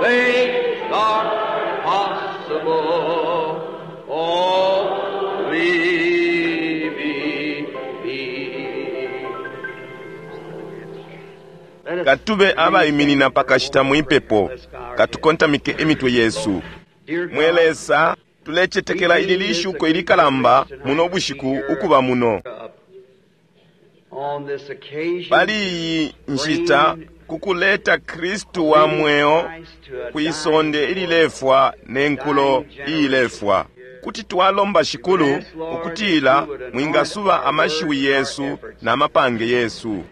things are possible. Only believe. Katube abaiminina pakashita mwipepo, katukontamike imitwe yesu. Mwe Lesa, tulecetekela ili lishuko ilikalamba muno bushiku ukuba muno On this occasion, pali iyi nshita kukuleta Kristu wa mweo kwisonde ililefwa ne nkulo iilefwa. Kuti twalomba Shikulu ukutila mwingasuba amashiwi yesu na mapange yesu,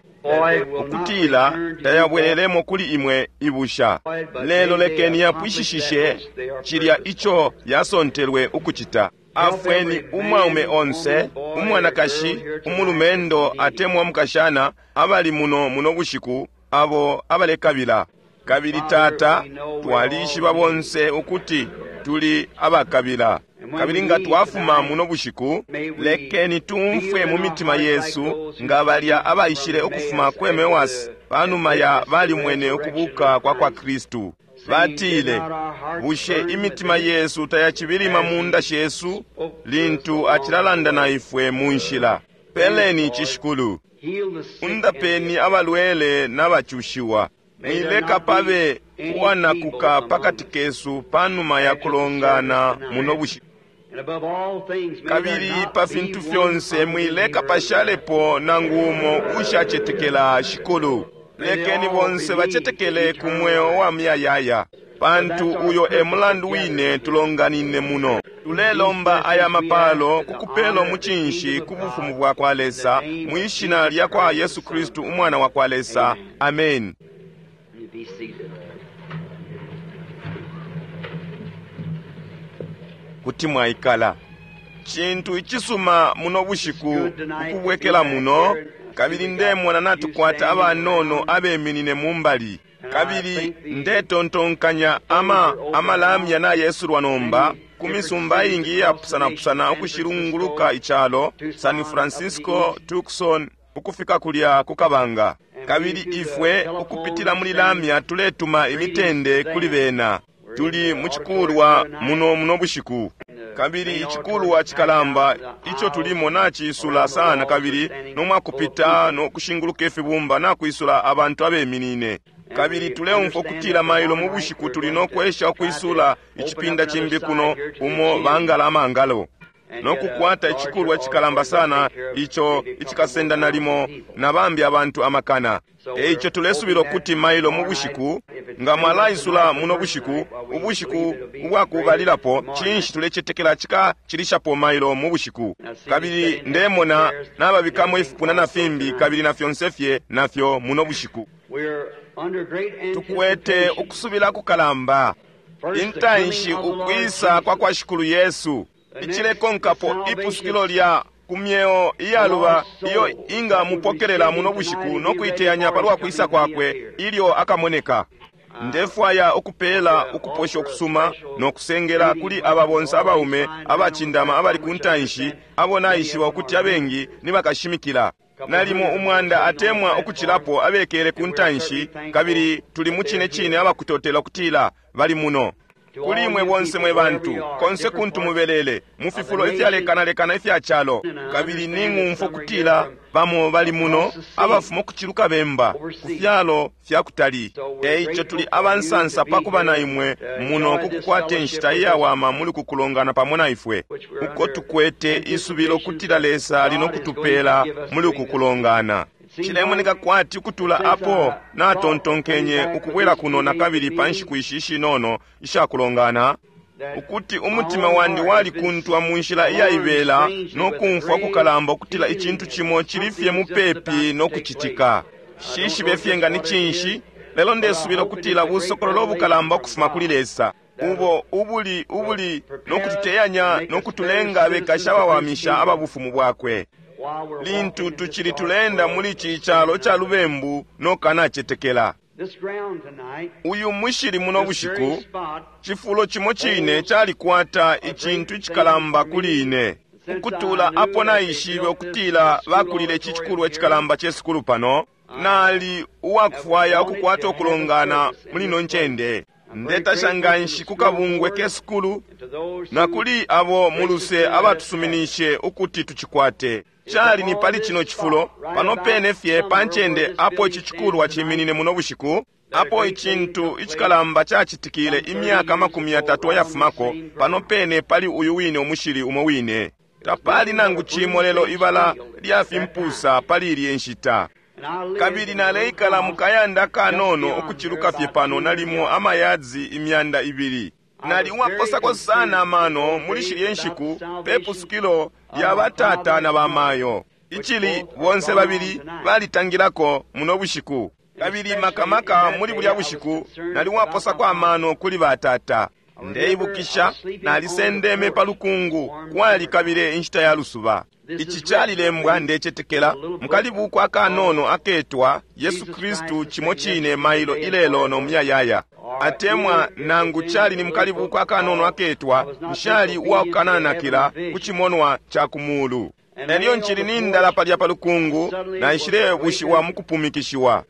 ukutila tayabwelelemo kuli imwe ibusha, lelo lekeni yapwishishishe cilya ico yasontelwe ukucita. Afweni umwaume onse, umwanakashi, umulumendo atemwa umukashana abali muno muno bushiku abo abalekabila. Kabili Tata, twalishiba bonse ukuti tuli abakabila. Kabili nga twafuma muno bushiku, lekeni tumfwe mu mitima yesu nga balya abaishile ukufuma ku Emewasi panuma ya balimwene ukubuka kwa kwa Kristu. Batile, bushe imitima yesu tayacibilima mu nda shesu lintu acilalanda na ifwe mu nshila? Peleni ici, Shikulu. heal the sick and Undapeni abalwele n'abacushiwa. Mwileka pabe uwanakuka pakati kesu panuma ya kulongana muno bushiku. And above all things, may there Kabili not pa be fintu one fyonse mwileka unbeliever pashalepo nangu umo ushacetekela Shikulu. Lekeni bonse bacetekele ku mweo wa muyayaya, pantu uyo e mulandu wine tulonganine muno. Tulelomba aya mapalo kukupelo mucinshi ku bufumu bwa kwa Lesa, mwi shina lya kwa Yesu Kristu umwana wa kwa Lesa. Amen. You be seated. Kuti mwaikala. Cintu icisuma muno bushiku ukubwekela muno, kabili ndemona natukwata abanono abeminine mumbali. Kabili ndetontonkanya ama amalamya nayesulwa nomba ku misumba ingi iyapusanapusana ukushilunguluka icalo, San Francisco, Tucson, ukufika kulya ku kabanga. Kabili ifwe ukupitila muli lamya tuletuma imitende kuli bena. Tuli mu cikulwa muno muno bushiku. Kabili icikulwa cikalamba ico tulimo naciisula sana, kabili nomwakupita no kushinguluka ifibumba nakwisula abantu abeminine. Kabili tuleumfwa ukutila mailo mu bushiku tuli no kwesha ukwisula icipinda cimbi kuno umo bangala amangalo, no kukwata icikulwa cikalamba sana ico icikasenda nalimo na bambi abantu amakana. Eico tulesubila ukuti mailo mu bushiku, nga mwalaisula muno bushiku, ubushiku ubwakubalilapo, cinshi tulecetekela cikacilishapo mailo mu bushiku. Kabili ndemona nababikamo ifipuna na fimbi kabili na fyonse fye nafyo muno bushiku. We're under great Tukwete anticipation. ukusubila kukalamba. First, the Intanshi coming of the Lord ukwisa kwa kwa Shikulu Yesu, icilekonkapo ipusukilo lya ku myeo iyaluba iyo inga mupokelela muno bushiku no kuiteyanya palwa kwisa kwakwe ilyo akamoneka. Ndefwaya ukupela ukuposha ukusuma no kusengela kuli aba bonse abaume abacindama abali ku ntanshi, abo naishiba ukuti abengi ni bakashimikila. Nalimo umwanda atemwa ukucilapo abekele ku ntanshi, kabili tuli mu cine cine abakutotela ukutila bali muno. Kuli imwe bonse mwe bantu, konse kuntu mubelele, mu fifulo ifyalekanalekana ifya calo, kabili ning'umfwa ukutila bamo bali muno abafuma ukuciluka bemba ku fyalo fya kutali. Eico tuli abansansa pa kuba na imwe muno kukukwata inshita iyawama muli kukulongana pamo na ifwe, uko tukwete isubilo kutila Lesa ali no kutupela muli kukulongana. Cilemoneka kwati ukutula apo natontonkenye ukubwela kuno nakabili pa nshiku ishi ishinono ishakulongana, ukuti umutima wandi walikuntwa mu nshila iyaibela no kumfwa kukalamba ukutila icintu cimo cili fye mupepi no kucitika. Shishibe fye nga ni cinshi, lelo ndesubila ukutila busokololo bukalamba ukufuma kuli Lesa, ubo ubuli ubuli no kututeyanya no kutulenga abekashi abawamisha aba bufumu bwakwe. While we're Lintu walking in this tucili dark tulenda world. muli ici calo ca lubembu no kanacetekela. This ground tonight, Uyu mushili muno this very bushiku, spot, cifulo cimo cine calikwata icintu icikalamba kuli ine. Ukutula apo naishibe ukutila bakulile ici cikulwa icikalamba ce sukulu pano, nali uwakufwaya ukukwata ukulongana muli ino ncende. Ndetasha nganshi ku kabungwe ke sukulu na kuli abo muluse abatusuminishe ukuti tucikwate. Cali ni pali cino cifulo pano pene fye pa ncende apo ici cikulwa ciminine muno bushiku, apo icintu icikalamba cacitikile imyaka 30 ayafumako, pano pene pali uyu wine umushili umo wine. Tapali nangu cimo lelo ibala lya fimpusa pali ilye nshita. Kabili naleikala mu kayanda kanono ukuciluka fye pano nalimo amayadzi 200. Nali uwaposako sana amano muli shilye nshiku pe pusukilo lya batata na bamayo, icili bonse babili balitangilako muno bushiku. Kabili makamaka muli bulya bushiku nali uwaposako amano kuli batata. Ndeibukisha nalisendeme pa lukungu kwalikabile inshita ya lusuba. Ici calilembwa ndecetekela mukalibuku akanono aketwa Yesu Kristu cimo cine mailo ilelo no muyayaya, atemwa nangu cali ni mukalibuku akanono aketwa Nshali uwakukananakila ku cimonwa ca ku mulu. Elyo ncili nindala palya pa lukungu, naishilebushiwa mu kupumikishiwa,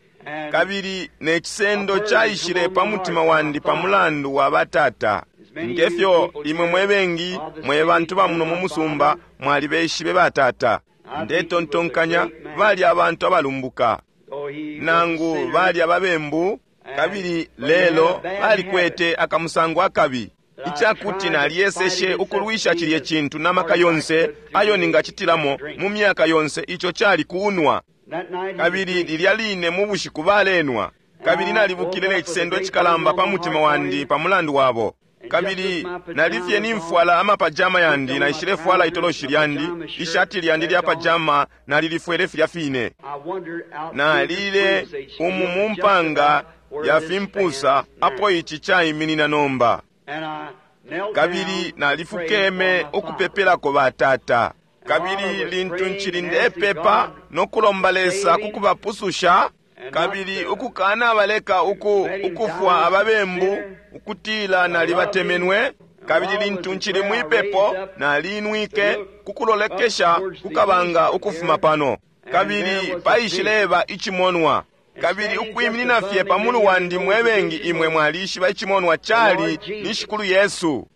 kabili ne cisendo caishile pa mutima wandi pa mulandu wa batata. Ngefyo imwe mwe bengi mwe bantu ba muno mu musumba mwalibeshibe batata. Ndetontonkanya bali abantu abalumbuka, nangu bali ababembu, kabili lelo balikwete akamusango akabi, icakuti naliyeseshe ukulwisha cilye cintu na maka yonse ayo ningacitilamo mu myaka yonse, ico cali kunwa. Kabili lilya line mu bushiku balenwa, kabili nalibukile ne cisendo icikalamba pa mutima wandi pa mulandu wabo. Kabili nalifye nimfwala amapajama yandi, naishilefwala itoloshi lyandi, ishati lyandi lya pajama nalilifwele filya fine. Nalile umu mu mpanga ya fimpusa apo ici caiminina nomba. Kabili nalifukeme ukupepelako batata. Kabili lintu ncili ndepepa no kulomba Lesa kukubapususha, kabili ukukanabaleka ukufwa ababembu, ukutila nalibatemenwe. Kabili lintu ncili mwipepo nalinwike kukulolekesha kukabanga ukufuma pano, kabili paishileba icimonwa. Kabili ukwiminina fye pa mulu wandi mwebengi imwe mwalishiba icimonwa cali ni Shikulu Yesu.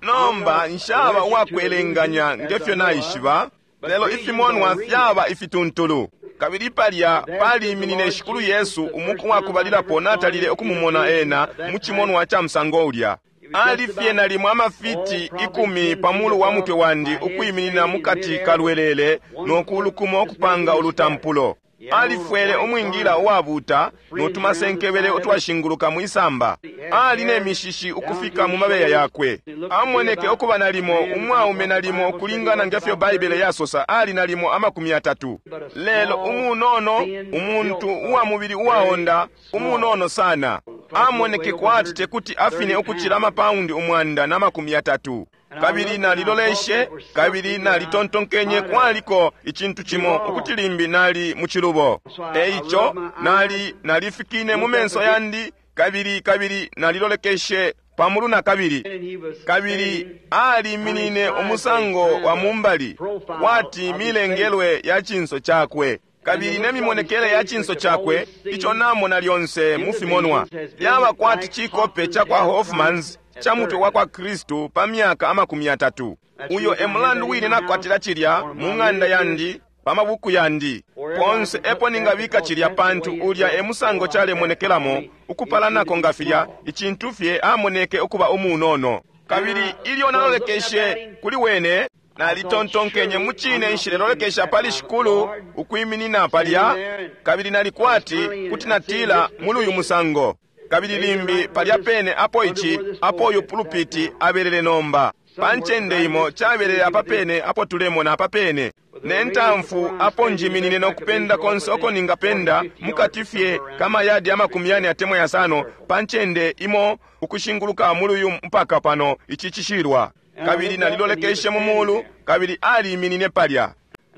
Nomba nshaba uwakwelenganya ngefyo naishiba, lelo ifimonwa fyaba ifituntulu. Kabili palya paliminine Shikulu Yesu umuku wakubalilapo natalile ukumumona ena mu cimonwa ca musango ulya. Ali fye nalimo amafiti 10 pa mulu wa mutwe wandi, ukwiminina mukati kalwelele no kulukumo ukupanga ulutampulo. Alifwele umwingila uwabuta no tumasenkebele utwashinguluka mwisamba. Ali ne mishishi ukufika mu mabeya yakwe. Amoneke ukuba nalimo umwaume nalimo ukulingana ngefyo Baibele yasosa, ali nalimo 30. Lelo umunono, umuntu uwa mubili uwaonda, umunono sana. Amoneke kwati tekuti afine ukucila amapaundi 130. Kabili naliloleshe, kabili nalitontonkenye kwaliko icintu cimo ukuti limbi nali mu cilubo. Eico nalifikine mu menso yandi, kabili nalilolekeshe pamulu na kabili. Kabili aliminine umusango wa mumbali kwati milengelwe ya cinso cakwe, kabili ne mimonekele ya cinso cakwe ico namona lyonse mu fimonwa yaba kwati cikope ca kwa Hoffmans ca mutwe wa kwa Kristu pa myaka 30. Uyo e mulandu wine nakwatila cilya mu ng'anda yandi, pa mabuku yandi ponse epo ningabika cilya, pantu ulya e musango calemonekelamo ukupalanako nga filya icintu fye amoneke ukuba umunono. Kabili ilyo nalolekeshe kuli wene, nalitontonkenye mucine nshilelolekesha pali Shikulu ukwiminina palya, kabili nalikwati kuti natila muli uyu musango. Kabili limbi palya pene apo ici apo uyu pulupiti abelele nomba pa ncende imo cabelele apa pene apo tulemona apa pene ne ntamfu apo njiminine nokupenda konse oko ningapenda mukati fye kamayadi 40 atemwa 5 pa ncende imo ukushinguluka muli uyu mpaka pano ici cishilwa. Kabili nalilolekeshe mu mulu, kabili aliminine palya,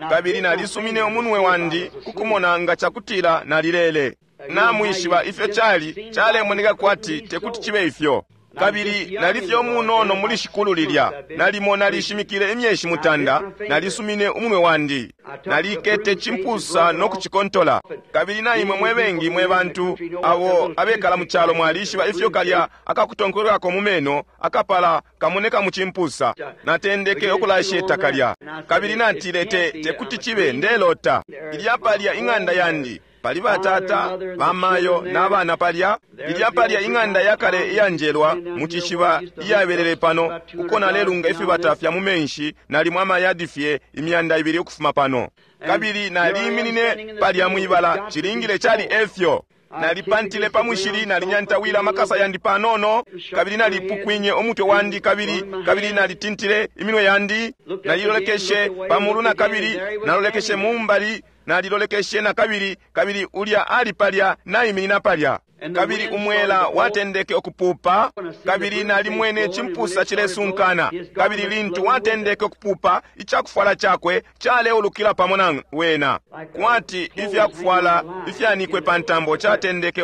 kabili nalisumine umunwe wandi kukumona nga cakutila nalilele. Namwishiba ifyo cali calemoneka kwati tekuti cibe ifyo. Kabili nali fye umunono muli Shikulu lilya, nalimo nalishimikile imyeshi 9, nalisumine umunwe wandi, nalikete cimpusa no kucikontola. Kabili na imwe mwe bengi mwe bantu abo abekala mu calo mwalishiba ifyo kalya akakutonkolelako mu meno akapala kamoneka mu cimpusa. Natendeke ukulasheta kalya, kabili natile, te kuti cibe, ndelota. Ilya palya ing'anda yandi, pali batata, bamayo n'abana palya. Ilya palya ing'anda yakale iyanjelwa mu cishiba iyabelele pano, uko nalelunga ifibata fya mu menshi, nalimo amayadi fye 200 ukufuma pano. Kabili naliiminine palya mwibala, cilingile cali efyo. Nalipantile pa mushili, nalinyantawila amakasa yandi panono, kabili nalipukwinye umutwe wandi, kabili kabili nalitintile iminwe yandi, nalilolekeshe pamulu na kabili nalolekeshe mumbali, nalilolekeshe na kabili, kabili ulya ali palya naiminina palya. Kabili umwela watendeke ukupupa, kabili nalimwene cimpusa cilesunkana. Kabili lintu watendeke ukupupa, icakufwala cakwe caleulukila pamo na wena, kwati ifyakufwala ifyanikwe pa ntambo catendeke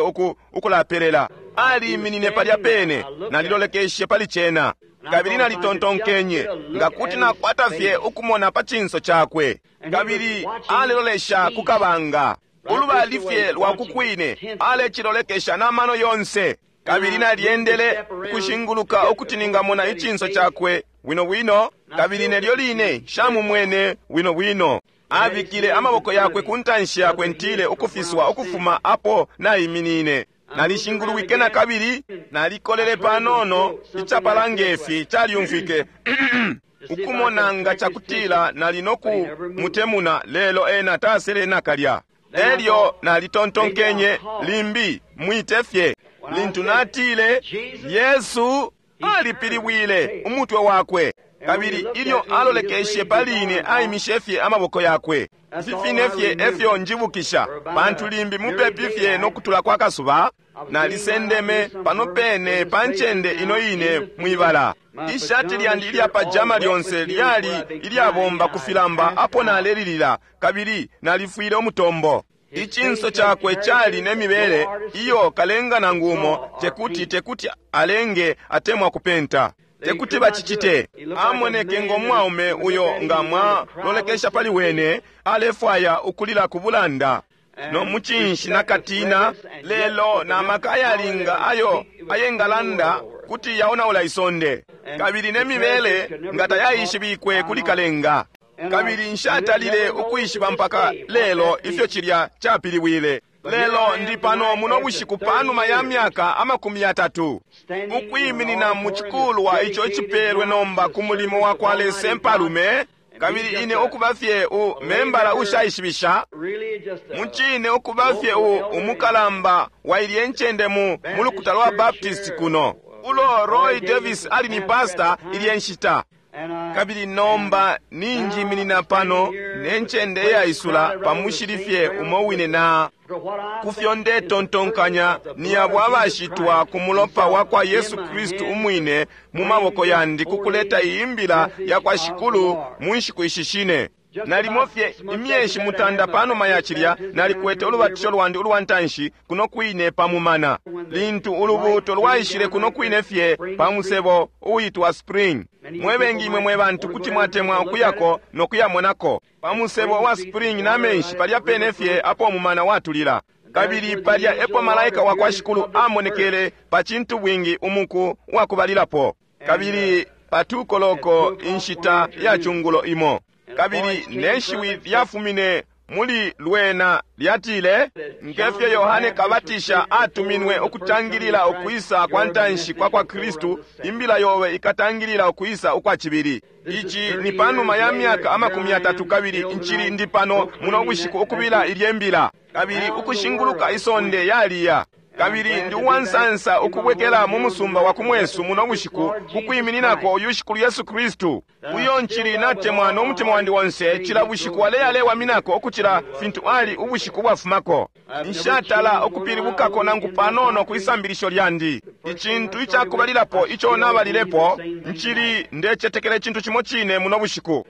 ukulapelela. Aliiminine palya pene, nalilolekeshe pali cena, kabili nalitontonkenye nga kuti nakwata fye ukumona pa cinso cakwe. Kabili alelolesha ku kabanga, ulubali fye lwa kukwine, alecilolekesha n'amano yonse. Kabili nalyendele ukushinguluka ukuti ningamona icinso cakwe bwino bwino, kabili nelyo line shamumwene bwino bwino. Abikile amaboko yakwe ku ntanshi yakwe, ntile ukufiswa ukufuma apo naiminine. Nalishingulwike na kabili, nalikolele panono, icapala ngefi calyumfwike ukumona nga cakutila nali no kumutemuna, lelo ena tasele nakalya. Elyo nalitontonkenye, limbi mwite fye. Lintu natile Yesu, alipilibwile umutwe wakwe, kabili ilyo alolekeshe pali ine, aimishe fye amaboko yakwe. Ifi fine fye efyo njibukisha, pantu limbi mupepi fye no kutula kwa kasuba, nalisendeme pano pene pa ncende ino ine mwibala. Ishati lyandi ilya pajama lyonse lyali ilyabomba ku filamba apo nalelilila, kabili nalifwile umutombo. Icinso cakwe cali ne mibele iyo kalenga nangu umo tekuti alenge atemwa kupenta, tekuti bacicite. Amoneke ngo mwaume uyo nga mwalolekesha pali wene alefwaya ukulila ku bulanda no mucinshi na katina, lelo na maka ayalinga ayo ayengalanda kuti yaonaula isonde, kabili ne mibele nga tayaishibikwe kuli kalenga. Kabili nshatalile ukwishiba mpaka lelo ifyo cilya capilibwile. Lelo ndi pano muno bushiku panuma ya myaka 30, ukwiminina mu cikulwa ico icipelwe nomba ku mulimo wa kwa Lesa impalume, kabili ine ukuba fye membala ushaishibisha, mucine ukuba fye umukalamba wa ilye ncende mu lukuta lwa Baptist kuno, ulo Roy Davis ali ni pastor ilye nshita. Kabili nomba ninjiminina pano ne ncende iyaisula pa mushili fye umo wine na kufyo ndetontonkanya ni abo abashitwa ku mulopa wa kwa Yesu Kristu umwine mu maboko yandi ku kuleta iyi mbila ya kwa Shikulu mu nshiku ishi shine. Nalimo fye imyeshi 9 panuma ya cilya, nalikwete ulubatisho lwandi ulwa ntanshi kuno kwine pa mumana, lintu ulubuuto lwaishile kuno kwine fye pa musebo uitwa Spring. Mwe bengi imwe mwe bantu kuti mwatemwa ukuyako no kuyamonako pa musebo wa Spring na menshi palya pene fye apo mumana watulila. Kabili palya epo malaika wa kwa Shikulu amonekele pa cintu bwingi umuku wa kubalilapo, kabili patukoloko inshita ya chungulo imo. Kabili neshiwi lyafumine muli lwena lyatile, ngefyo Yohane Kabatisha atuminwe ukutangilila ukwisa kwa ntanshi kwa kwa Kristu, imbila yobe ikatangilila ukwisa ukwa cibili. Ici ni panuma ya myaka 30, kabili nchili ndi pano muno bushiku ukubila ilye mbila, kabili ukushinguluka isonde yaliya. Kabili ndi uwansansa ukubwekela mu musumba wa kumwesu muno bushiku kukwimininako uyu Shikulu Yesu Kristu, uyo nchili natemwa no mutima wandi wonse. Cila bushiku aleyalewaminako ukucila fintu ali ubushiku bwafumako. Nshatala ukupilibukako nangu panono ku isambilisho lyandi. Icintu icakubalilapo ico nabalilepo, nchili ndecetekela icintu cimo cine muno bushiku.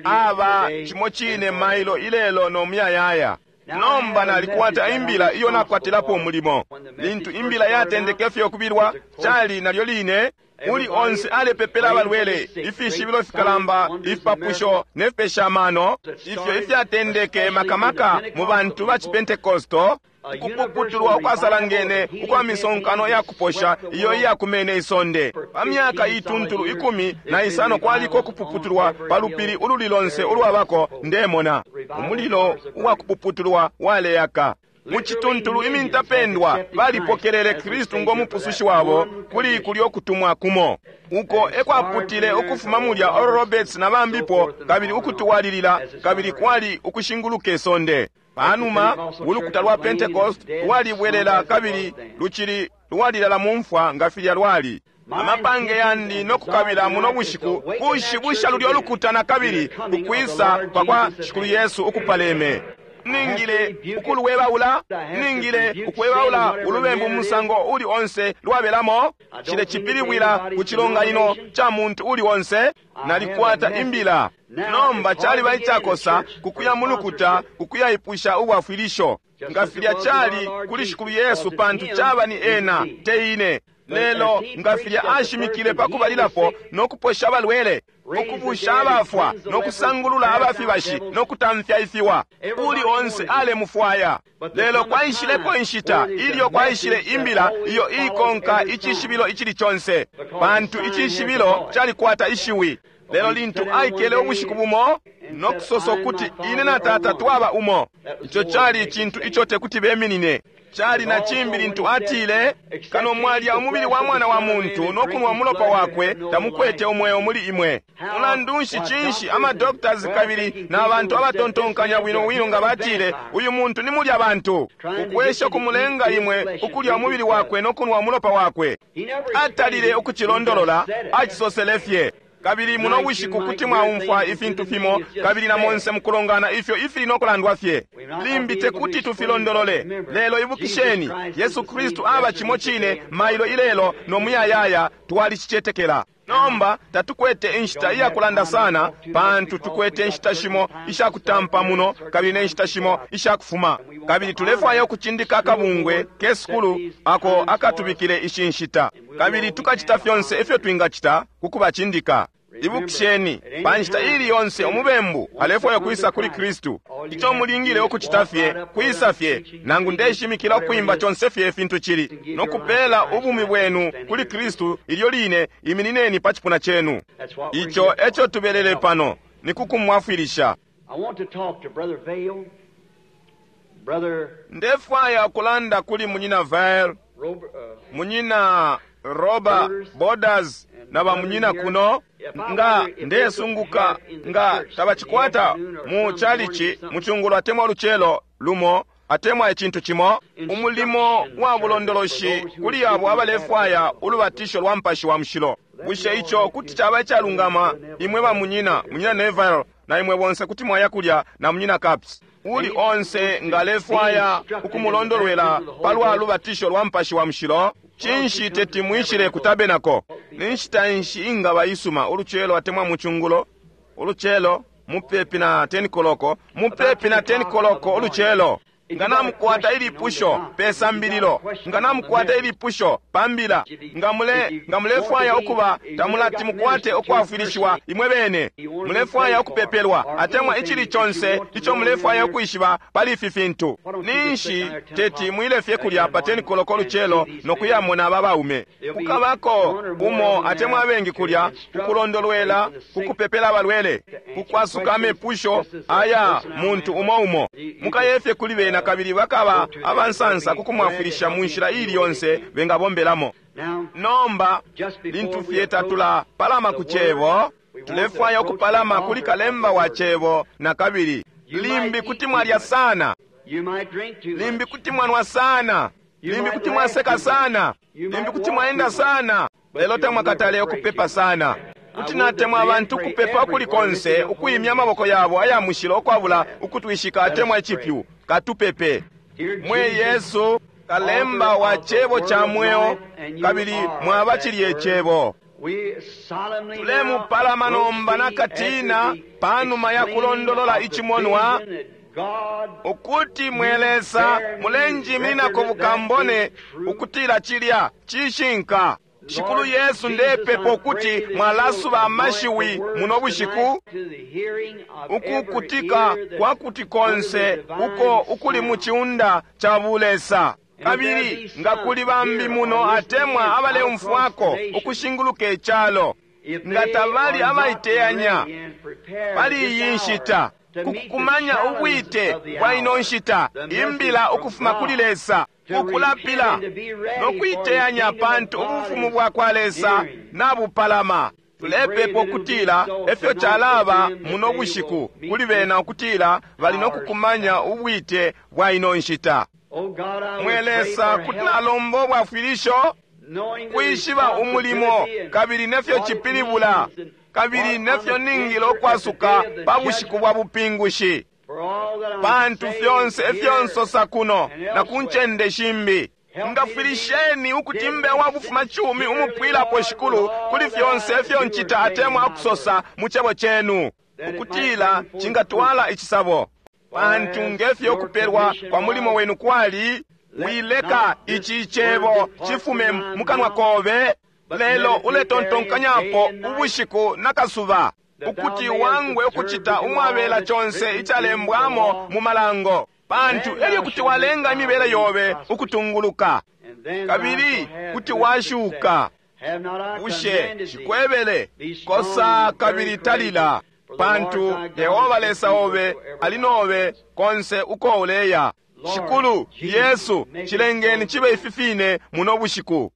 Aba cimo cine mailo ilelo no muyayaya. Nomba nalikwata imbila iyo nakwatilapo umulimo. Lintu imbila yatendeke fye ukubilwa, cali nalyo line uli onse alepepela abalwele, ifishibilo fikalamba, ifipapusho ne fipesha amano, ifyo ifyatendeke makamaka mu bantu ba Cipentekosto, ukupuputulwa ukwasalangene ukwa misonkano ya kuposha iyo iyakumene isonde. Pa myaka ituntulu 15 kwaliko kupuputulwa pa lupili ululi lonse ulwabako ndemona. Umulilo uwa kupuputulwa waleaka. Mu cituntulu imintapendwa balipokelele Kristu ngo mupusushi wabo kuli kulyo kutumwa kumo. Uko ekwaputile ukufuma mulya Oral Roberts na bambipo, kabili ukutwalilila, kabili kwali ukushinguluka isonde. Panuma ulukuta lwa Pentecost lwalibwelela kabili lucili lwalilala mu mfwa nga filya lwali. Amapange yandi no kukabila muno bushiku kushibusha lulyo lukuta na kabili ukwisa kwa kwa Shikulu Yesu ukupaleme. Ningile ukuluwebaula, ningile ukwebaula ulubembu musango uli onse lwabelamo. Cile cipilibwila ku cilonganino ca muntu uli onse. Nalikwata imbila. Nomba caliba icakosa kukuya mu lukuta kukuyaipusha ubwafwilisho nga filya cali kuli Shikulu Yesu, pantu caba ni ena te ine. Lelo nga filya ashimikile pa kubalilapo no kuposha abalwele, ukubusha abafwa, no kusangulula abafibashi, no kutamfya ifiwa, uli onse alemufwaya. Lelo kwaishileko inshita ilyo kwaishile imbila iyo ikonka icishibilo icili conse, pantu icishibilo calikwata ishiwi. Lelo lintu aikele ubushiku bumo no kusosa ukuti ine na Tata twaba umo, ico cali icintu ico tekuti beminine. Cali na cimbi lintu atile, kano mwalya umubili wa mwana wa muntu no kunwa umulopa wakwe, tamukwete umweo muli imwe. Mulandu nshi cinshi ama doctors kabili na bantu abatontonkanya bwino bwino nga batile, uyu muntu ni mulya bantu, ukwesha kumulenga imwe ukulya umubili wakwe no kunwa umulopa wakwe. Atalile ukucilondolola, acisosele fye. Kabili muno bushiku kuti mwaumfwa ifintu fimo, kabili na monse mukulongana ifyo ifili no kulandwa fye. Limbi tekuti tufilondolole, lelo ibukisheni, Yesu Kristu aba cimo cine mailo ilelo no muyayaya, twalicicetekela. Nomba tatukwete inshita iya kulanda sana, pantu tukwete inshita shimo isha kutampa muno kabili ne nshita shimo isha kufuma, kabili tulefwaya ukucindika akabungwe ke sukulu ako akatubikile ishi nshita, kabili tukacita fyonse ifyo twingacita ku kubacindika. Ibukisheni, pa nshita ili yonse umubembu alefwaya kwisa kuli Kristu. Ico mulingile ukucita fye kwisa fye, nangu ndeshimikila ukwimba conse fye ifintu cili, no kupela ubumi bwenu kuli Kristu ilyo line. Iminineni pa cipuna cenu. Ico eco tubelele pano, ni kukumwafwilisha. Ndefwaya kulanda kuli munyina Vail, munyina Robert Borders na bamunyina kuno. Nga ndesunguka nga tabacikwata mu chalichi mucungulo atemwa ulucelo lumo atemwa icintu cimo, umulimo wa bulondoloshi kuli abo abalefwaya ulubatisho lwa Mupashi wa Mushilo. Bushe ico kuti caba icalungama? Imwe bamunyina, munyina Neville na imwe bonse kuti mwaya kulya na munyina Caps. Uli onse nga alefwaya ukumulondolwela palwa lubatisho lwa Mupashi wa Mushilo, cinshi teti mwishile ku tabernacle? Ni nshita nshi ingaba isuma, ulucelo atemwa mucungulo? Ulucelo mupepi na 10 koloko, mupepi na 10 koloko ulucelo. Nga namukwata ilipusho pe sambililo, nga namukwata ilipusho pa mbila, nga mulefwaya ukuba tamulati mukwate ukwafwilishiwa imwe bene, mulefwaya ukupepelwa atemwa icili conse ico mulefwaya ukwishiba pali ifi fintu, ninshi teti mwile fye kulya pa 10 koloko lucelo no kuyamona aba baume. Kukabako umo atemwa abengi kulya kukulondolwela, kukupepela abalwele, kukwasuka amepusho aya muntu umo umo. Mukayefye kuli bena kabili bakaba abansansa kukumwafwilisha mu nshila ili yonse bengabombelamo. Nomba lintu fye tatula palama ku cebo, tulefwaya ukupalama kuli kalemba wa cebo na kabili. Limbi kuti mwalya sana, limbi kuti mwanwa sana, limbi kuti mwaseka sana, limbi kuti mwaenda sana, lelo tamwakatale ukupepa sana. Kuti natemwa abantu ukupepa ukuli konse, ukuimya amaboko yabo aya mushilo ukwabula ukutwishika atemwa icipyu. Katupepe. Mwe Yesu, kalemba wa cebo cha mweo, kabili mwaba cilye cebo. Tulemupalama nomba nakatina panuma ya kulondolola icimonwa Ukuti mwe Lesa mulenjimininako bukambone ukutila cilya cishinka. Shikulu Yesu, ndepepa ukuti mwalasuba amashiwi muno bushiku, ukukutika kwa kuti konse uko ukuli mu ciunda ca bulesa. Kabili nga kuli bambi muno atemwa abaleumfwako ukushinguluka icalo, nga tabali abaiteyanya pali iyi nshita kukukumanya ubwite bwa ino nshita, imbila ukufuma kuli Lesa, ukulapila no kuiteyanya, pantu ubufumu bwa kwa Lesa nabupalama. Tulepepa ukutila efyo calaba muno bushiku kuli bena, ukutila bali no kukumanya ubwite bwa ino nshita. Mwe Lesa, kuti nalomba ubwafwilisho kwishiba umulimo kabili nefyo cipilibula kabili nefyo ningile ukwasuka pa bushiku bwa bupingushi, pantu fyonse efyo nsosa kuno na ku ncende shimbi. Ngafwilisheni ukuti mbe wa bufuma cumi umupwilapo, Shikulu, kuli fyonse efyo ncita atemwa ukusosa mu cebo cenu, ukutila cingatwala icisabo. Pantu ngefyo ukupelwa kwa mulimo wenu kwali, wileka ici cebo cifume mukanwa kobe, lelo uletontonkanyapo ubushiku na kasuba, ukuti wangwe ukucita umwabela conse icalembwamo mu malango, pantu elyo kuti walenga imibele yobe ukutunguluka kabili kuti washuka. Bushe shikwebele kosa kabili talila, pantu Yehova Lesa obe ali nobe konse uko uleya. Shikulu Yesu, cilengeni cibe ifi fine muno bushiku.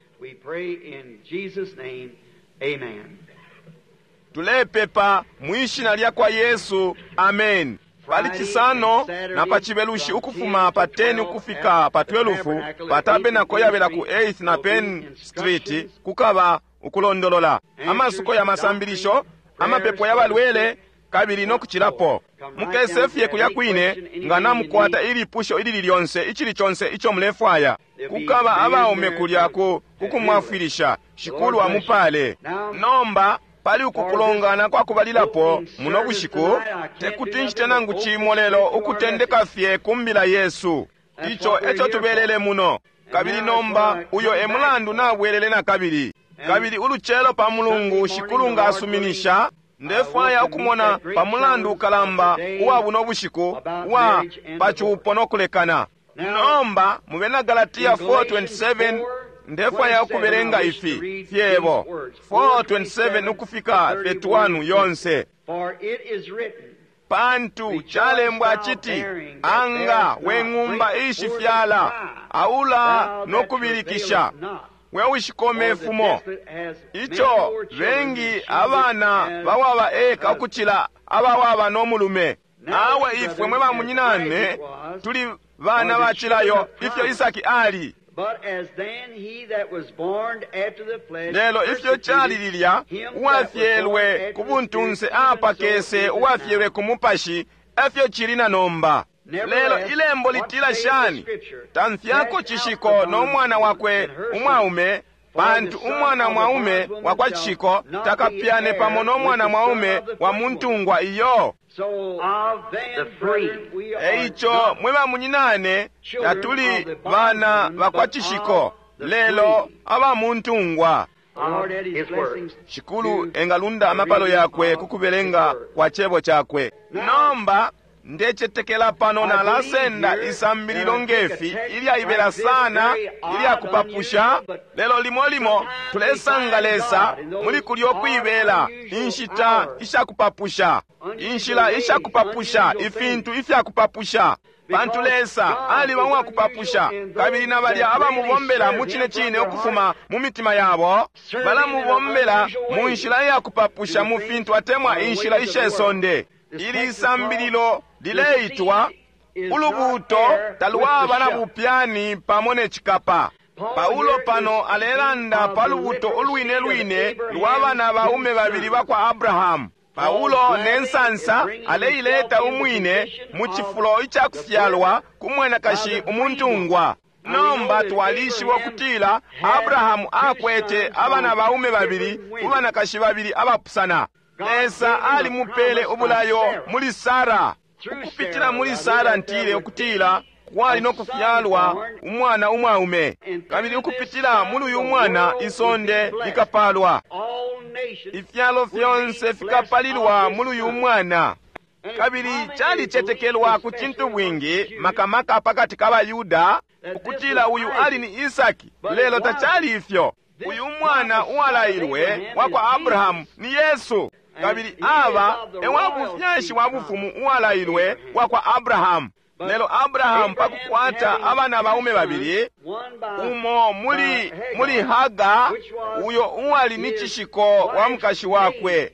Tulepepa mwishina lya kwa Yesu, amen. Pali Cisano na pa Cibelushi ukufuma pa 10 ukufika pa 12 pa tabenako yabela ku 8th na Penn Street kukaba ukulondolola amasuko ya masambilisho, amapepo ya balwele kabili no kucilapo. Mukese fye kulya kwine nga namukwata ilipusho ilili lyonse, icili conse ico mulefwaya. Kukaba abaume kulya ku kukumwafwilisha. Shikulu amupale. Nomba pali uku kulongana kwa kubalilapo muno bushiku, tekuti ncite nangu cimo lelo ukutendeka fye ku mbila yesu. Ico eco tubelele muno. Kabili nomba uyo e mulandu nabwelele na kabili. Kabili ulucelo pa Mulungu, Shikulu nga asuminisha, ndefwaya ukumona pa mulandu ukalamba uwa buno bushiku uwa pa cupo no kulekana. Nomba mu Bena Galatia 4:27 ndefwaya ukubelenga ifi fyebo 4:27 ukufika 31 yonse. Pantu calembwa citi, anga we ng'umba ishifyala, aula no kubilikisha, we ushikome fumo. Ico bengi abana bawaba eka ukucila abawaba no mulume. Awe ifwe mwe bamunyinane tuli bana bacilayo ifyo Isaki ali. Lelo ifyo cali lilya, uwafyelwe ku buntunse apakese uwafyelwe ku mupashi, efyo cili na nomba. Lelo ilembo litila shani? Tamfyako cishiko no mwana wakwe umwaume, pantu umwana mwaume wa kwa cishiko takapyane pamo no mwana mwaume wa muntungwa iyo. Eico mwe bamunyinane, tatuli bana bakwa cishiko, lelo aba muntungwa. Shikulu engalunda amapalo yakwe kukubelenga kwa cebo cakwe. Nomba ndecetekela pano nalasenda isambililo ngefi ilyaibela sana ilyakupapusha, lelo limo limo tulesanga Lesa muli kulyo kuibela inshita ishakupapusha, inshila ishakupapusha, ifintu ifyakupapusha. Pantu Lesa aliba uwakupapusha, kabili na balya abamubombela mu cine cine ukufuma mu mitima yabo balamubombela mu nshila iyakupapusha mu fintu atemwa inshila ishe sonde. Ili isambililo lileitwa ulubuuto talwaba na bupyani pamo ne cikapa. Paulo pano alelanda pa lubuuto ulwine lwine lwa bana baume babili bakwa Abrahamu. Paulo ne nsansa aleileta umwine mu cifulo icakufyalwa ku mwanakashi umuntungwa. Nomba twalishiba ukutila Abrahamu akwete abana baume babili ku banakashi babili abapusana. Lesa alimupele ubulayo muli Sara. Ukupitila muli Sara, ntile ukutila kwali no kufyalwa umwana umwaume, kabili ukupitila muli uyu mwana isonde likapalwa. Ifyalo fyonse fikapalilwa muli uyu mwana. Kabili calicetekelwa ku cintu bwingi, makamaka pakati ka baYuda, ukutila uyu ali ni Isaki, lelo tacali ifyo. Uyu mwana uwalailwe wa kwa Abrahamu ni Yesu, kabili aba e wa bufyashi wa bufumu uwalailwe wa kwa Abrahamu. Lelo Abrahamu pa kukwata abana baume babili, umo muli Haga, uyo uwali ni cishiko wa mukashi wakwe,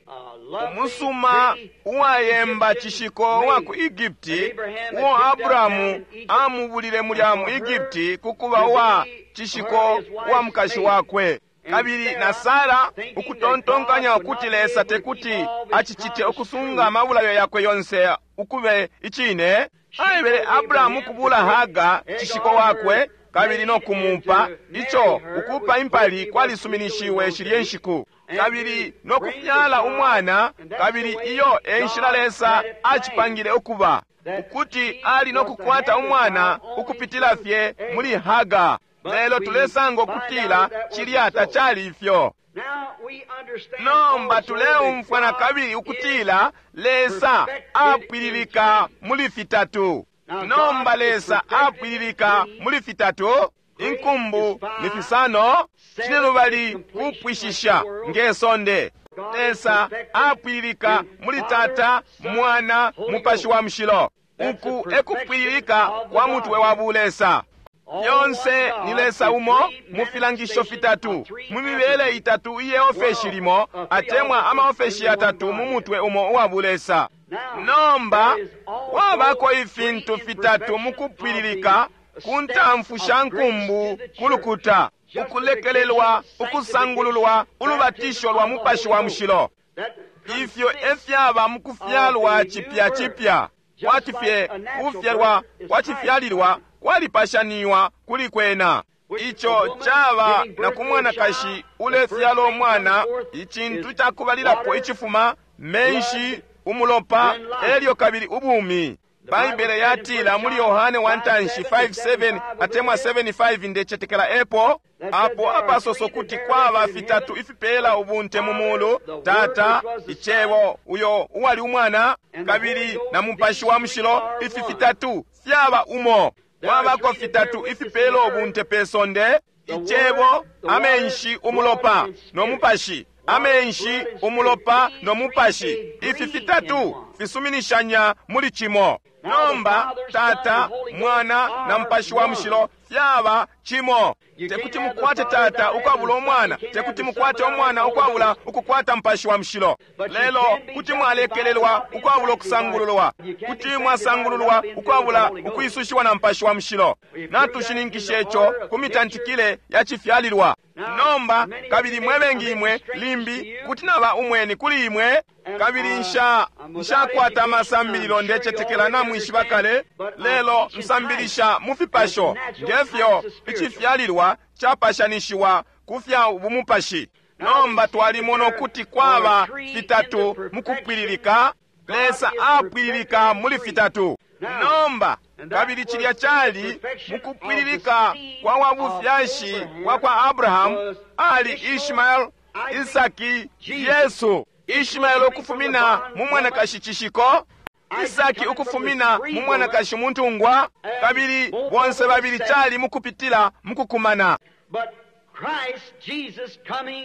umusuma uwayemba cishiko wa ku Egipti, uo Abrahamu amubulile mulya mu Egipti kukuba uwa cishiko wa mukashi wakwe. Kabili na Sara, ukutontonkanya ukuti Lesa tekuti acicite ukusunga amabulayo yakwe yonse ukube icine, aebele Abrahamu ukubula Haga cishiko wakwe kabili no kumupa, ico ukupa impali kwalisuminishiwe shilye nshiku, kabili no kufyala umwana. Kabili iyo e nshila Lesa acipangile ukuba, ukuti ali no kukwata umwana ukupitila fye muli Haga. Lelo tulesanga ukutila cilya tacali ifyo. Nomba tuleumfwa na kabili ukutila Lesa apwililika muli fitatu. Nomba Lesa apwililika muli fitatu: inkumbu ni fisano, cinelubali kupwishisha nge sonde. Lesa apwililika muli Tata, Mwana, Mupashi wa Mushilo. Uku ekupwililika kwa mutwe wa bulesa. Yonse ni Lesa umo mu filangisho fitatu, mu mibele itatu iye ofeshi limo, atemwa amaofeshi yatatu mu mutwe umo uwa bulesa. Nomba wabako ifintu fitatu mu kupwililika ku ntamfu sha nkumbu ku lukuta: ukulekelelwa, ukusangululwa, ulubatisho lwa Mupashi wa Mushilo. Ifyo efyaba mu kufyalwa cipya cipya, kwati fye kufyalwa kwa cifyalilwa kwalipashaniwa kuli kwena. Ico caba na ku mwanakashi ulefyala umwana, icintu cakubalilapo icifuma menshi, umulopa, elyo kabili ubumi. Baibele yatila muli Yohane wa ntanshi 5:7 atemwa 7:5, ndecetekela epo apo apasoso kuti kwaba fitatu ifipela ubunte mu mulu: Tata, Icebo, uyo uwali umwana, kabili na Mupashi wa Mushilo. Ifi fitatu fyaba umo. Kwabako fitatu ifipela ubunte pe sonde: Icebo, amenshi, umulopa no Mupashi. Amenshi, umulopa no Mupashi, ifi fitatu fisuminishanya muli cimo. Nomba Tata, Mwana na Mupashi wa Mushilo fyaba cimo. Tekuti mukwate Tata ukwabula Umwana, tekuti mukwate Umwana ukwabula ukukwata Mupashi wa Mushilo. Lelo kuti mwalekelelwa ukwabula ukusangululwa, kuti mwasangululwa ukwabula ukwisushiwa na Mupashi wa Mushilo. Natushininkishe ico ku mitantikile ya cifyalilwa. Nomba kabili mwe bengi imwe limbi kuti naba umweni kuli imwe, kabili nshakwata amasambililo, ndecetekela namwishiba kale, lelo nsambilisha mu fipasho ngefyo icifyalilwa capashanishiwa ku fya bumupashi. Nomba twalimona ukuti kwaba fitatu mu kupwililika. Lesa apwililika muli fitatu. Nomba kabili cilya cali mukupwililika kwa wabufyashi wa kwa Abrahamu, ali Ishmael, Isaki, Yesu. Ishmael ukufumina mu mwanakashi cishiko, Isaki ukufumina mu mwanakashi muntungwa, kabili bonse babili cali mukupitila mukukumana.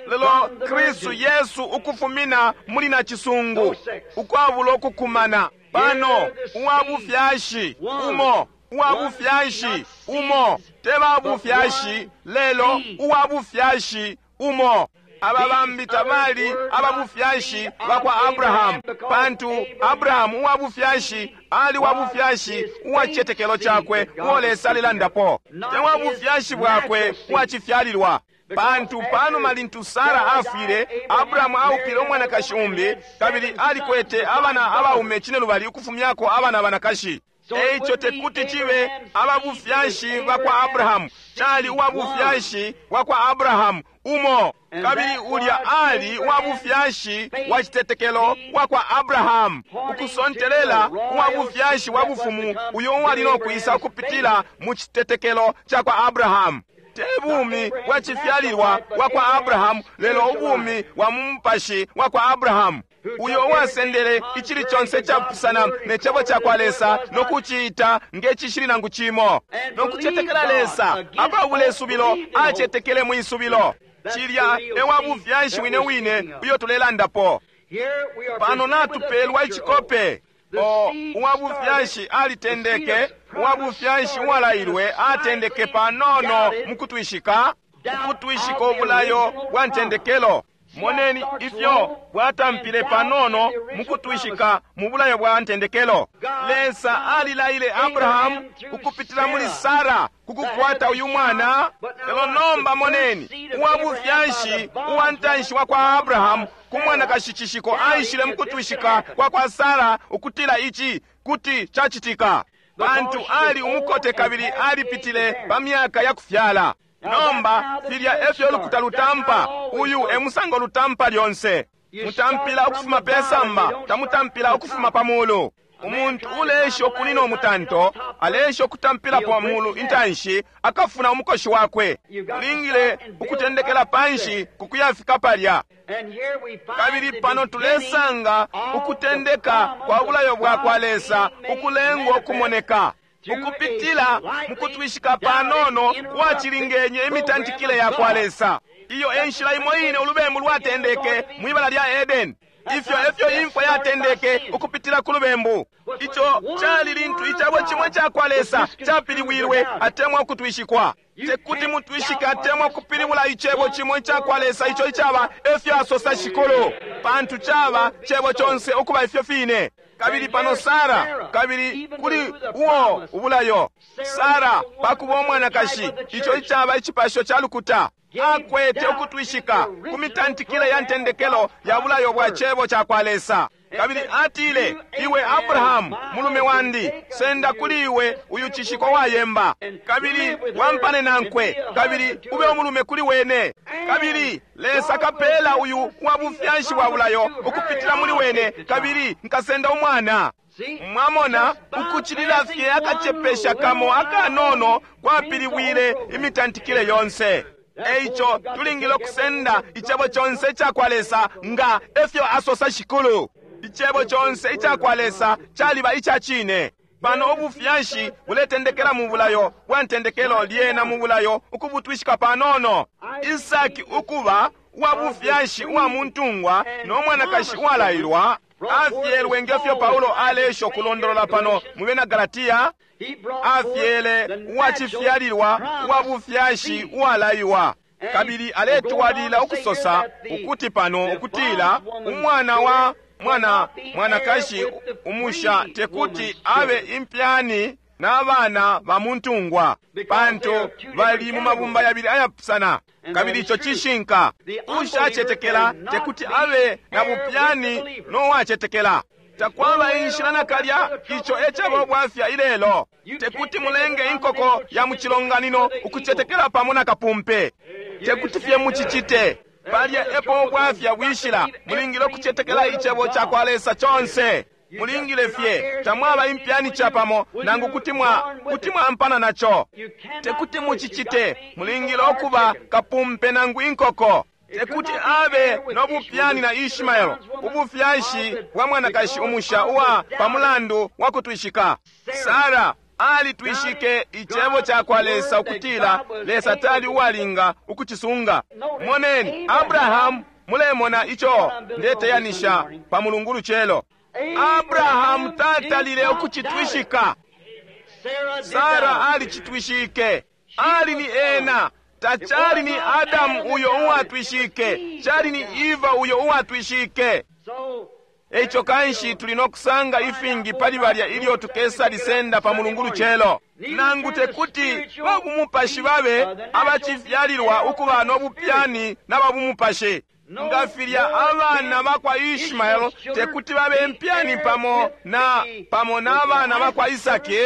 Lelo Kristu Yesu ukufumina muli nacisungu, ukwabulo kukumana. Pano uwabufyashi umo, uwabufyashi umo, te babufyashi, lelo uwabufyashi umo. Aba bambi tabali ababufyashi bakwa Abrahamu, pantu Abrahamu uwabufyashi ali wabufyashi uwa cicetekelo cakwe uo Lesa alilandapo, te wabufyashi bwakwe uwacifyalilwa. Pantu panuma lintu Sara afwile, Abrahamu aupile umwanakashi umbi, kabili alikwete abana abaume cinelubali ukufumyako abana abanakashi. Eico tekuti cibe ababufyashi bakwa Abrahamu, cali uwa bufyashi bwa kwa Abrahamu umo, kabili ulya ali uwa bufyashi wa citetekelo wa kwa Abrahamu, ukusontelela uwa bufyashi bwa bufumu uyo uwali no kwisa ukupitila mu citetekelo ca kwa Abrahamu. Te bumi bwa cifyalilwa bwa kwa Abrahamu, lelo ubumi bwa mu mupashi wa kwa Abrahamu, uyo uwasendele icili conse icapusana ne cebo ca kwa Lesa no kuciita nge cishili nangu cimo, no kucetekela Lesa apabula isubilo, acetekele mwi subilo. Cilya e wa bufyashi wine wine uyo tulelandapo. Pano natupelwa icikope. O uwa bufyashi alitendeke, uwa bufyashi uwalailwe atendeke panono mu kutwishika, ukutwishika ubulayo bwa ntendekelo. Moneni ifyo bwatampile panono mu kutwishika mu bulayo bwa ntendekelo. Lesa alilaile Abrahamu ukupitila muli Sara kukukwata uyu mwana. Lelo nomba moneni uwa bufyashi uwa ntanshi wa kwa Abrahamu ku mwanakashi cishiko aishile mu kutwishika kwa kwa Sara ukutila ici kuti cacitika, pantu ali umukote kabili alipitile pa myaka ya kufyala. Nomba filya efyo lukuta lutampa. Uyu e musango lutampa lyonse. Mutampila ukufuma pe samba, tamutampila ukufuma pa mulu. Umuntu uleesha ukunina umutanto aleesha ukutampila pa mulu intanshi, akafuna umukoshi wakwe. Ulingile ukutendekela panshi kukuyafika palya. Kabili pano tulesanga ukutendeka kwa bulayo bwa kwa Lesa ukulengwa ukumoneka ukupitila mukutwishika panono kwacilingenye imitantikile ya kwa Lesa. Iyo e nshila imo ine ulubembu lwatendeke mwibala lya Edeni. Ifyo efyo imfwa yatendeke ukupitila ku lubembu. Ico cali lintu icebo cimwe ca kwa Lesa capiliwilwe atemwa ukutwishikwa. Tekuti mutwishike atemwa kupilibula icebo cimwe ica kwa Lesa ico icaba efyo asosa Shikulu, pantu caba cebo conse ukuba ifyo fine. Kabili pano Sara, kabili kuli uo ubulayo Sara pakuba umwanakashi, ico icaba icipasho ca lukuta, akwete ukutwishika ku mitantikile ya ntendekelo ya bulayo bwa cebo ca kwa Lesa. Kabili atile, iwe Abrahamu mulume wandi, senda kuli iwe uyu cishiko wayemba, kabili wampane nankwe, kabili ube umulume kuli wene. Kabili Lesa kapela uyu wa bufyashi bwa bulayo ukupitila muli wene, kabili nkasenda umwana. Mwamona, ukucilila fye akacepesha kamo akanono kwapilibwile imitantikile yonse. Eico tulingile ukusenda icebo conse ica kwa Lesa nga efyo asosa Shikulu. Icebo conse ica kwa Lesa caliba ica cine. Pano ubufyashi buletendekela mu bulayo bwa ntendekelo, lyena mu bulayo ukubutwishika panono. Isaki ukuba uwa bufyashi uwa muntungwa no mwanakashi uwalailwa, afyelwe ngefyo Paulo alesha ukulondolola pano mu bena Galatia. Afyele uwacifyalilwa uwa bufyashi uwalaiwa. Kabili aletwalila ukusosa ukuti pano ukutila umwana wa mwana mwanakashi umusha tekuti abe impyani n'abana ba muntungwa, pantu bali mu mabumba yabili ayapusana. Kabili ico cishinka. Ushacetekela tekuti abe na bupyani no wacetekela. Takwaba inshila nakalya. Ico e caba ubwafya ilelo. Tekuti mulenge inkoko ya mu cilonganino ukucetekela pamo na kapumpe. Tekuti fye mucicite. Palya epo ubwafya bwishila. Mulingile ukucetekela icebo ca kwa Lesa conse. Mulingile fye, tamwaba impyani capamo nangu kuti mwa kuti mwampana naco. Tekuti mucicite. Mulingile ukuba kapumpe nangu inkoko. Tekuti abe no bupyani na Ishmael, ubufyashi bwa mwanakashi umusha uwa pamulandu wa kutwishika. Sara alitwishike icebo ca kwa Lesa ukutila Lesa tali uwalinga ukucisunga. Moneni Abrahamu, mulemona ico ndeteyanisha pa mulungu lucelo. Abrahamu tatalile ukucitwishika. Sara alicitwishike. Ali ni ena. Tacali ni Adamu uyo uwatwishike, cali ni Eva uyo uwatwishike. Eico kanshi tuli no kusanga ifingi pali balya ilyo tukesa lisenda pa mulungu lucelo. Nangu tekuti babumupashi babe abacifyalilwa ukuba no bupyani na babumupashi. Nga filya abana bakwa Ishmael tekuti babe impyani pamo na pamo n'abana bakwa Isaki.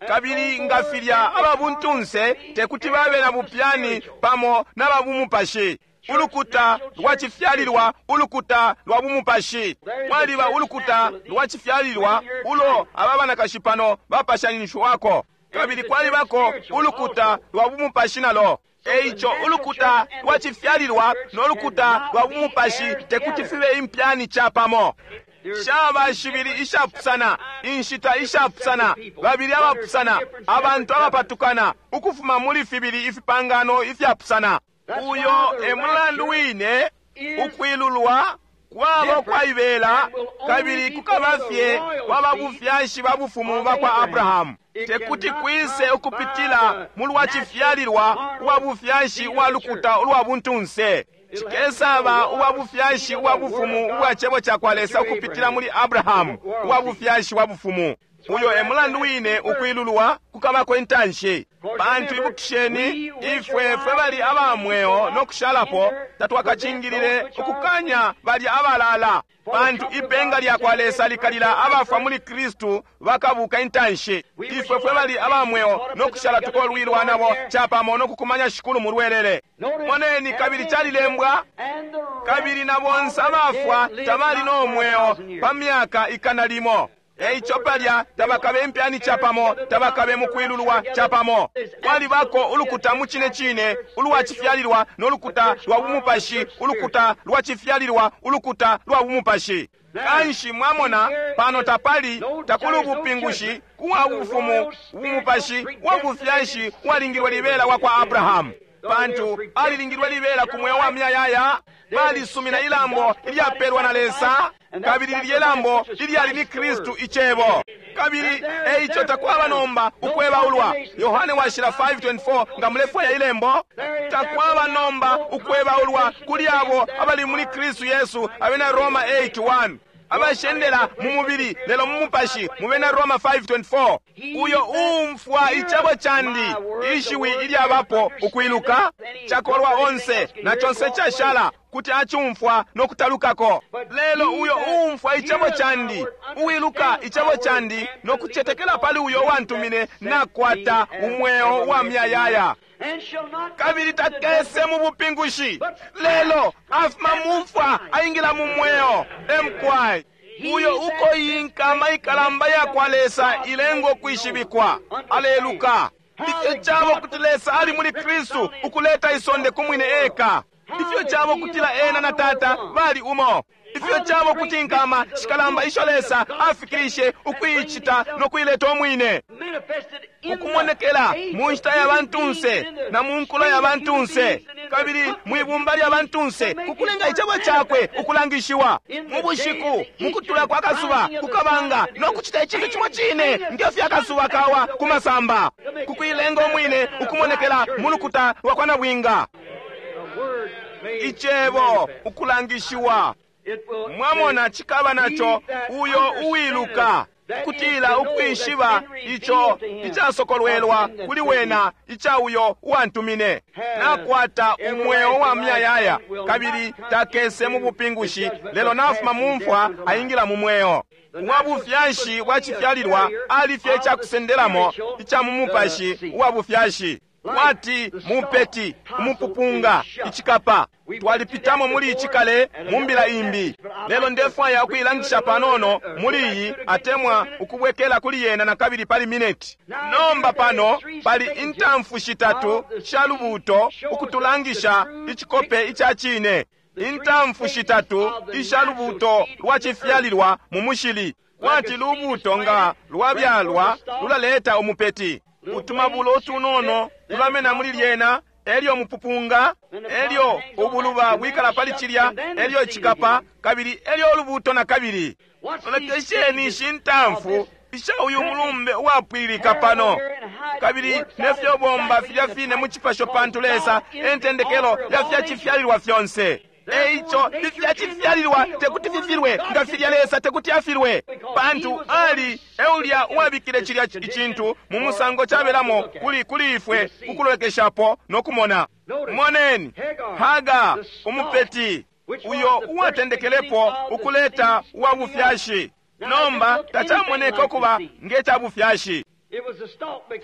Kabili nga filya ababuntunse tekuti babe na bupyani pamo na babumupashi. Ulukuta lwa cifyalilwa, ulukuta lwa bumupashi. Kwaliba ulukuta lwa cifyalilwa ulo aba banakashi pano bapashanishiwako, kabili kwalibako ulukuta lwa bumupashi nalo. Eico ulukuta lwa cifyalilwa no lukuta lwa bumupashi tekuti fibe impyani capamo. Shaba shibili ishapusana, inshita ishapusana, babili abapusana, abantu abapatukana ukufuma muli fibili ifipangano ifyapusana. Uyo e mulandu wine ukwilulwa kwaba ukwaibela, kabili kukaba fye kwa bufyashi ba bufumu ba kwa Abrahamu. Tekuti kwise ukupitila mu lwa cifyalilwa uwa bufyashi uwa lukuta ulwa buntunse. Cikesaba uwa bufyashi uwa bufumu ubwa cebo ca kwa Lesa ukupitila muli Abrahamu, uwa bufyashi wa bufumu. Uyo e mulandu wine ukwilulwa kukabako intanshi. Pantu ibukisheni, ifwe fwe bali aba mweo no kushalapo tatwakacingilile ukukanya balya abalala, pantu ipenga lya kwa Lesa likalila abafwa muli Kristu bakabuka intanshi. Ifwe fwe bali aba mweo no kushala tukolwilwa nabo capamo no kukumanya Shikulu mu lwelele. Moneni, kabili calilembwa, kabili na bonse abafwa tabali no mweo pa myaka 100. Eico palya tabakabe impyani capamo, tabakabe mukwilulwa capamo. Kwalibako ulukuta mu cine cine ulwa cifyalilwa no lukuta lwa bumupashi, ulukuta lwa cifyalilwa, ulukuta lwa bumupashi. Kanshi mwamona pano tapali takuli ubupingushi kuwa bufumu bumupashi wa bufyashi walingilwe libela wa kwa Abrahamu, pantu alilingilwe libela ku mweo wa miyayaya. Balisumina ilambo ilyapelwa na Lesa, kabili lilye lambo ilyali ni Kristu icebo. Kabili eico takwaba nomba ukwebaulwa. Yohane washila 5:24, nga mulefwaya ilembo, takwaba nomba ukwebaulwa kuli abo abali muli Kristu Yesu, abena Roma 8:1, abashendela mu mubili lelo mu mupashi, mu bena Roma 5:24. Uyo uumfwa icebo candi, ishiwi ilyabapo ukwiluka, cakolwa onse na conse cashala kuti acumfwa no kutalukako. Lelo uyo uumfwa icebo candi, uwiluka icebo candi no kucetekela pali uyo wantumine, nakwata umweo wa muyayaya, kabili takese mu bupingushi, lelo afuma mumfwa aingila mu mweo. Emkwai uyo uko inkama ikalamba ya kwa Lesa ilengo kwishibikwa. Aleluka. Ifyo cabo kuti Lesa ali muli Kristu ukuleta isonde ku mwine eka. Ifyo cabo kutila ena na Tata bali umo. Ifyo cabo kuti inkama shikalamba isho Lesa afikirishe ukuicita no kuileta umwine, ukumonekela mu nshita ya bantunse na mu nkulo ya bantunse, kabili mwibumba lya bantunse, kukulenga icebo cakwe ukulangishiwa mu bushiku, mu kutula kwa kasuba kukabanga, no kucita icintu cimo cine nge fyo akasuba kawa ku masamba, kukuilenga umwine ukumonekela mu lukuta lwa kwa nabwinga. Icebo ukulangishiwa. Mwamona, cikaba naco uyo uwiluka kutila ukwishiba ico icasokolwelwa kuli wena ica uyo uwantumine, nakwata umweo wa muyayaya, kabili takese mu bupingushi, lelo nafuma mu mfwa aingila mu mweo. Uwa bufyashi bwa cifyalilwa ali fye icakusendelamo ica mu mupashi uwa bufyashi, kwati mupeti, umupupunga, icikapa. Twalipitamo muli ici kale mu mbila imbi, lelo ndefwaya ukuilangisha panono muli iyi, atemwa ukubwekela kuli yena na kabili pali mineti. Nomba pano pali intamfu shitatu sha lubuuto ukutulangisha icikope ica cine, intamfu shitatu isha lubuuto lwa cifyalilwa mu mushili, kwati lubuuto nga lwabyalwa lulaleta umupeti. Utumabulo utunono tulamena muli lyena, elyo mupupunga, elyo ubuluba bwikala pali cilya, elyo icikapa, kabili elyo ulubuuto na kabili. Lolekesheni ishi ntamfu isha uyu mulumbe uwapwililika pano, kabili nefyo bomba filya fine mu cipasho, pantu Lesa entendekelo ya fya cifyalilwa fyonse. Eico ifya cifyalilwa tekuti fifilwe nga filya Lesa tekuti afilwe, pantu ali eulya uwabikile cilya icintu mu musango cabelamo kuli ifwe kukulolekeshapo no kumona. Moneni Haga umupeti, uyo uwatendekelepo ukuleta uwa bufyashi. Nomba tacamoneka ukuba nge ca bufyashi.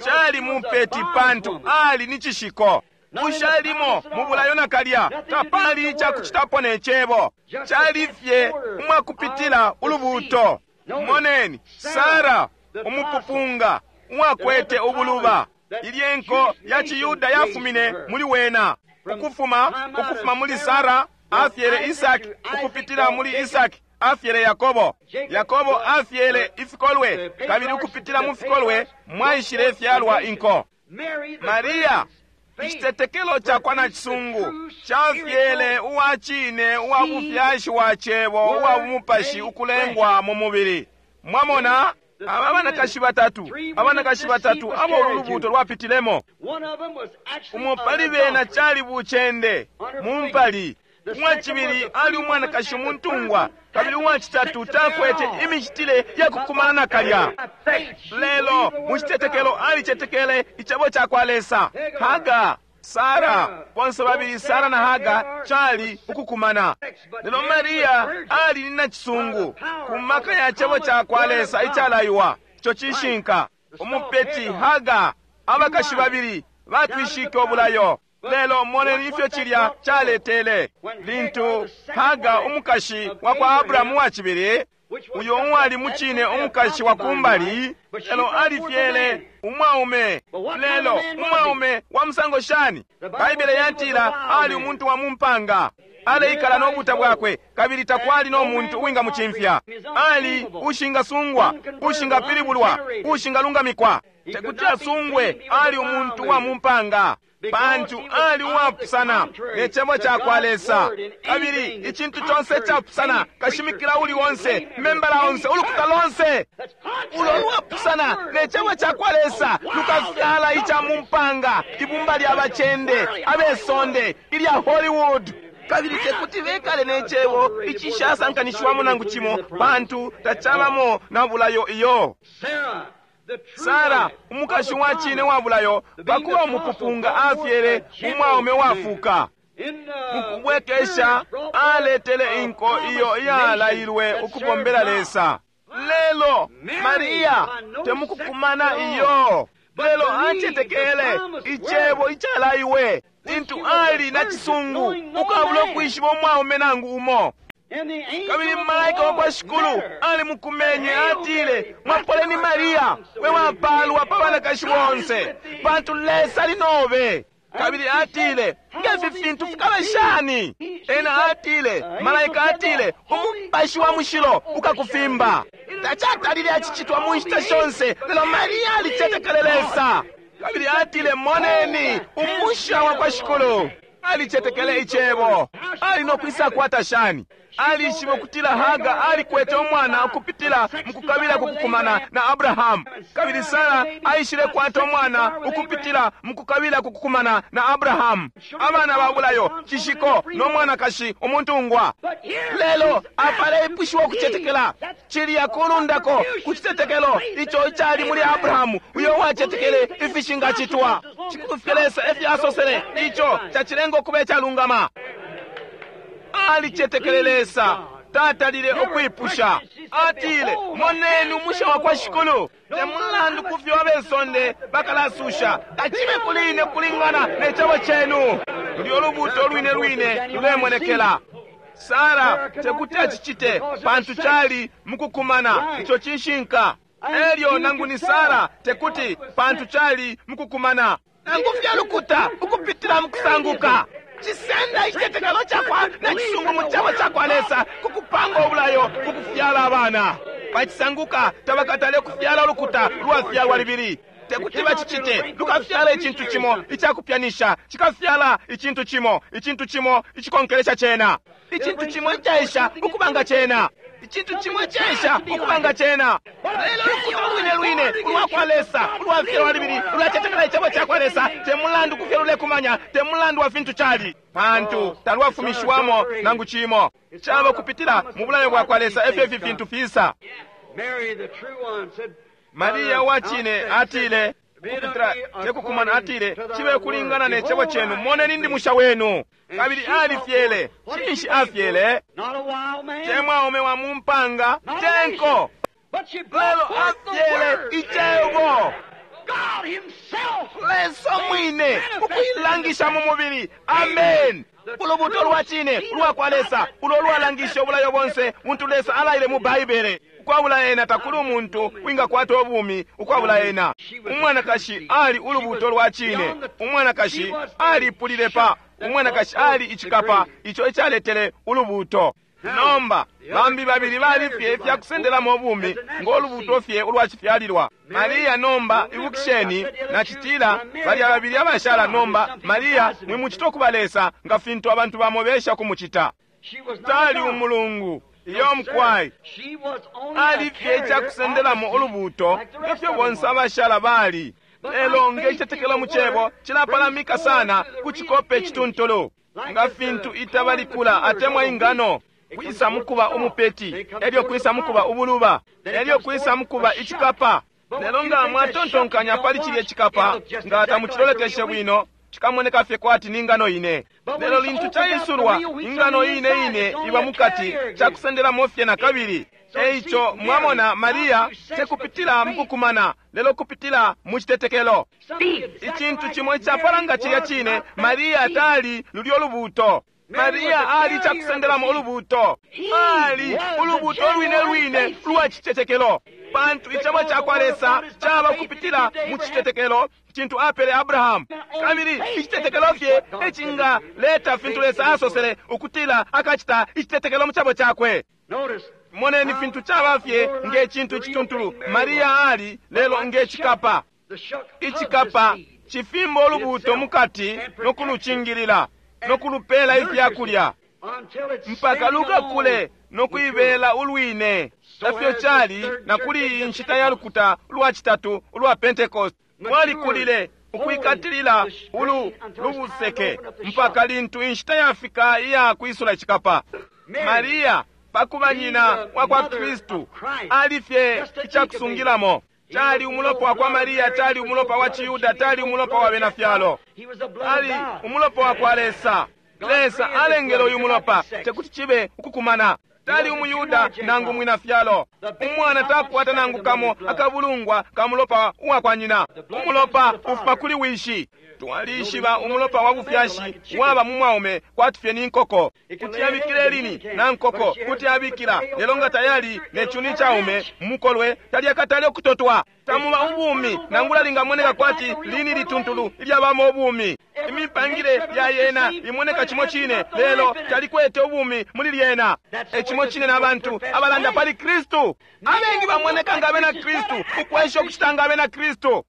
Cali mupeti pantu ali ni cishiko. Ushalimo mu bulayo nakalya, tapali icakucitapo ne cebo. Cali fye umwakupitila ulubuuto. Moneni, Sara, umupupunga, uwakwete ubuluba. Ilye nko ya ciYuda yafumine muli wena. Ukufuma, ukufuma muli Sara, afyele Isaki, ukupitila muli Isaki, afyele Yakobo. Yakobo afyele ifikolwe, kabili ukupitila mu fikolwe mwaishile fyalwa inko. Maria, icitetekelo ca kwa nacisungu cafyele uwa cine uwa bufyashi wa cebo uwa bumupashi ukulengwa mu mubili. Mwamona aba banakashi batatu, abanakashi batatu abo ulu lubuuto lwapitilemo. Umo pali bena cali bucende mu mpali, uwacibili ali umwanakashi umuntungwa, kabili uwacitatu takwete imicitile ya kukumana nakalya. Lelo mu citetekelo alicetekele icebo ca kwa Lesa. Haga, Sara, bonse babili Sara na Haga cali ukukumana. Lelo Maria ali ni nacisungu ku maka ya cebo ca kwa Lesa icalaiwa. Ico cishinka. Umupeti Haga, abakashi babili batwishike ubulayo. Lelo moneni ifyo cilya caletele lintu Haga umukashi wa kwa Abrahamu wa cibili, uyo uwali mucine umukashi wa kumbali, lelo alifyele umwaume. Lelo umwaume wa musango shani? Baibele yatila ali umuntu wa mumpanga, aleikala no buta bwakwe, kabili takwali no muntu uwingamucimfya. Ali ushingasungwa, ushingapilibulwa, ushingalungamikwa, tekuti asungwe. Ali umuntu wa mumpanga pantu ali uwapusana ne cebo ca kwa Lesa. Kabili icintu conse icapusana, kashimikila uli onse, membala onse, ulukuta lonse ulo lwapusana ne cebo ca kwa Lesa lukafyala ica mumpanga, ibumba lya bacende abesonde ilya Hollywood. Kabili tekuti bekale ne cebo icishasankanishiwamo nangu cimo, pantu tacabamo na bulayo iyo. Sara, umukashi wa cine wa bulayo, pakuba umupupunga afyele umwaume wafuka. Mukubwekesha aletele inko iyo iyalailwe ukubombela Lesa. Lelo Maria temukukumana iyo, lelo acetekele icebo icalaiwe lintu ali na cisungu ukabula ukwishiba umwaume nangu umo. Kabili malaika wa kwa Shikulu alimukumenye, atile, mwapoleni Maria, we wapalwa pa banakashi bonse, pantu Lesa ali nobe. Kabili atile, ngefi fintu fikaba shani? Ena atile, malaika atile, umupashi wa mushilo ukakufimba. Tacatalile acicitwa mu nshita shonse, lelo Maria alicetekele Lesa. Kabili atile, moneni umusha wa kwa Shikulu. Alicetekele icebo. Ali no kwisa kwata shani? Alishibe ukutila Haga alikwete umwana ukupitila mukukabila kukukumana na Abrahamu. Kabili Sara aishile kwata umwana ukupitila mukukabila kukukumana na Abrahamu. Abana ba bulayo, cishiko no mwanakashi umuntungwa. Lelo apaleipushiwa ukucetekela cilya kulundako ku citetekelo ico icali muli Abrahamu, uyo wacetekele ifishingacitwa. Cikulu Lesa efyo asosele, ico cacilenga ukuba icalungama. Alicetekele Lesa, tatalile ukwipusha. Atile, moneni umusha wa kwa Shikulu, te mulandu kufyo abesonde bakalasusha, tacibe kuli ine kulingana ne cebo cenu. Lulyo lubuto lwine lwine lulemonekela. Sara tekuti acicite pantu cali mukukumana, ico cishinka. Elyo nangu ni Sara tekuti pantu cali mukukumana, nangu fyalukuta ukupitila mukusanguka. Cisenda icitetekelo cakwa na cisungu mu cebo cakwa Lesa kukupanga ubulayo kukufyala abana. Bacisanguka tabakatale kufyala ulukuta lwafyalwa libili. Tekuti bacicite, lukafyala icintu cimo icakupyanisha, cikafyala icintu cimo, icintu cimo icikonkelesha cena, icintu cimo icaisha ukubanga cena, icintu cimo icaisha ukubanga cena. Lelo ulukuta lwine lwine ulwa kwa Lesa ulwafyalwa libili lulacetekela icebo cakwa Lesa, te mulandu kufyo lulekumanya, te mulandu wa fintu cali, pantu talwafumishiwamo nangu cimo. Caba kupitila mu bulayo bwa kwa Lesa efyo ifi fintu fisa. Maria wa cine atile ukupitila tekukumana, atile cibe kulingana ne cebo cenu, moneni ndi musha wenu. Kabili alifyele. Cinshi afyele? Te mwaume wa mumpanga, tenko, lelo afyele icebo. Lesa mwine ukuilangisha mu mubili. Amen. Ulubuto lwa cine ulwa kwa Lesa ulo lwalangisha ubulayo bonse buntu Lesa alaile mu Baibele. Ukwabula ena takuli umuntu wingakwata ubumi ukwabula ena. Umwanakashi ali ulubuto lwa cine. Umwanakashi alipulile pa. Umwanakashi ali icikapa ico icaletele ulubuto. Nomba bambi babili bali fye ifyakusendelamo ubumi ngo lubuto fye ulwacifyalilwa. Maria nomba ibukisheni, nacitila balya babili abashala. Nomba Maria mwimucita ukuba Lesa nga fintu abantu bamo besha kumucita. Tali umulungu iyo mukwai, ali fye icakusendelamo ulubuto nge fyo bonse abashala bali. Lelo nge icitetekelo mu cebo cilapalamika sana ku cikope icituntulu, nga fintu itaba likula atemwa ingano kwisa mukuba umupeti, elyo kwisa mukuba ubuluba, elyo kwisa mukuba icikapa. Lelo nga mwatontonkanya pali cilye cikapa, nga tamucilolekeshe bwino, cikamoneka fye kwati ni ngano ine. Lelo lintu caisulwa, ingano ine ine iba mukati, cakusendelamo fye na kabili. Eico mwamona Maria tekupitila mukukumana, lelo kupitila mu citetekelo. Icintu cimo icapala nga cilya cine, Maria tali lulyo lubuto. Maria ali cakusendelamo ulubuto. Ali ulubuto lwine lwine lwa citetekelo, pantu icebo cakwa Lesa caba kupitila mu citetekelo cintu apele Abrahamu. Kabili icitetekelo fye ecingaleta fintu Lesa asosele ukutila akacita, icitetekelo mu cebo cakwe. Moneni fintu caba fye nge cintu icituntulu Maria ali, lelo nge cikapa. Icikapa cifimba ulubuto mukati no kulucingilila no kulupela ifyakulya mpaka lukakule no kuibela ulwine. Efyo cali na kuli iyi nshita ya lukuta ulwa citatu ulwa Pentecost, lwalikulile ukwikatilila ulu lubuseke mpaka lintu inshita yafika iya kwisula icikapa. Maria pakuba nyina wa kwa Kristu ali fye icakusungilamo. Cali umulopa wa kwa Maria, cali umulopa wa Ciyuda, cali umulopa wa bena fyalo, ali umulopa wa kwa Lesa. Lesa alengele uyu mulopa, tekuti cibe ukukumana. Tali umuyuda nangu mwina fyalo. Umwana takwata nangu kamo akabulungwa ka mulopa uwa kwa nyina. Umulopa ufuma kuli wishi. Twalishiba umulopa wa bufyashi waba mu mwaume kwati fye ni nkoko. Kuti abikila elini na nkoko kuti abikila, lelo nga tayali ne cuni caume mukolwe talyakatale ukutotwa. Tamuba ubumi nangula lingamoneka kwati lini lituntulu ilyabamo ubumi. Imipangile ya yena imoneka cimo cine, lelo talikwete ubumi muli lyena. Ecimo cine na bantu abalanda pali Kristu. Abengi bamoneka nga abena Kristu, ukwesha ukucita nga abena Kristu.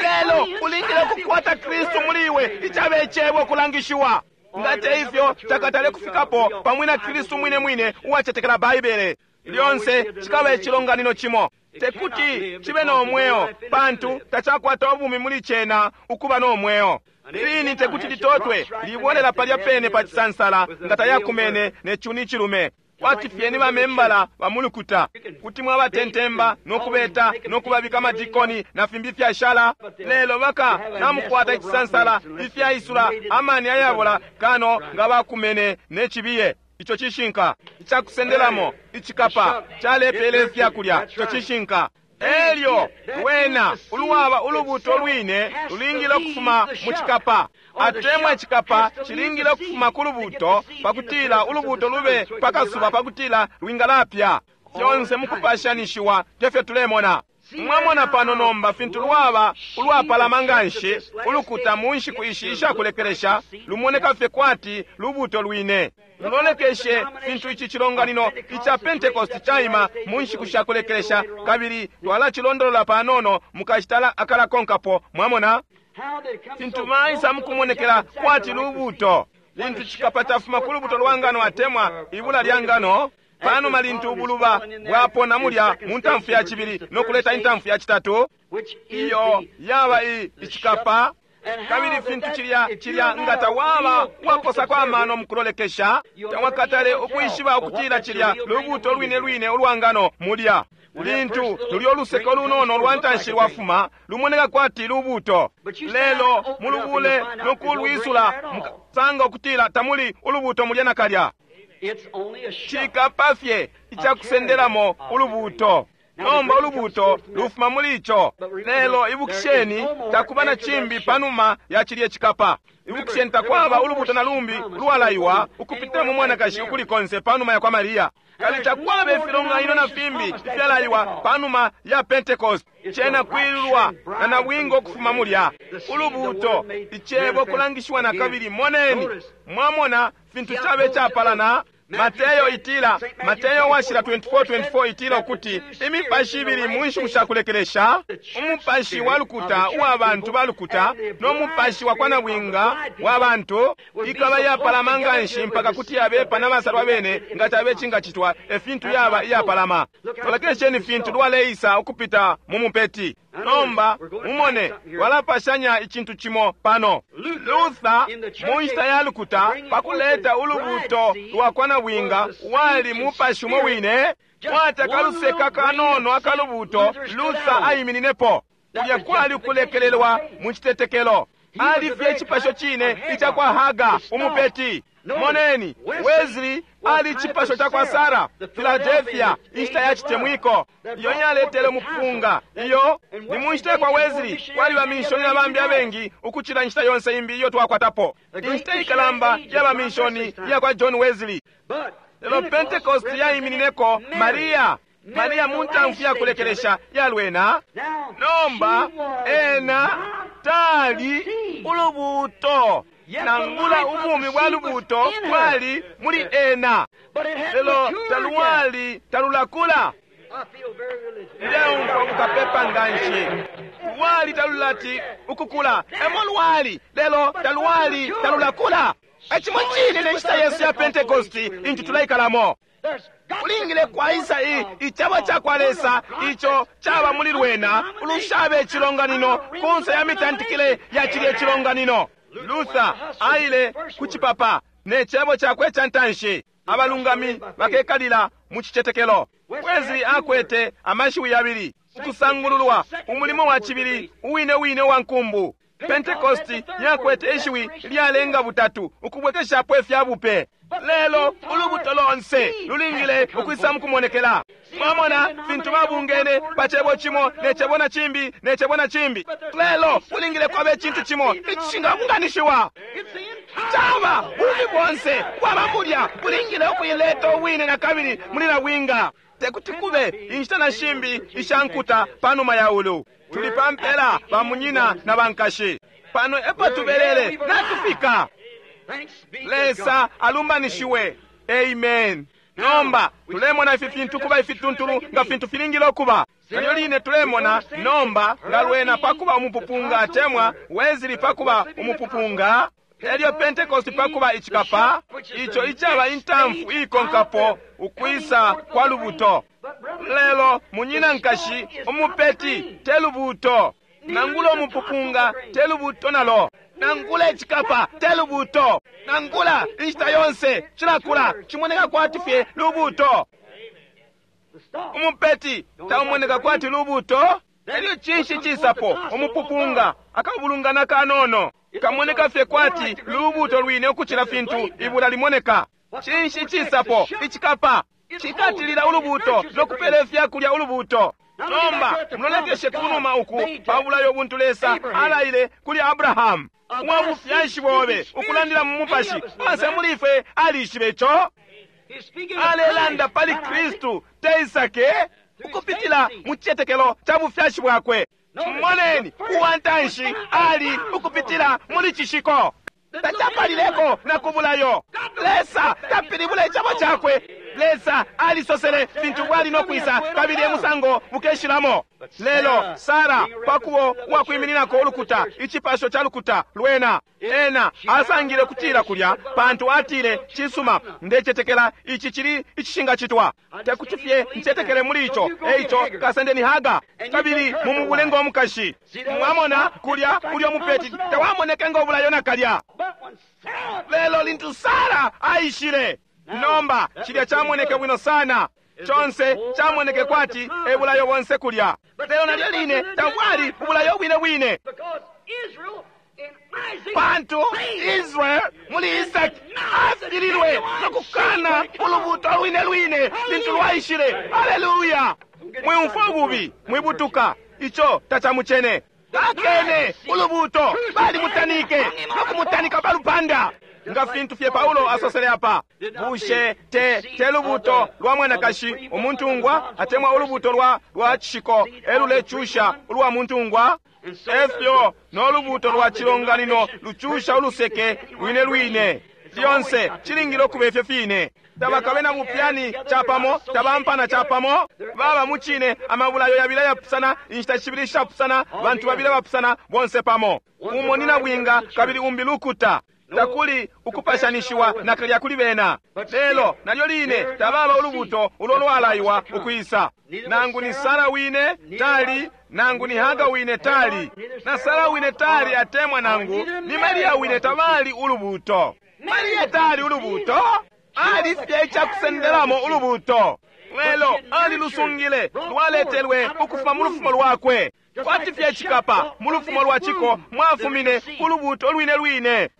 Lelo ulingile ukukwata Kristu muli iwe, icaba icebo kulangishiwa. Nga te ifyo takatale kufikapo pamwe na Kristu mwine mwine uwacetekela Baibele. Lyonse cikaba icilonganino cimo, tekuti cibe no mweo, pantu tacakwata ubumi muli cena ukuba no mweo. Lini tekuti litotwe, libolela palya pene pa cisansala nga tayakumene ne cuni cilume. Kwati fye ni bamembala ba mulukuta, kuti mwabatentemba no kubeta no kubabika amadikoni na fimbi fyashala, lelo baka namukwata icisansala ifyaisula amani ayabola kano nga bakumene ne cibiye. Ico cishinka. Icakusendelamo icikapa calepele ifyakulya. Ico cishinka. Elyo wena uluwaba ulubuto lwine lulingile ukufuma mu cikapa, atemwa icikapa cilingile ukufuma ku lubuto pakutila ulubuto lube pakasuba pakutila lwingalapya. Fyonse mukupashanishiwa tefyo tulemona. Mwamona pano nomba fintu lwaba ulwapalama nganshi ulukuta mu nshiku ishi ishakulekelesha, lumoneka fye kwati lubuto lwine. Mulolekeshe fintu ici cilonganino ica Pentecost caima mu nshiku shakulekelesha, kabili twalacilondolola panono mukashita akalakonkapo. Mwamona fintu maisa mukumonekela kwati lubuto lintu cikapa cafuma ku lubuto lwa ngano atemwa ibula lya ngano. Panuma lintu ubuluba bwapona mulya mu ntamfu ya cibili no kuleta intamfu ya citatu, iyo yaba icikapa. Kabili fintu cilya cilya nga tawaba waposako amano mukulolekesha, tawakatale ukwishiba ukutila cilya lubuto lwine lwine ulwa ngano mulya. Lintu lulyo luseke lunono lwa ntanshi lwafuma, lumoneka kwati lubuto, lelo mulubule no kulwisula mukasanga ukutila tamuli ulubuto mulya nakalya. Cikapa fye icakusendelamo ulubuto. Nomba ulubuuto lufuma muli ico. Lelo ibukisheni, takuba na cimbi panuma ya cilye cikapa. Ibukisheni, takwaba ulubuuto na lumbi ulwalaiwa ukupitila mu mwanakashi ukuli konse panuma ya kwa Mariya. Kabili takwaba ifilonganino na fimbi ifyalaiwa panuma ya Pentecost. Cena kwilulwa na nabwinga ukufuma mulya. Ulubuuto, icebo kulangishiwa na kabili. Moneni, mwamona fintu cabe capalana. Mateyo itila, Mateyo washila 24:24 itila ukuti imipashi ibili mu nshiku sha kulekelesha, umupashi wa lukuta uwa bantu ba lukuta no mupashi wa kwa nabwinga wa bantu ikaba iyapalama nga nshi mpaka kuti yabepa na basalwa bene nga cabe cingacitwa, e fintu yaba iyapalama. Lolekesheni fintu lwaleisa ukupita mu mupeti. Nomba mumone walapashanya icintu cimo pano. Luther mu nshita ya lukuta pakuleta ulubuuto lwa kwa nabwinga wali mupashi umo wine, kwati akaluseka kanono akalubuuto Luther aimininepo. Kulya kwali ukulekelelwa mu citetekelo. Ali fye icipasho cine ica kwa Haga umupeti. Moneni, Wesley ali icipasho ca kwa Sara, Philadelphia, inshita ya citemwiko iyo yaletele umupunga. Iyo ni mu nshita kwa Wesley kwali bamishoni na bambi abengi ukucila inshita yonse imbi iyo twakwatapo. Inshita ikalamba ya bamishoni ya kwa John Wesley. Lelo Pentecost yaiminineko Maria. Maria mu ntamfu ya kulekelesha yalwena. Nomba ena tali ulubuuto, nangula ubumi bwa lubuuto bwali muli ena, lelo talwali talulakula. Ndeumfwa bukapepa nga nshi. Lwali talulati ukukula, emo lwali, lelo talwali talulakula. Ecimo cine ne nshita yesu ya Pentecosti intu tuleikalamo. Kulingile kwaisa icebo ca kwa Lesa ico caba muli lwena ulushabe icilonganino kunse ya mitantikile ya cilye cilonganino. Luther aile ku cipapa ne cebo cakwe ca ntanshi, abalungami bakekalila mu cicetekelo. Wesley akwete amashiwi yabili, ukusangululwa, umulimo wa cibili uwine wine wa nkumbu. Pentecost yakwete ishiwi lyalenga butatu, ukubwekeshapo ifya bupe. Lelo ulubuto lonse lulingile ukwisa mukumonekela. Mwamona fintu babungene pa cebo cimo ne cebo na cimbi ne cebo na cimbi, lelo kulingile kwaba icintu cimo icishingabunganishiwa. Caba bubi bonse bwaba mulya, bulingile ukuileta ubwine na kabili muli nabwinga. Tekuti kube inshita na shimbi isha nkuta panuma ya ulu. Tuli pa mpela bamunyina na bankashi. Pano epo tubelele natufika. Lesa alumbanishiwe. Amen. Nomba tulemona ifi fintu kuba ifituntulu nga fintu filingile ukuba. Nalyo line tulemona nomba nga lwena pakuba umupupunga atemwa Wesley pakuba umupupunga, elyo Pentecost pakuba icikapa, ico icaba intamfu ikonkapo ukwisa kwa lubuto. Lelo munyina nkashi, umupeti te lubuto, nangula umupupunga te lubuto nalo, nangula icikapa te lubuto, nangula inshita yonse cilakula cimoneka kwati fye lubuto. Umupeti taumoneka kwati lubuto. Elyo cinshi cisapo umupupunga akabulungana kanono kamoneka fye kwati lubuto lwine ukucila fintu ibula limoneka. Cinshi cisapo icikapa cikatilila ulubuto nokupela ifyakulya ulubuto. Nomba mulolekeshe kunuma uku pa bulayo buntu Lesa alaile kuli Abrahamu, uwa bufyashi bobe ukulandila mu mupashi. Onse muli ifwe alishibe ico. Alelanda pali Kristu te Isake, ukupitila mu cicetekelo ca bufyashi bwakwe. Moneni, uwa ntanshi ali ukupitila muli cishiko. Tacapalileko na kubulayo. Lesa tapilibula icebo cakwe. Lesa alisosele fintu bwali no kwisa kabili emusango bukeshilamo. Lelo Sara pakubo uwakwimininako ulukuta, icipasho ca lukuta lwena, ena asangile kutila kulya, pantu atile, cisuma, ndecetekela ici cili icishingacitwa, tekuti fye ncetekele muli ico, eico kasendeni Haga kabili mumubule ngo mukashi. Mwamona kulya ulyo mupeti tawamoneke ngo bulayo nakalya. Lelo lintu Sara aishile, nomba cilya camoneke bwino sana, conse camoneke kwati ebulayo bonse kulya. Lelo nalyo line tabwali ubulayo bwine bwine, pantu Israel muli Isaki afililwe nokukana ulubuto lwine lwine lintu lwaishile. Haleluya! Mwiumfwa ububi, mwibutuka, ico tacamucene. Bakene ulubuuto, balimutanike no kumutanika pa lupanda, nga fintu fye Paulo asosele apa. Bushe te te lubuuto lwa mwanakashi umuntungwa atemwa ulubuuto lwa lwa cishiko elulecusha ulwa muntungwa? Efyo no lubuuto lwa cilonganino lucusha uluseke lwine lwine. Lyonse cilingile ukuba ifyo fine. Tabakabe na bupyani capamo, tabampana capamo, baba mucine amabulayo yabili ayapusana, inshita shibili ishapusana, bantu babili abapusana, bonse pamo. Umo ni nabwinga kabili umbi lukuta. Takuli ukupashanishiwa nakalya kuli bena. Lelo nalyo line tababa ulubuto ulo lwalaiwa ukwisa. Nangu ni Sara wine tali, nangu ni Haga wine tali, na Sara wine tali atemwa nangu ni Maria wine tabali ulubuto. Maria tali ulubuto, ali fye icakusendelamo ulubuto. Lelo alilusungile, lwaletelwe ukufuma mu lufumo lwakwe. Kwati fye cikapa mu lufumo lwa ciko mwafumine ulubuto lwine lwine.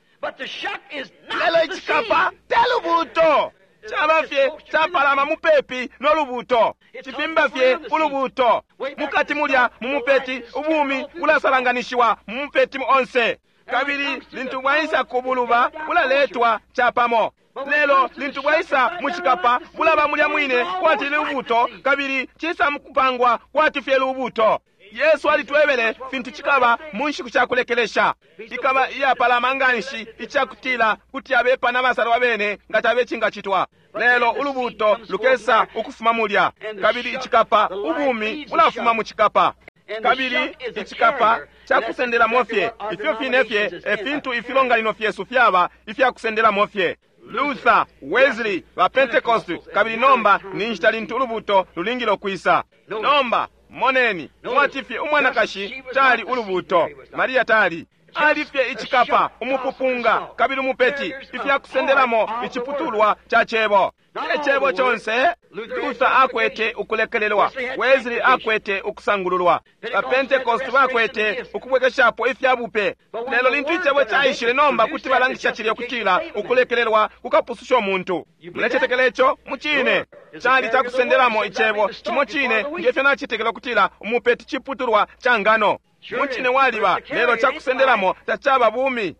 Lelo icikapa te lubuto, caba fye capalama mupepi no lubuto, cifimba fye ulubuto. Mukati mulya mu mupeti ubumi bulasalanganishiwa mu mupeti onse, kabili lintu bwaisa ku buluba bulaletwa capamo. Lelo lintu bwaisa mu cikapa bulaba mulya mwine kwati lubuto, kabili cisa mukupangwa kwati fye lubuto. Yesu alitwebele fintu cikaba mu nshiku sha kulekelesha. Ikaba iyapalama nganshi icakutila kuti abepa na basalwa bene nga tabe cingacitwa. Lelo ulubuto lukesa ukufuma mulya, kabili icikapa, ubumi bulafuma mu cikapa. Kabili icikapa cakusendelamo fye, ifyo fine fye e fintu ifilonganino fyesu fyaba ifyakusendelamo fye. Luther, Wesley, ba Pentecost, kabili nomba ni nshita lintu ulubuto lulingile ukwisa. Nomba moneni, mwati fye umwanakashi tali ulubuto, Maria tali. Ali fye icikapa, umupupunga, kabili umupeti, ifyakusendelamo iciputulwa ca cebo. Te cebo conse. Luther akwete ukulekelelwa, Wesley akwete ukusangululwa, ba Pentecost bakwete ukubwekeshapo ifya bupe. Lelo lintu icebo caishile nomba kuti balangisha cilya kutila ukulekelelwa kukapususha umuntu. Mulecetekela ico? Mucine. Cali cakusendelamo icebo cimo cine ngefyo nacetekela ukutila umupeti ciputulwa ca ngano. Mucine waliba, lelo cakusendelamo tacaba bumi.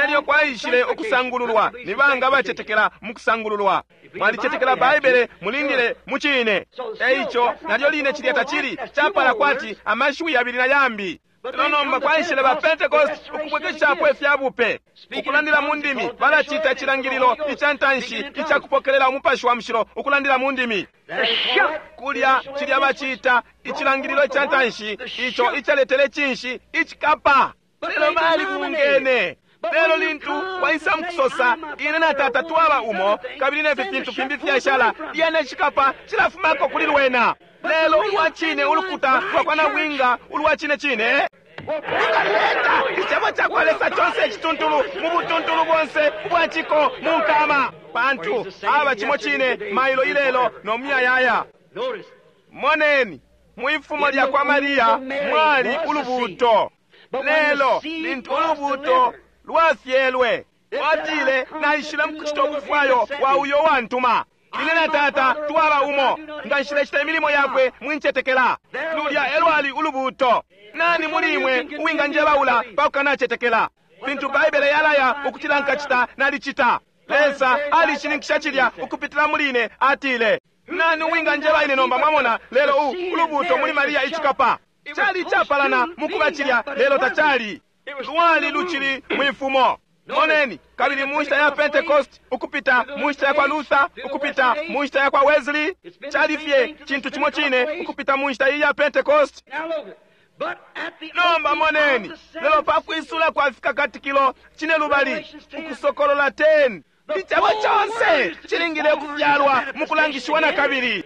Elyo kwaishile ukusangululwa. Ni banga abacetekela mu kusangululwa? Mwalicetekela Baibele, mulingile mucine. Eico nalyo line cilya tacili capala kwati amashiwi yabili na yambi. Lelo nomba kwaishile ba Pentecost ukubwekeshapo ifya bupe, ukulandila mu ndimi. Balacita icilangililo ica ntanshi ica kupokelela umupashi wa mushilo, ukulandila mu ndimi. Kulya cilya bacita icilangililo ica ntanshi ico icaletele cinshi? Icikapa. Lelo balibungene. Lelo lintu waisa mukusosa, ine na tata twaba umo, kabili nefi fintu fimbi fyashala, lyene icikapa cilafumako kuli lwena. Lelo ulwa cine ulukuta lwa kwa nabwinga ulwa cine cine lukaleta icebo ca kwa Lesa conse icituntulu mu butuntulu bonse ubwa ciko mu nkama, pantu aba cimo cine mailo ilelo no muyayaya. Moneni, mwifumo lya kwa Maria mwali ulubuto. Lelo lintu ulubuto lwafyelwe, lwatile, naishile mukucita ubufwayo wa uyo wantuma. Ine na tata twaba umo, nga nshilecita imilimo yakwe mwincetekela. Lulya elwali ulubuto. Nani muli imwe uwinganjebaula pa kukanacetekela? Fintu Baibele yalaya ukutila nkacita, nalicita. Lesa alishininkisha cilya ukupitila muli ine, atile. Nani uwinganjeba ine nomba? Mwamona, lelo ulubuto muli Maria icikapa cali capalana mukuba cilya, lelo tacali. Lwali lucili mwifumo. Moneni, kabili mu nshita ya Pentecost, ukupita mu nshita ya kwa Luther, ukupita mu nshita ya kwa Wesley, cali fye cintu cimo cine ukupita mu nshita iyi ya Pentecost. Nomba moneni, lelo pa kwisula kwa fikakatikilo cine lubali, Ukusokolola 10, icebo conse cilingile ukufyalwa mu kulangishiwa na kabili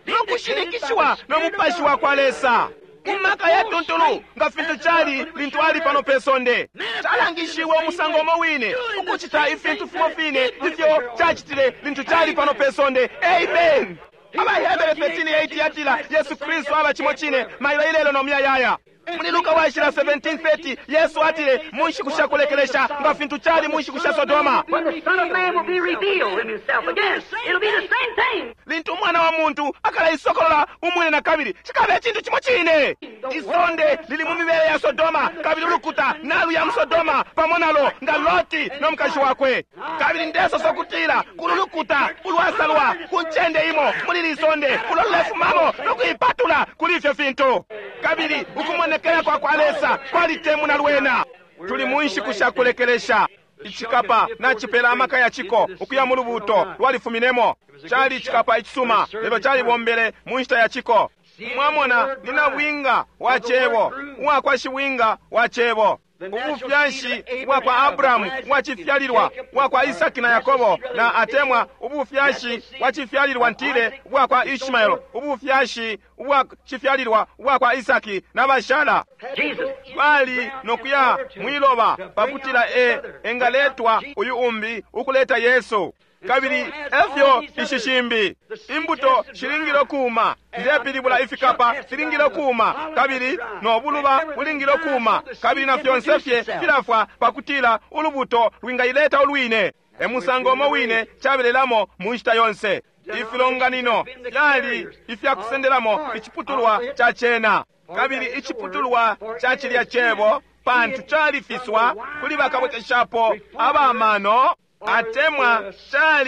no kushinikishiwa no mupashi wa kwa Lesa mu maka yatuntulu, nga fintu cali lintu ali pano pe sonde. Calangishiwe umusango umo wine, ukucita ifintu fimo fine ifyo cacitile lintu cali pano pe sonde. Amen. AbaHebere 13:8 yatila Yesu Kristu aba cimo cine mailo ilelo no muyayaya. Muli Luka washila 17:30 Yesu atile mu nshiku sha kulekelesha nga fintu cali mu nshiku sha Sodoma, When the Son of Man will be revealed in himself again, it'll be the same thing. lintu umwana wa muntu akalaisokolola umwine na kabili, cikaba icintu cimo cine. Isonde lili mu mibele ya Sodoma, kabili ulukuta naluya mu Sodoma pamo nalo nga Loti no mukashi wakwe. Kabili ndesosa ukutila kulu lukuta ulwasalwa ku ncende imo muli lisonde ulo lulefumamo no kuipatula kuli ifyo fintu. Kabili ukumonekela kwa kwa Lesa kwalitemuna lwena. Tuli mu nshiku sha kulekelesha. Icikapa nacipela amaka ya ciko ukuya mu lubuuto lwalifuminemo. Cali icikapa icisuma, lelo calibombele mu nshita ya ciko. Mwamona, ni nabwinga wa cebo, uwakwa shibwinga wa cebo. Ubufyashi bwa kwa Abrahamu bwacifyalilwa, bwa kwa Isaki na Yakobo, na atemwa ubufyashi bwacifyalilwa ntile bwa kwa Ishmael, ubufyashi bwacifyalilwa bwa kwa Isaki na bashala Jesus. bali nokuya mwiloba pakutila e engaletwa uyu umbi ukuleta Yesu. Kabili efyo ishi shimbi imbuto shilingile ukuuma, ndepilibula ifikapa filingile ukuuma, kabili no buluba bulingile ukuuma, kabili na fyonse fye filafwa pakutila ulubuto lwingaileta ulwine. E musango umo wine cabelelamo mu nshita yonse. Ifilonganino fyali ifyakusendelamo iciputulwa ca cena, kabili iciputulwa ca cilya cebo, pantu califiswa kuli bakabwekeshapo abamano atemwa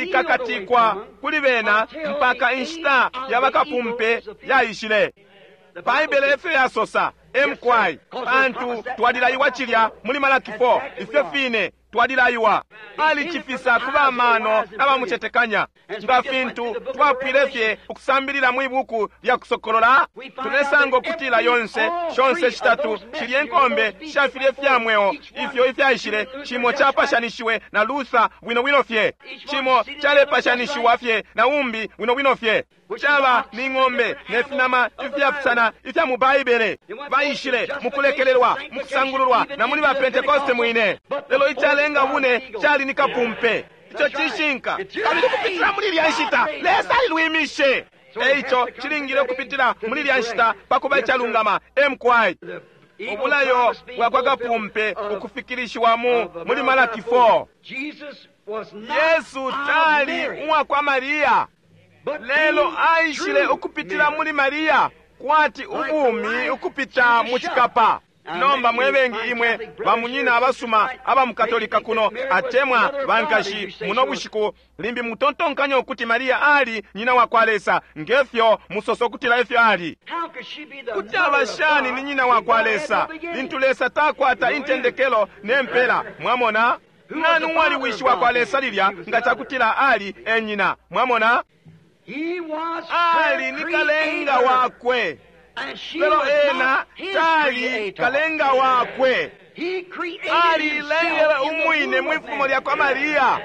calikakatikwa kuli bena mpaka inshita ya bakapumpe yaishile. Baibele efyo yasosa emkwai, pantu twalilaiwa cilya muli Malaki 4, ifyo fine twalilaiwa. Alicifisa ku bamano n'abamucetekanya. Nga fintu twapwile fye ukusambilila mwi buku lya Kusokolola, tulesanga ukutila yonse shonse shitatu shilye nkombe shafilye fya mweo ifyo ifyaishile, cimo capashanishiwe na Luther bwino bwino fye, cimo calepashanishiwa fye na umbi bwino bwino fye. Caba ni ng'ombe ne finama ifyapusana ifya mu Baibele. Baishile mukulekelelwa, mukusangululwa na muli ba Pentekoste mwine. Lelo icalenga bune cali ni kapumpe. Ico cishinka. Kabili kupitila muli ilya nshita Lesa alilwimishe. Eico cilingile ukupitila muli ilya nshita pakuba icalungama emkwai. Ubulayo bwa kwa kapumpe ukufikilishiwa mu muli Malaki 4. Jesus was not Yesu of tali Mary, uwa kwa Mariya, but lelo came aishile through ukupitila Mary. muli Mariya kwati ubumi ukupita mu cikapa. Nomba mwebengi imwe bamunyina abasuma abamukatolika kuno atemwa bankashi muno bushiku limbi mutontonkanya ukuti Mariya ali nyina wa kwa Lesa ngefyo musosa ukutila ifyo ali. How could she be the Kuti mother aba of shani God ni nyina wa if kwa God had Lesa no beginning? lintu Lesa takwata intendekelo ne mpela? Mwamona, nani uwali wishi wa kwa Lesa lilya nga cakutila ali e nyina? Mwamona, He was her ali ni kalenga creator, wakwe, and she lelo was ena not his tali creator. kalenga wakwe. He created Alilengele himself in the umwine womb mwi of fumo Mary. lya kwa Mariya,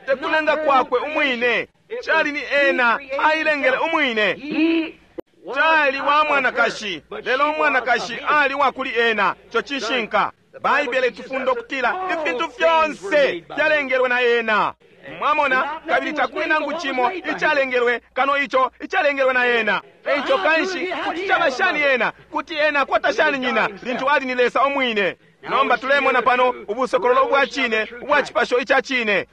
tekulenga kwakwe umwine. Cali ni ena ailengele umwine. He was Tali not wa of her, mwanakashi, but lelo she umwanakashi was of him. ali wa kuli ena. Ico cishinka. Baibele itufunda ukutila ifintu fyonse fyalengelwe na ena. Mwamona, kabili takuli nangu cimo icalengelwe kano ico icalengelwe na ena. Eico kanshi kuti caba shani ena, kuti ena akwata shani nyina lintu ali ni Lesa umwine. Nomba tulemona pano ubusokololo ubwa cine ubwa cipasho ica cine.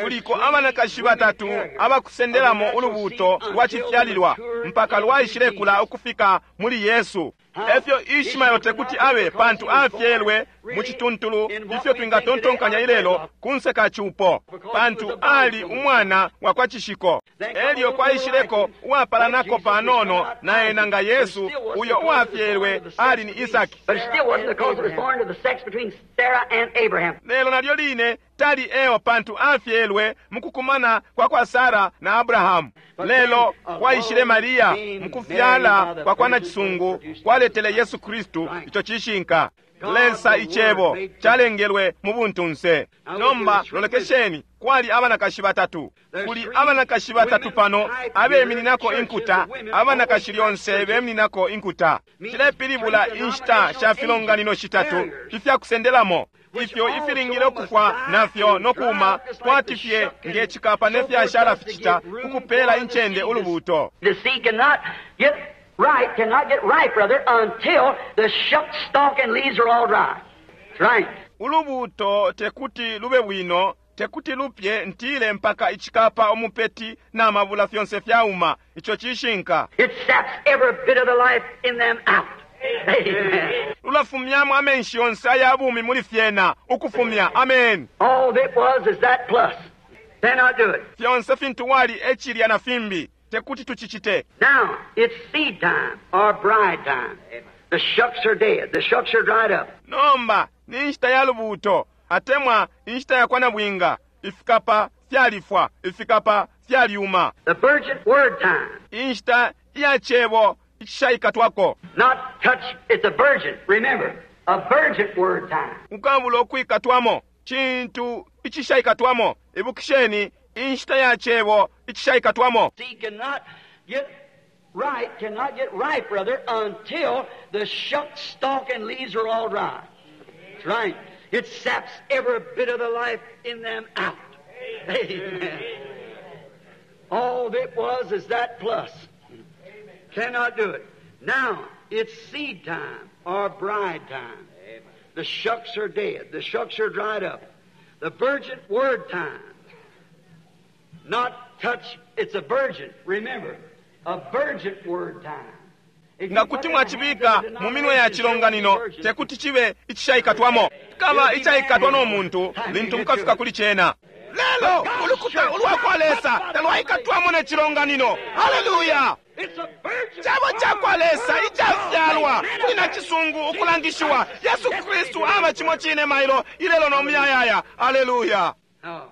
Kuliko abanakashi batatu abakusendelamo ulubuto lwa cifyalilwa mpaka lwaishilekula ukufika muli Yesu. Efyo Ishmael tekuti abe pantu afyelwe mu cituntulu ifyo twingatontonkanya ilelo kunse ka cupo, pantu ali umwana wa kwa cishiko. Elyo kwaishileko uwapalanako panono na ena nga Yesu, uyo uwafyelwe ali ni Isaki. But it still wasn't because it was born to the sex between Sarah and Abraham. Lelo nalyo line tali eo pantu afyelwe mukukumana kwa kwa Sara na Abrahamu. Lelo kwaishile Mariya mukufyala kwa kwa nacisungu kwaletele Yesu Kristu. Ico cishinka. Lesa icebo calengelwe mu buntunse. Nomba lolekesheni, kwali abanakashi batatu. Kuli abanakashi batatu pano abemininako inkuta. Abanakashi lyonse bemininako inkuta. Cilepilibula inshita sha filonganino shitatu ifyakusendelamo ifyo ifilingile ukufwa nafyo nokuuma kwati fye nge cikapa ne fyashala ficita ukupela incende ulubuto. The seed cannot get Ripe cannot get ripe, brother, until the shuck stalk and leaves are all dry. That's right. Ulubuto tekuti lube bwino, tekuti lupye ntile mpaka icikapa umupeti na mabula fyonse fyauma. Ico cishinka. It saps every bit of the life in them out. Amen. Lulafumyamo amenshi yonse aya bumi muli fyena, ukufumya. Amen. All that was is that plus. Cannot do it. Fyonse fintu wali ecilya na fimbi, tekuti tucicite. Now, it's seed time or bride time. The shucks are dead. The shucks are dried up. Nomba ni nshita ya lubuto, atemwa inshita ya kwa nabwinga. Ifikapa fyalifwa, ifikapa fyalyuma. The virgin word time. Inshita iya cebo icishaikatwako. Not touch, it's a virgin. Remember, a virgin word time. Ukabula ukwikatwamo, cintu icishaikatwamo. Ibukisheni, inshita ya cebo icishaikatwamo. Seed cannot get right, cannot get ripe, brother, until the shuck stalk and leaves are all dry. That's right. It saps every bit of the life in them out. Amen. All that was is that plus. Cannot do it. Now, it's seed time or bride time. The shucks are dead. The shucks are dried up. The virgin word time. Not touch, it's a virgin. Remember, a virgin word time. If you Nga put kuti it in the hands of mwacibika the mu minwe ya denomination, cilonganino, virgin. tekuti cibe icishaikatwamo. Kaba icaikatwa no muntu lintu mukafika kuli cena. Lelo ulukuta ulwa kwa Lesa talwaikatwamo ne cilonganino. Haleluya! It's a virgin Cebo ca kwa Lesa icafyalwa kuli na cisungu ukulangishiwa. Yesu Kristu aba cimo cine mailo ilelo no muyayaya. Haleluya! Oh.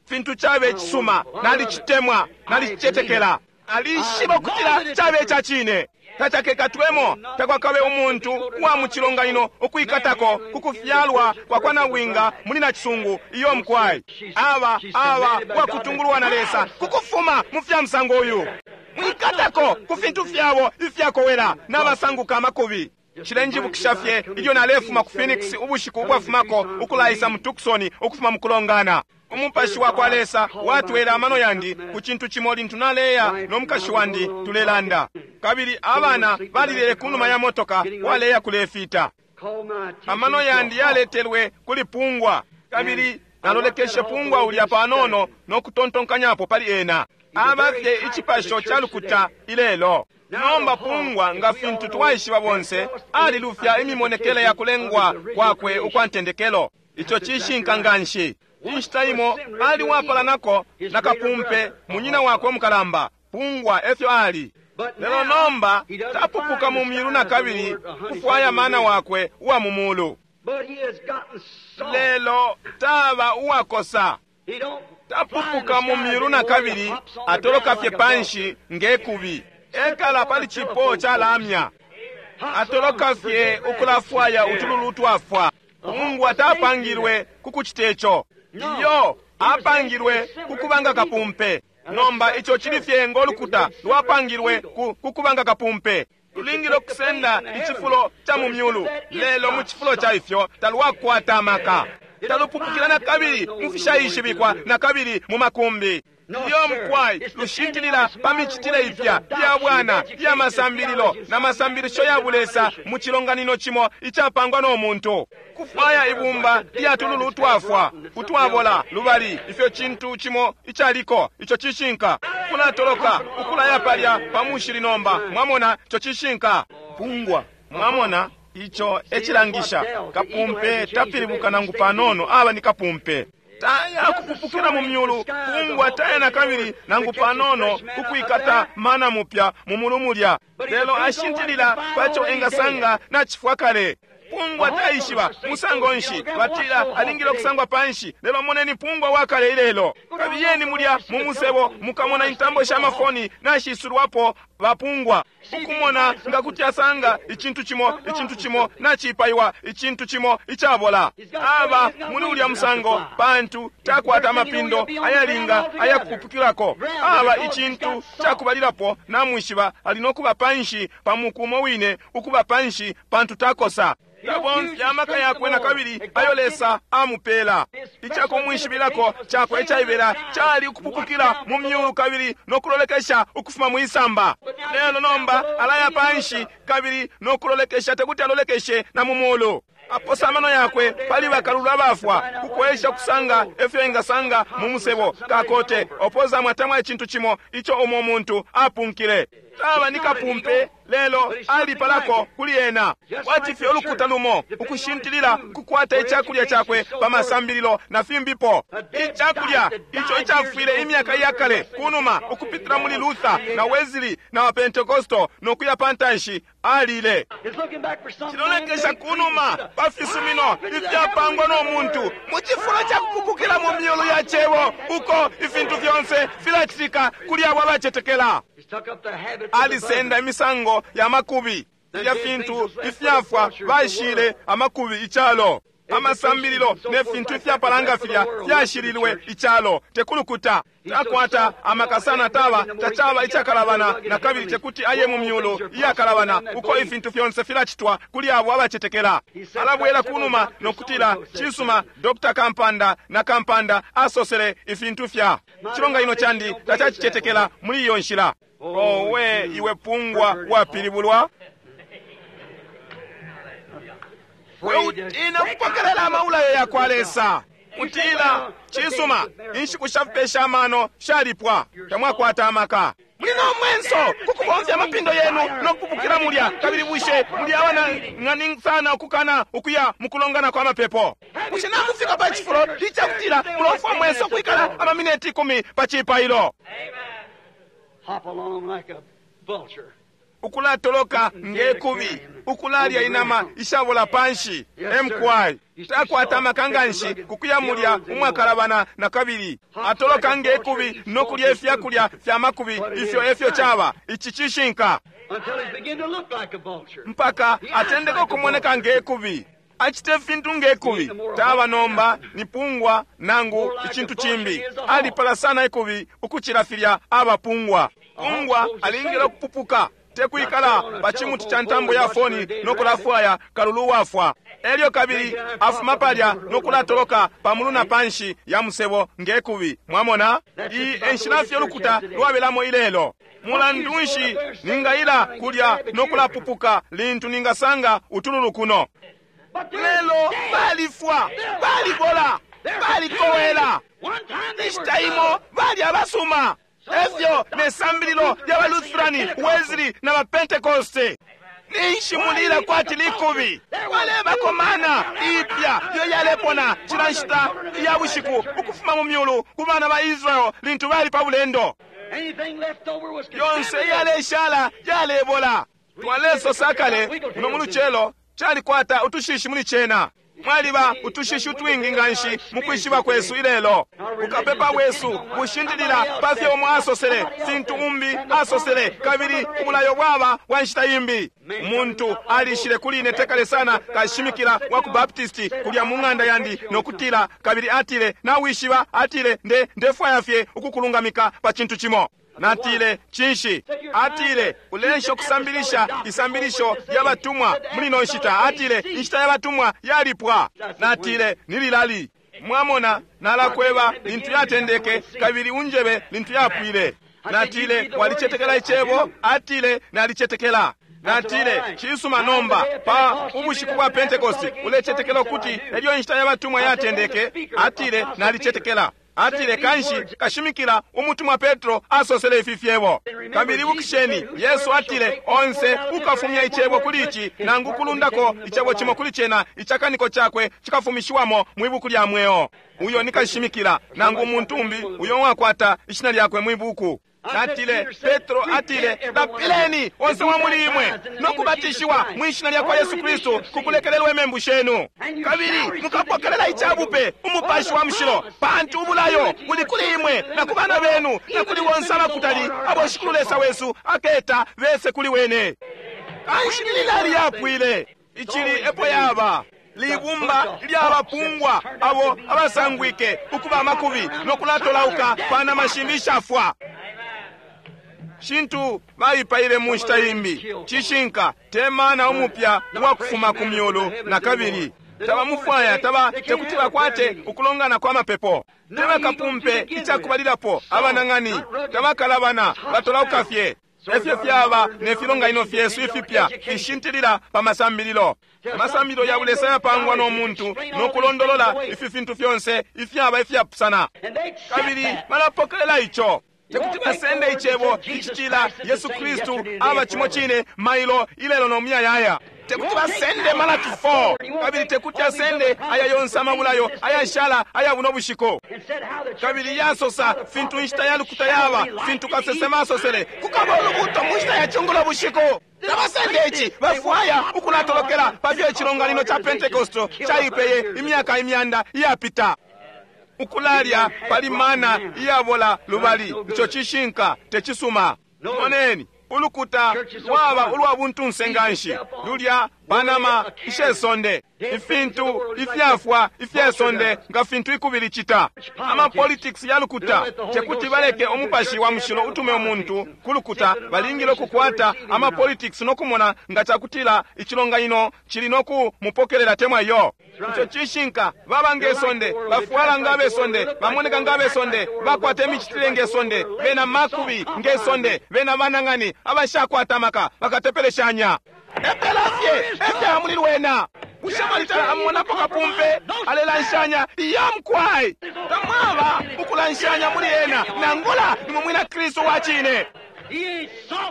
Fintu cabe icisuma, nalicitemwa, nalicicetekela. Alishiba ukutila cabe ica cine. Tacakekatwemo, takwakabe umuntu uwa mu cilonganino ukwikatako ku kufyalwa kwa kwa nabwinga muli na cisungu iyo mkwai. Aba aba wakutungulwa na Lesa kukufuma mu fya musango uyu. Mwikatako ku fintu fyabo ifyakowela n'abasanguka amakubi. Cilenjibukisha fye ilyo nalefuma ku Phoenix ubushiku ubwafumako ukulaisa mu Tucson ukufuma mu kulongana. Umupashi wa kwa Lesa watwele amano yandi ku cintu cimo lintu naleya no mukashi wandi tulelanda. Kabili abana balilele ku numa ya motoka waleya kulefita. Call my attention Amano to yandi a hawk. yaletelwe kuli pungwa. Kabili nalolekeshe pungwa ulya panono no kutontonkanyapo pali ena. Aba fye icipasho ca lukuta ilelo. Nomba pungwa nga fintu twaishiba bonse alilufya imimonekele ya kulengwa kwakwe ukwa ntendekelo. Ico cishinka nganshi. Inshita imo ali wapalanako na kapumpe munyina wakwe mukalamba. Pungwa efyo ali. Lelo nomba tapupuka mu myulu na kabili kufwaya mana wakwe uwa mu mulu. But he has gotten soft. Lelo taba uwakosa. He don't Tapupuka mu myulu na kabili atoloka fye panshi ngekubi. Ekala pali cipo ca lamya. Atoloka fye ukulafwaya utululu twafwa. Mungu atapangilwe kukucita ico. Iyo apangilwe kukubanga kapumpe. Nomba ico cili fye ngolukuta lwapangilwe kukubanga kapumpe. Lulingile okusenda icifulo ca mu myulu, lelo mu cifulo ca ifyo talwakwata amaka. Talupupukila na kabili mu fishaishibikwa na kabili mu makumbi. Iyo mukwai lushintilila pa micitile ipya iya bwana iya masambililo na masambilisho ya bulesa mu cilonganino cimo icapangwa no muntu. Kufwaya ibumba lya tululu utwafwa utwabola lubali ifyo cintu cimo icaliko ico cishinka. Kulatoloka ukulaya palya pa mushili nomba mwamona ico cishinka. Pungwa mwamona ico ecilangisha kapumpe tapilibuka nangu panono aba ni kapumpe. Taya kupupukila mu myulu pungwa taya na kabili nangu panono kukwikata mana mupya mu mulu mulya lelo ashintilila paco engasanga na chifwa kale. Pungwa taishiba musango nshi batila alingile okusangwa panshi lelo moneni pungwa wakale ilelo. Kabiyeni mulya mu musebo mukamona intambo sha mafoni nashisulwapo bapungwa ukumona nga kuti asanga icintu cimo icintu cimo nachipaiwa icintu cimo icabola. Aba muli ulya musango pantu takwata amapindo ayalinga ayakupupukilako. Aba icintu cakubalilapo namwishiba ali nokuba panshi pa muku umo wine ukuba panshi pantu takosa. Tabomfya amaka yakwe na kabili ayo Lesa amupela. Icakumwishibilako cakwe icaibela cali ukupupukila mu myulu kabili no kulolekesha ukufuma mwisamba. Lelo nomba alaya panshi kabili no kulolekesha, tekuti alolekeshe na mu mulu. Aposa amano yakwe pali bakalulu abafwa kukwesha kusanga efyo engasanga mu musebo kakote opoza atemwa icintu cimo ico umo muntu apunkile. Taba ni kapumpe, lelo alipalako kuli ena. Kwati fye ulukuta lumo ukushintilila kukwata icakulya cakwe pa masambililo na fimbipo. Icakulya ico icafwile imyaka iyakale kunuma ukupitila muli Luther na Wesley na wa Pentecostal no kuya pantanshi alile. Cilolekesha kunuma pa fisumino ifyapangwa no muntu mu cifulo ca kupupukila mu myulu ya cebo uko ifintu fyonse filacitika kuli abo abacetekela. Alisenda imisango ya makubi ya fintu ifyafwa bashile amakubi icalo. Amasambililo ne fintu ifyapalanga filya fyashililwe icalo tekulukuta. Takwata amakasana taba tacaba icakalabana na kabili tekuti aye mu myulu iyakalabana uko ifintu fyonse filacitwa kuli abo abacetekela. Alabwela kunuma no kutila cisuma Dr. Kampanda na Kampanda asosele ifintu fya cilonganino candi tacacicetekela muli iyo nshila. Owe iwe pungwa wapilibulwa. Weutina kupokelela amaulayo ya kwa Lesa. Mutila cisuma inshiku shafipesha amano shalipwa, tamwakwata amaka. Muli no mwenso kukubomfya amapindo yenu no kupupukila mulya, kabili bushe muli abanang'ani sana ukukana ukuya mukulongana kwa mapepo. Bushe namufika pa cifulo icakutila mulomfwa mwenso kwikala amamineti 10 pa cipailo? Ukulatoloka ngekubi, ukulalya inama ishabola panshi. Mqi takwata amaka nganshi kukuya mulya umwakalabana na kabili. Atoloka ngekubi no kulya ifyakulya fya makubi, ifyo efyo caba. Ici cishinka mpaka atendeka ukumoneka ngekubi. Acite fintu ngekubi. Taba nomba ni pungwa nangu icintu cimbi. Alipala sana ikubi ukucila filya abapungwa. Pungwa alingile ukupupuka, tekwikala pa cimuti ca ntambo ya foni no kulafwaya kalulu wafwa. Elyo kabili afuma palya no kulatoloka pamulu na panshi ya musebo ngekubi. Mwamona iyi enshila fye ulukuta lwabelamo ilelo. Mulandu nshi ningaila kulya no kulapupuka lintu ningasanga utululu kuno? Lelo balifwa, balibola, balikowela. Inshita imo bali abasuma. Efyo ne sambililo lya baLutherani, Wesley na baPentecoste. Ninshi mulila kwati likubi. Balebakomana ipya iyo yalepona cila nshita ya bushiku ukufuma mu myulu ku bana ba Israel lintu bali pa bulendo. Yonse iyaleshala yalebola. Twalesosa kale muno mu lucelo calikwata utushishi muli cena. Mwaliba utushishi utwingi nganshi mu kwishiba kwesu ilelo. Ukapepa bwesu bushintilila pa fyo umo asosele, fintu umbi asosele, kabili ubulayo bwaba bwa nshita imbi. Umuntu alishile kuli ine tekale sana kashimikila wa ku Baptisti kulya mu ng'anda yandi no kutila, kabili atile, nawishiba, atile, ndefwaya fye ukukulungamika pa cintu cimo. Natile, cinshi? Atile, ulensha ukusambilisha isambilisho lya batumwa muli no nshita. Atile, inshita ya batumwa yalipwa. Natile, nililali. Mwamona, nalakweba lintu yatendeke kabili unjebe lintu yapwile. Natile, walicetekela icebo? Atile, nalicetekela. Natile, cisuma nomba, pa ubushiku bwa Pentecost ulecetekela ukuti elyo inshita ya batumwa yatendeke? Atile, nalicetekela. Atile, kanshi kashimikila umutumwa Petro asosele ifi fyebo. Kabili ibukisheni, Yesu atile, onse ukafumya icebo kuli ici nangu kulundako icebo cimo kuli cena, icakaniko cakwe cikafumishiwamo mwi buku lya mweo. Uyo ni kashimikila nangu umuntu umbi uyo wakwata ishina lyakwe mwi buku. Natile, Petro atile, lapileni onse wa muli imwe no kubatishiwa mwishina lya kwa Yesu Kristu kukulekelelwa imembu shenu, kabili mukapokelela icabupe umupashi wa mushilo, pantu ubulayo buli kuli imwe na ku bana benu na kuli bonse abakutali abo Shikulu Lesa wesu aketa bese kuli wene. Kanshi lilali yapwile icili epo yaba libumba lyabapungwa abo abasangwike ukuba amakubi no kulatolauka pa nama shimbi ishafwa. shintu baipaile mu nshita imbi. Cishinka, te mana umupya uwakufuma ku myulu na kabili. Tabamufwaya, taba tekuti bakwate ukulongana kwa mapepo. Tebakapumpe icakubalilapo abanang'ani, tabakalabana, batolauka fye. Efyo fyaba ne filonganino fyesu ifipya fishintilila pa masambililo. Amasambililo ya bulesa yapangwa no muntu no kulondolola ifi fintu fyonse ifyaba ifyapusana, kabili balapokelela ico. Tekuti basende icebo icitila Yesu Kristu aba cimo cine mailo, ilelo no muyayaya. Tekuti basende Malaki 4, kabili tekuti asende aya yonse amabulayo ayashala aya buno bushiku. Kabili yasosa fintu inshita ya lukuta yaba, fintu kasesema asosele, kukaba ulubuto mu nshita ya cungulo bushiku. Tabasende ici, bafwaya ukulatolokela pa fyo icilonganino ca Pentekosto caipeye imyaka imyanda iyapita. Ukulalya pali mana iyabola lubali, ico cishinka tecisuma. Moneni, ulukuta lwaba ulwa buntunse nganshi, lulya panama ishe sonde, ifintu ifyafwa ifye sonde nga fintu ikubili cita. Ama politics ya lukuta, tekuti baleke umupashi wa mushilo utume umuntu ku lukuta. Balingile ukukwata ama politics no kumona nga cakutila icilonganino cili no kumupokelela temwa yo. Ico cishinka, baba nge sonde, bafwala nga besonde, bamoneka nga besonde, bakwata imicitile nge sonde, bena makubi nge sonde, bena banang'ani abashakwata amaka, bakatepeleshanya. Epela fye efya muli lwena. Bushe mwalitala amumonapo kapumpe alelanshanya iya mukwai? Tamwaba ukulanshanya muli ena, nangula ni mwina Kristu wa cine.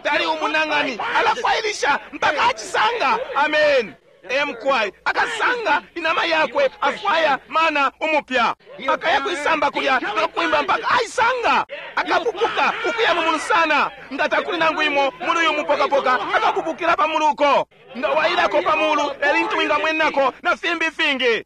Tali umunang'ani, alafwailisha mpaka acisanga. Amen. Emkwai akasanga inama yakwe, afwaya mana umupya, akaya kuisamba kulya nokuimba mpaka aisanga. Akapupuka ukuya mumulu sana, nga takuli nangu imo muli uyu mupokapoka, akapupukila pamuluko nga wailako pamulu elintu wingamwenako na fimbi fingi.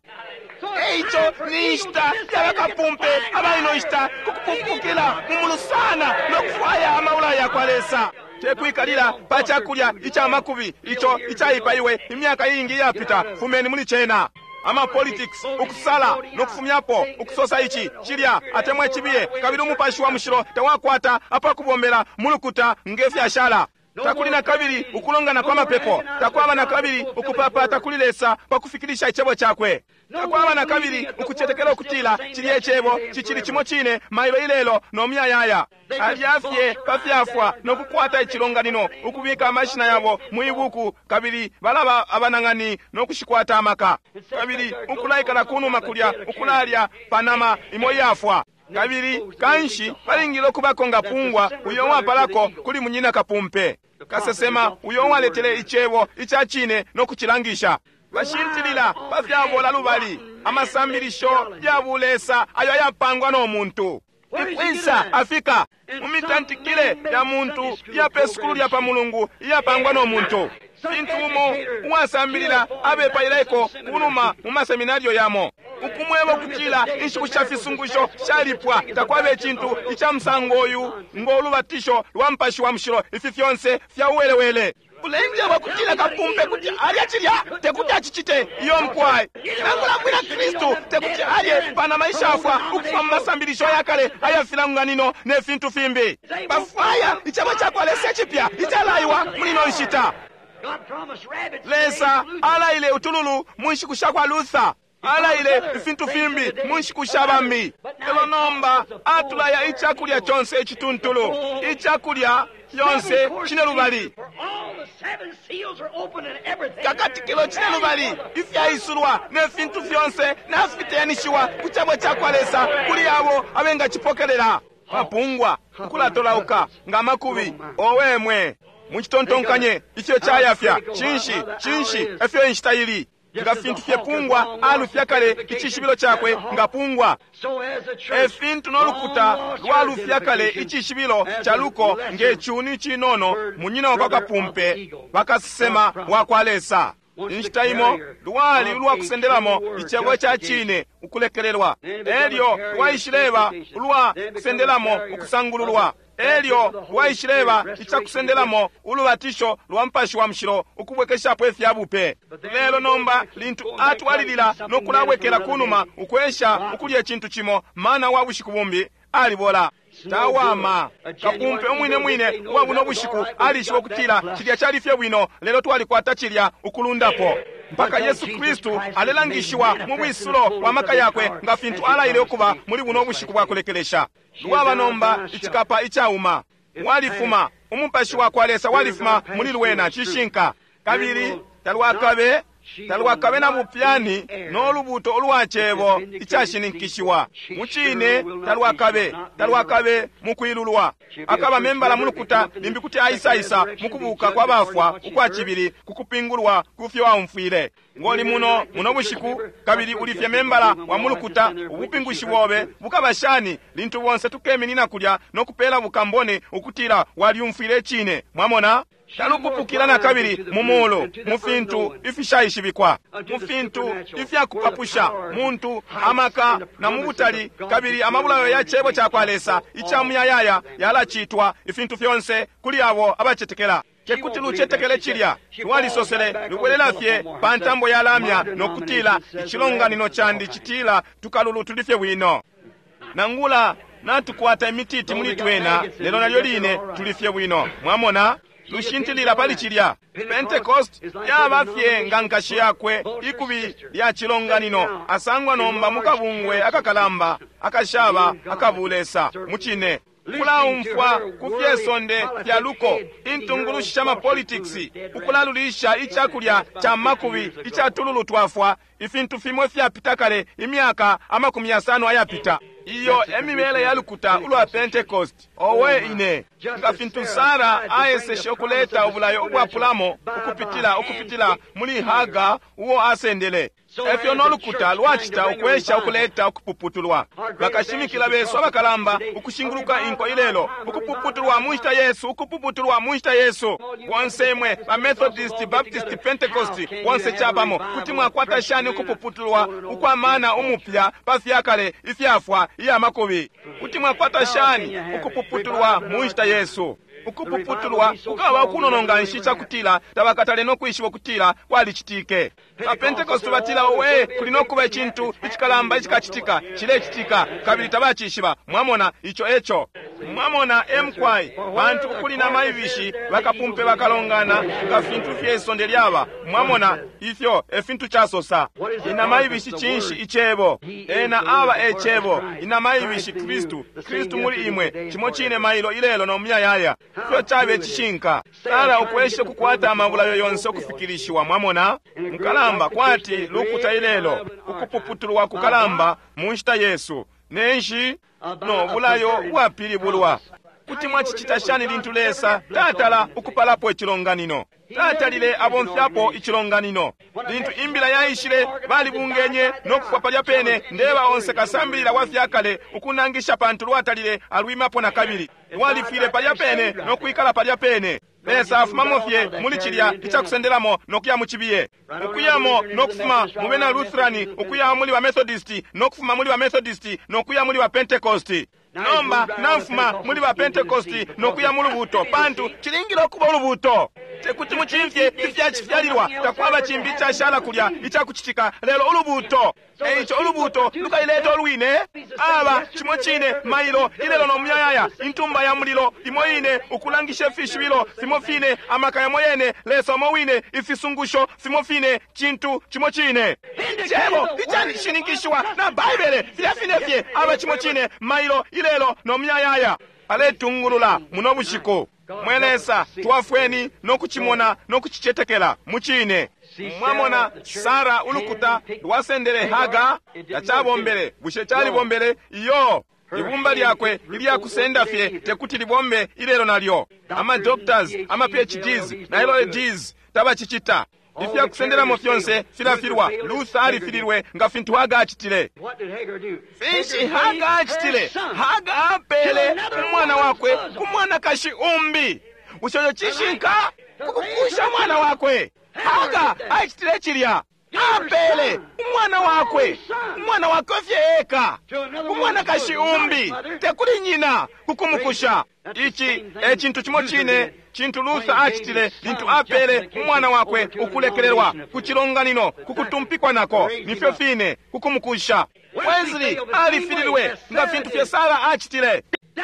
Eico ni nshita yabakapumpe abalino nshita kukupupukila mumulu sana nokufwaya amaula yakwa Lesa. Tekwikalila pa cakulya ica makubi ico icaipaiwe imyaka iingi iyapita. Fumeni muli cena. Ama politics, ukusala nokufumyapo, ukusosa ici cilya atemwa icibiye, kabili umupashi wa mushilo tawakwata apakubombela mulukuta nge fyashala. Takuli na kabili ukulongana kwa mapepo, takwaba na kabili ukupapata kuli Lesa pa kufikilisha icebo cakwe, takwaba na kabili ukucetekela ukutila cilya icebo cicili cimo cine mailo ilelo no muyayaya. Alya fye pa fyafwa no kukwata icilonganino, ukubika amashina yabo mu ibuku, kabili balaba abanang'ani no kushikwata amaka, kabili ukulaikala kunuma kulya ukulalya panama imo iyafwa. Kabili kanshi balingile ukubako nga pungwa uyo uwapalako kuli munyina kapumpe, kasesema uyo uwaletele icebo ica cine no kucilangisha. Bashintilila pa fyabola lubali, amasambilisho ya bulesa ayo ayapangwa no muntu. Ikwisa afika mu mitantikile ya muntu iya pe sukulu lya pa mulungu iyapangwa no muntu. Fintu umo uwasambilila abepaileko kunuma mu maseminario yamo, ukumweba ukutila inshiku sha fisungusho shalipwa, takwaba icintu ica musango uyu ngo ulubatisho lwa mupashi wa mushilo. Ifi fyonse fya uwelewele. Ulenjeba kutila kapumpe kuti alya cilya tekuti acicite iyo mkwai. Nangula mwina Kristu tekuti alye panama ishafwa ukufuma mu masambilisho yakale aya filanganino ne fintu fimbi. Bafwaya icebo cakwa Lesa icipya icalaiwa muli ino nshita. Lesa alaile utululu mu nshiku sha kwa Luther, alaile ifintu fimbi mu nshiku sha bambi, lelo nomba atulaya icakulya conse icituntulu, icakulya yonse cine lubali, kakatikilo cine lubali, ifyaisulwa ne fintu fyonse nafiteyanishiwa ku cebo cakwa Lesa kuli abo abengacipokelela. Bapungwa ukulatolauka nga makubi owemwe mucitontonkanye ifyo cayafya. Cinshi cinshi efyo inshita ili nga fintu fye pungwa alufya kale icishibilo cakwe nga pungwa, e fintu no lukuta lwalufya kale icishibilo ca luko nge cuni cinono munyina wa kapumpe bakasesema wa kwa Lesa. Inshita imo lwali ulwa kusendelamo icebo ca cine ukulekelelwa, elyo lwaishileba ulwa kusendelamo ukusangululwa, elyo lwaishileba icakusendelamo ulubatisho lwa mupashi wa mushilo ukubwekeshapo ifya bupe. Lelo nomba lintu atwalilila no kulabwekela kunuma ukwesha ukulya icintu cimo, mana wa bushiku bumbi alibola. Tawama. Kapumpe umwine mwine uwa buno bushiku alishiba ukutila cilya cali fye bwino, lelo twalikwata cilya ukulundapo. Mpaka Yesu Kristu alelangishiwa mu bwisulo bwa maka yakwe nga fintu alaile ukuba muli buno bushiku bwa kulekelesha. Lwaba nomba icikapa icauma. Walifuma, umupashi wa kwa Lesa walifuma muli lwena, cishinka. Kabili talwakabe talwakabe na bupyani no lubuto ulwa cebo icashininkishiwa. Mucine talwakabe, talwakabe mukwilulwa. Akaba membala mulukuta limbi kuti aisaisa mukubuka kwa bafwa ukwa cibili kukupingulwa kufyo aumfwile. Ngoli muno muno bushiku kabili ulifye membala wa mulukuta, ubupingushi bobe bukaba shani lintu bonse tukeminina kulya no kupela bukambone ukutila waliumfwile icine. Mwamona? Talupupukila na kabili mu mulu mu fintu ifishaishibikwa, mu fintu ifyakupapusha muntu amaka na mu butali, kabili amabulayo ya cebo ca kwa Lesa ica muyayaya yalacitwa ifintu fyonse kuli abo abacetekela. Tekuti lucetekele cilya. Lwalisosele lubwelela fye pa ntambo ya lamya no kutila icilonganino candi citila tukalulu tuli fye bwino. Nangula natukwata imititi muli twena, lelo nalyo line tuli fye bwino. Mwamona? Lushintilila pali cilya. Pentecost yaba fye nga nkashi yakwe ikubi lya cilonganino, asangwa nomba mukabungwe akakalamba akashaba akabulesa mucine. Kulaumfwa ku fyesonde fya luko, intungulushi sha mapolitics, ukulalulisha icakulya ca makubi ica tululu twafwa, ifintu fimo ifyapita kale imyaka 50 ayapita. Iyo emibele ya lukuta ulwa Pentecost. Owe ine, nga fintu Sara aeseshe ukuleta ubulayo ubwapulamo ukupitila ukupitila muli Haga uo asendele, efyo no lukuta lwacita ukwesha ukuleta ukupuputulwa. Bakashimikila besu abakalamba ukushinguluka inko ilelo, ukupuputulwa mu nshita yesu, ukupuputulwa mu nshita yesu. Bonse imwe ba Methodist, Baptist, Pentecost, bonse capamo, kuti mwakwata shani ukupuputulwa ukwamana umupya pa fyakale ifyafwa iya makubi? Kuti mwakwata shani ukupuputulwa mu nshita yesu? Ukupuputulwa kukaba ukunononga nshi cakutila tabakatale no kwishiba ukutila kwalicitike. Ba Pentecost batila owe kuli no kuba icintu icikalamba icikacitika, cilecitika, kabili tabacishiba. Mwamona ico eco. Mwamona emkwai bantu ukuli na maibishi bakapumpe bakalongana nga fintu fye isonde lyaba. Mwamona ifyo efintu casosa. Inama ibishi cinshi icebo? Ena aba ecebo. Inama ibishi Kristu, Kristu muli imwe, cimo cine mailo ilelo no muyayaya. Ifyo cabe cishinka. Sara ukwesha kukwata amabulayo yonse ukufikilishiwa. Mwamona mukalamba kwati lukuta ilelo, ukupuputulwa kukalamba mu nshita yesu nenshi no bulayo bwapilibulwa. Kuti mwacicita shani lintu Lesa tatala ukupalapo icilonganino? Tatalile abomfyapo icilonganino. Lintu imbila yaishile, balibungenye no kufwa palya pene. Ndeba onse kasambilila wa fyakale ukunangisha pantu lwatalile alwimapo na kabili. Lwalifwile palya pene no kwikala palya pene. Lesa afumamo fye muli cilya icakusendelamo no kuya mu cibiye, ukuyamo no kufuma mu bena Lutherani, ukuya muli ba Methodist, no kufuma muli ba Methodist no kuya muli ba Pentecost. Nomba namfuma muli ba Pentecost no kuya mu lubuto, pantu cilingile ukuba ulubuto. Tekuti mucimfye ifyacifyalilwa, takwaba cimbi icashala kulya icakucitika lelo ulubuto. Eico ulubuto lukaileta olwine. Aba cimo cine mailo ilelo no muyayaya, intumba ya mulilo imo ine, ukulangisha ifishibilo fimo fine, amaka yamo yene, Lesa umo wine, ifisungusho fimo fine, cintu cimo cine. Cebo icashininkishiwa na Baibele filya fine fye. Aba cimo cine mailo ilelo no muyayaya, aletungulula muno bushiku. Mwe Lesa, twafweni no kucimona no kucicetekela mucine. Mwamona Sara ulukuta lwasendele Haga, tacabombele. Bushe calibombele? Iyo. Ibumba lyakwe ilyakusenda fye tekuti libombe ilelo nalyo. Ama doctors, ama PhDs na LLDs tabacicita. Ifyakusendelamo fyonse filafilwa. Luther alifililwe nga fintu Haga acitile. Finshi Haga acitile? Haga apele umwana wakwe ku mwanakashi umbi. Bushe ico cishinka? Kukukusha umwana wakwe. Haga acitile cilya. Apele umwana wakwe, umwana wakwe fye eka, umwanakashi umbi, tekuli nyina, kukumukusha. Ici e cintu cimo cine cintu Luther acitile lintu apele umwana wakwe ukulekelelwa ku cilonganino, kukutumpikwa nako, nifyo fine kukumukusha. Wesley alifililwe nga fintu fye Sara acitile.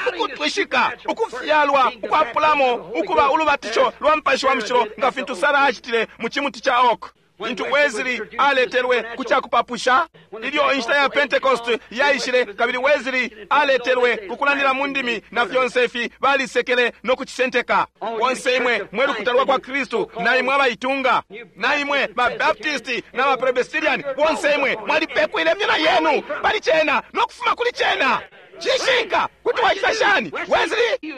Ukutwishika ukufyalwa ukwapulamo ukuba ulubatisho lwa Mupashi wa Mushilo nga fintu Sara acitile mu cimuti ca oak. Lintu Wesley aletelwe ku cakupapusha, ilyo inshita ya Pentecost yaishile kabili Wesley aletelwe ku kulandila mu ndimi na fyonse ifi, balisekele no kucisenteka. Bonse imwe mwe lukuta lwa kwa Kristu, na imwe abaitunga, na imwe ba Baptist na ba Presbyterian, bonse imwe mwalipekwile imyona yenu pali cena no kufuma kuli cena. Cishinka, kuti wacita shani? Wesley,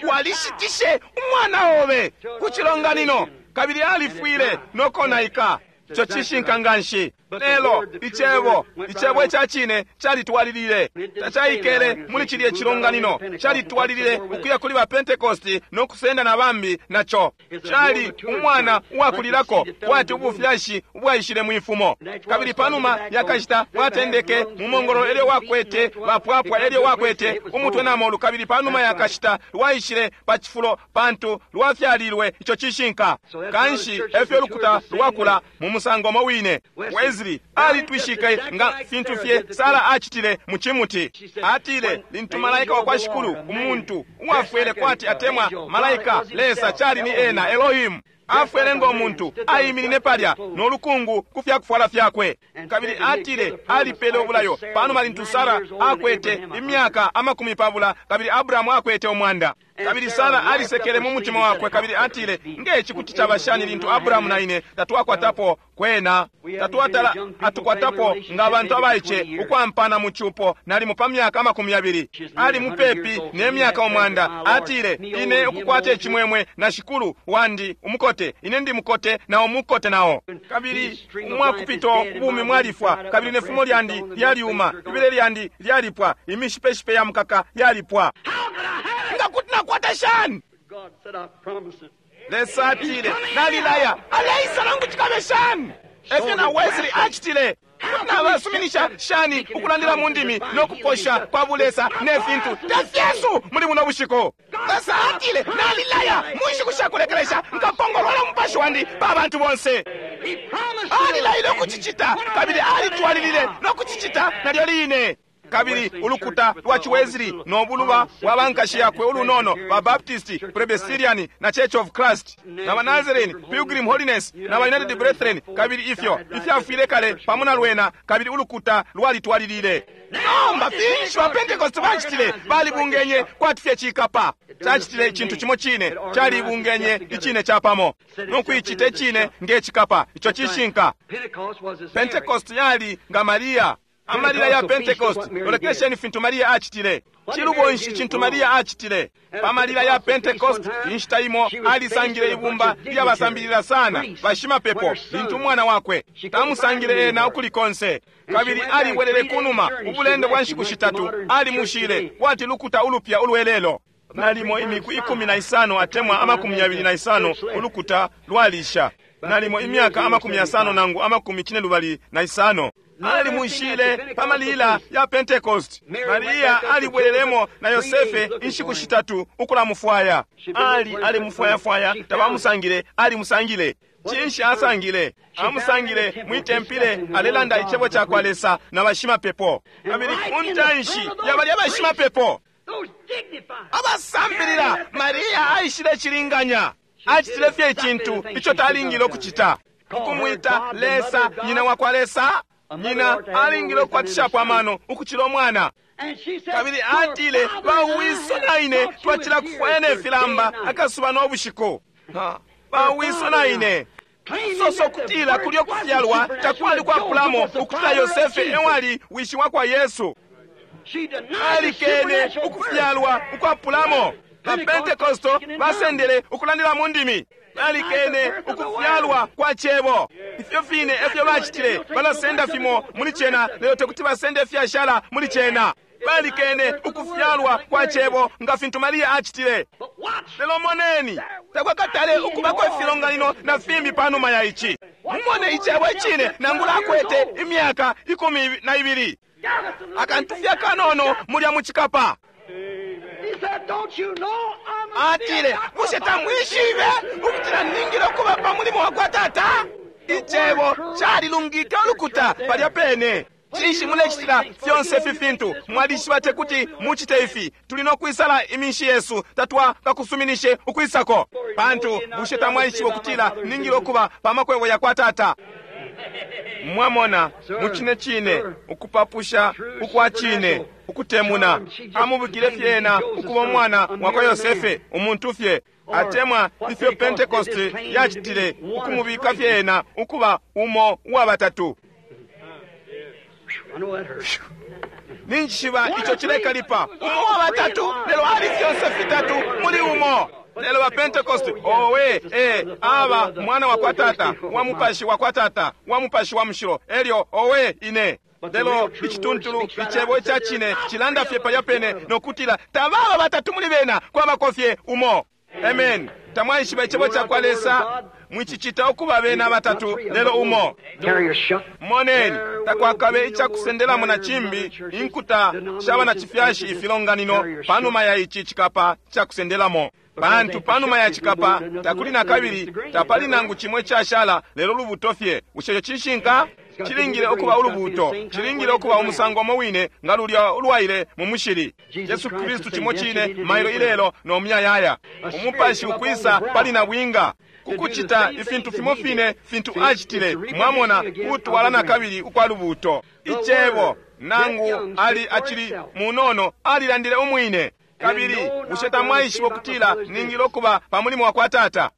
walishitishe umwana obe ku cilonganino kabili alifwile no konaika. Ico cishinka nganshi. Lelo icebo, icebo ica cine calitwalilile, tacaikele muli cilye cilonganino, calitwalilile ukuya kuli ba Pentecost no kusenda na bambi naco. Cali umwana uwakulilako kwati ubufyashi ubwaishile mwifumo, kabili panuma yakashita bwatendeke mu mongololo elyo wakwete bapwapwa, elyo wakwete umutwe na molu, kabili panuma yakashita lwaishile pa cifulo pantu lwafyalilwe. Ico cishinka. Kanshi efyo lukuta lwakula mu musango mo wine. Wesley alitwishike nga fintu fye Sara acitile mu cimuti. Atile lintu malaika wa kwa Shikulu, umuntu uwafwele kwati atemwa malaika, Lesa cali ni ena Elohim, afwele ngo muntu, aiminine palya no lukungu ku fyakufwala fyakwe. Kabili atile alipele ubulayo panuma lintu Sara akwete imyaka 20 kabili Abrahamu akwete 100. Kabili Sara alisekele mu mutima wakwe kabili atile, ngeci kuti caba shani lintu Abrahamu na ine tatwakwatapo kwena, tatwatala atukwatapo nga abantu abaice ukwampana mu cupo nalimo pa myaka 20. Ali mupepi ne myaka 100. Atile, ine ukukwata icimwemwe na shikulu wandi umukote, ine ndi mukote na umukote nao. Kabili umwakupito ubumi mwalifwa, kabili ne fumo lyandi lyalyuma, ibele lyandi lyalipwa, imishipeshipe ya mukaka yalipwa. Nga kuti nakwata shani? Lesa atile, nalilaya, aleisa nangu cikabe shani? Efyo na Wesley acitile. Kuti nabasuminisha shani ukulandila mu ndimi no kuposha kwa bulesa ne fintu tefyesu muli buno bushiku? Lesa atile, nalilaya, mu nshiku shakulekelesha nkapongolola umupashi wandi pa bantu bonse. Alilaile ukucicita kabili alitwalilile no kucicita nalyo line. Kabili ulukuta lwa Chiwesley no buluba bwa bankashi yakwe ulunono ba Baptist, Presbyterian na Church of Christ na ba Nazarene, Pilgrim Holiness na ba United Brethren, kabili ifyo ifyafwile kale pamo na lwena, kabili ulukuta lwalitwalilile. Nomba finshi ba Pentecost bacitile? Balibungenye kwati fye cikapa. Cacitile icintu cimo cine, calibungenye icine capamo no kuicita icine nge cikapa. Ico cishinka. Pentecost yali nga Maria. Amalila ya Pentecost, lolekesheni fintu Maria acitile. Cilubo nshi cintu Maria acitile? Pa malila ya Pentecost, inshita imo alisangile ibumba lyabasambilila sana bashimapepo, lintu umwana wakwe tamusangile ena ukuli konse. Kabili alibwelele kunuma ubulendo bwa nshiku shitatu, alimushile kwati lukuta ulupya ulwelelo. Nalimo imiku 15 atemwa 25 ulukuta lwalisha, nalimo imyaka 50 nangu 25. Alimushile pa malila ya Pentecost. Maria alibwelelemo na Yosefe inshiku shitatu ukulamufwaya. Ali alimufwayafwaya, tabamusangile, alimusangile. Cinshi asangile? Amusangile mwitempile alelanda icebo ca kwa Lesa na bashimapepo. Kabili ku ntanshi ya balya bashimapepo abasambilila, Maria aishile cilinganya. Acitile fye icintu ico talingile ukucita, ukumwita Lesa nyina wa kwa Lesa. Nyina alingile ukukwatishapo amano ukucila umwana. Kabili atile, bawiso na ine twacila kufwaya ne filamba akasuba no bushiku. Bawiso na ine. Soso kutila kulyo kufyalwa takwali kwapulamo ukutila Yosefe ewali wishi wa kwa Yesu. Alikene ukufyalwa ukwapulamo. Ba Pentecosto basendele ukulandila mu ndimi. Balikene ukufyalwa kwa cebo. Ifyo fine efyo bacitile, balasenda fimo muli cena, lelo tekuti basende fyashala muli cena. Balikene ukufyalwa kwa cebo nga fintu Maria acitile. Lelo moneni, takwakatale ukubako ifilonganino na fimbi panuma ya ici. Mumone icebo icine nangula akwete imyaka 12. Akantu fye kanono mulya mu cikapa. Atile, bushe tamwishibe ukutila ningile ukuba pa mulimo wa kwa Tata? Icebo calilungike ulukuta palya pene. Cinshi mulecitila fyonse ifi fintu? Mwalishiba tekuti mucite ifi. Tuli no kwisala iminshi yesu, tatwa kakusuminishe ukwisako. Pantu bushe tamwaishiba ukutila ningile ukuba pa makwebo ya kwa Tata? Mwamona, mucine cine, ukupapusha ukwa cine, ukutemuna. Amubikile fye ena ukuba umwana wakwa Yosefe, umuntu fye. Atemwa ifyo Pentecost yacitile, ukumubika fye ena ukuba umo uwa batatu. I know that hurts. Ninjishiba ico cilekalipa. Umo wa batatu, lelo ali fyonse fitatu muli umo. Lelo ba Pentecost, owe, aba mwana wa kwa Tata, wa mupashi wa kwa Tata, wa mupashi wa mushilo. Elyo, owe, ine. Lelo icituntulu icebo ica cine cilanda fye palya pene nokutila tababa batatu muli bena, kwabako fye umo. Amen. Tamwaishiba icebo ca kwa Lesa, mwicicita ukuba bena batatu lelo umo. Carrier shuck. Moneni, takwakabe icakusendelamo na cimbi inkuta shaba na cifyashi ifilonganino panuma ya ici cikapa cakusendelamo. Pantu panuma ya cikapa takuli na kabili, tapali nangu cimwe cashala lelo lubuto fye. Bushe ico cishinka? Cilingile ukuba ulubuto, cilingile ukuba umusango umo wine nga lulya ulwaile mu mushili. Yesu Kristu cimo cine mailo ilelo no muyayaya. Umupashi ukwisa pali nabwinga kukucita ifintu fimo fine fintu acitile, mwamona, kutwala na kabili ukwa lubuto. Icebo nangu ali acili munono alilandile umwine. Kabili bushe tamwaishiba ukutila ningile ukuba pa mulimo wa kwa Tata?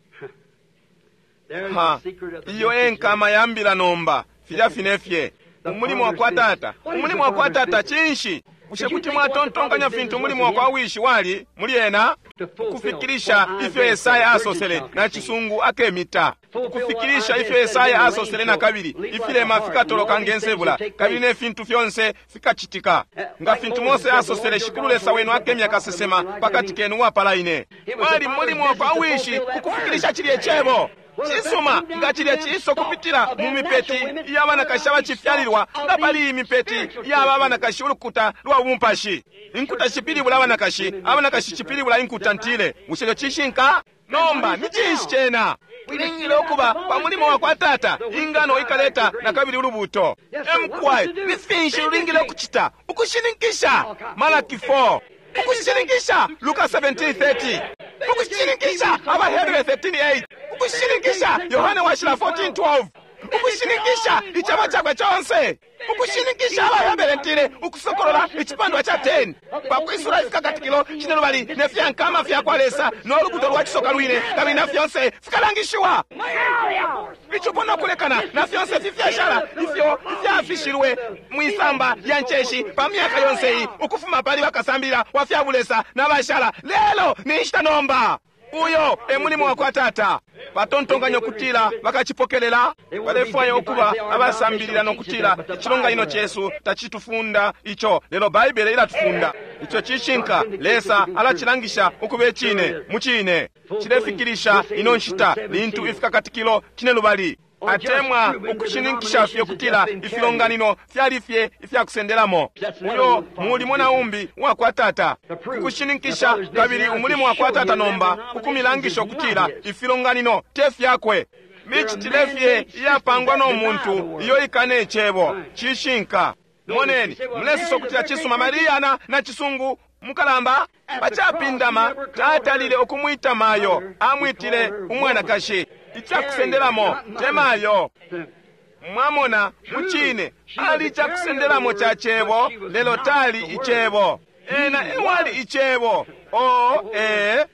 There's Ha, the secret of the iyo mystery. enkama yambila nomba, filya fine fye. Umulimo wa kwa Tata, umulimo wa kwa Tata cinshi? Bushe kuti mwatontonkanya fintu umulimo wa kwa wishi wali muli ena? Ukufikilisha ifyo Esaya asosele na cisungu akemita. Ukufikilisha ifyo Esaya asosele na kabili, ifilema fikatoloka nge nsebula, kabili ne fintu fyonse fikacitika. Nga fintu Mose asosele, Shikulu Lesa wenu akemya kasesema pakati kenu uwapala ine. Wali mulimo wa kwa wishi ukufikilisha cilye cebo. Cisuma nga cilya ciso kupitila mu mipeti y'abanakashi abacifyalilwa, nga pali iyi mipeti y'aba abanakashi ulukuta lwa bumupashi. Inkuta cipilibula abanakashi, abanakashi cipilibula inkuta ntile. Bushe ico cishinka? Nomba ni cinshi cena? Tulingile ukuba pa mulimo wa kwa Tata, ingano ikaleta na kabili ulubuto. Emkwai, ni finshi lulingile ukucita? Ukushininkisha. Malaki 4. Ukushininkisha. Luka 17:30. Ukushininkisha. Abahebere 13:8. Ukushininkisha. Yohane washila 14:12. Ukushininkisha icebo cakwe conse. Ukushininkisha Abahebere ntile ukusokolola icipandwa ca 10. Pakwisula ifikakatikilo cine lubali ne fyankama fya kwa Lesa no lubuto lwa cisoka lwine kabili na fyonse fikalangishiwa. Icupo no kulekana na fyonse fifyashala ifyo ifyafishilwe mwisamba lya nceshi pa myaka yonse iyi ukufuma pali bakasambilila wa fya bulesa na bashala. Lelo ni nshita nomba. Uyo e mulimo wa kwa Tata. Batontonkanya ukutila bakacipokelela, balefwaya ukuba abasambilila no kutila icilonganino cesu tacitufunda ico, lelo Baibele ilatufunda. Ico cishinka. Lesa alacilangisha ukuba icine mu cine. Cilefikilisha ino nshita lintu ifikakatikilo cine lubali atemwa ukushininkisha fye kutila ifilonganino fyali fye ifyakusendelamo. Uyo mulimo na umbi uwa kwa Tata ukushininkisha, kabili umulimo wa kwa Tata nomba ukumilangisha ukutila ifilonganino te fyakwe. Micitile fye iyapangwa no muntu iyo ikane icebo. Cishinka. Moneni, mulesosa ukutila cisuma Maria na cisungu mukalamba pacapindama tatalile ukumwita mayo, amwitile umwanakashi. Icakusendelamo te mayo. Mwamona, mucine ali icakusendelamo ca cebo, lelo tali icebo. Ena ewali icebo. O ee,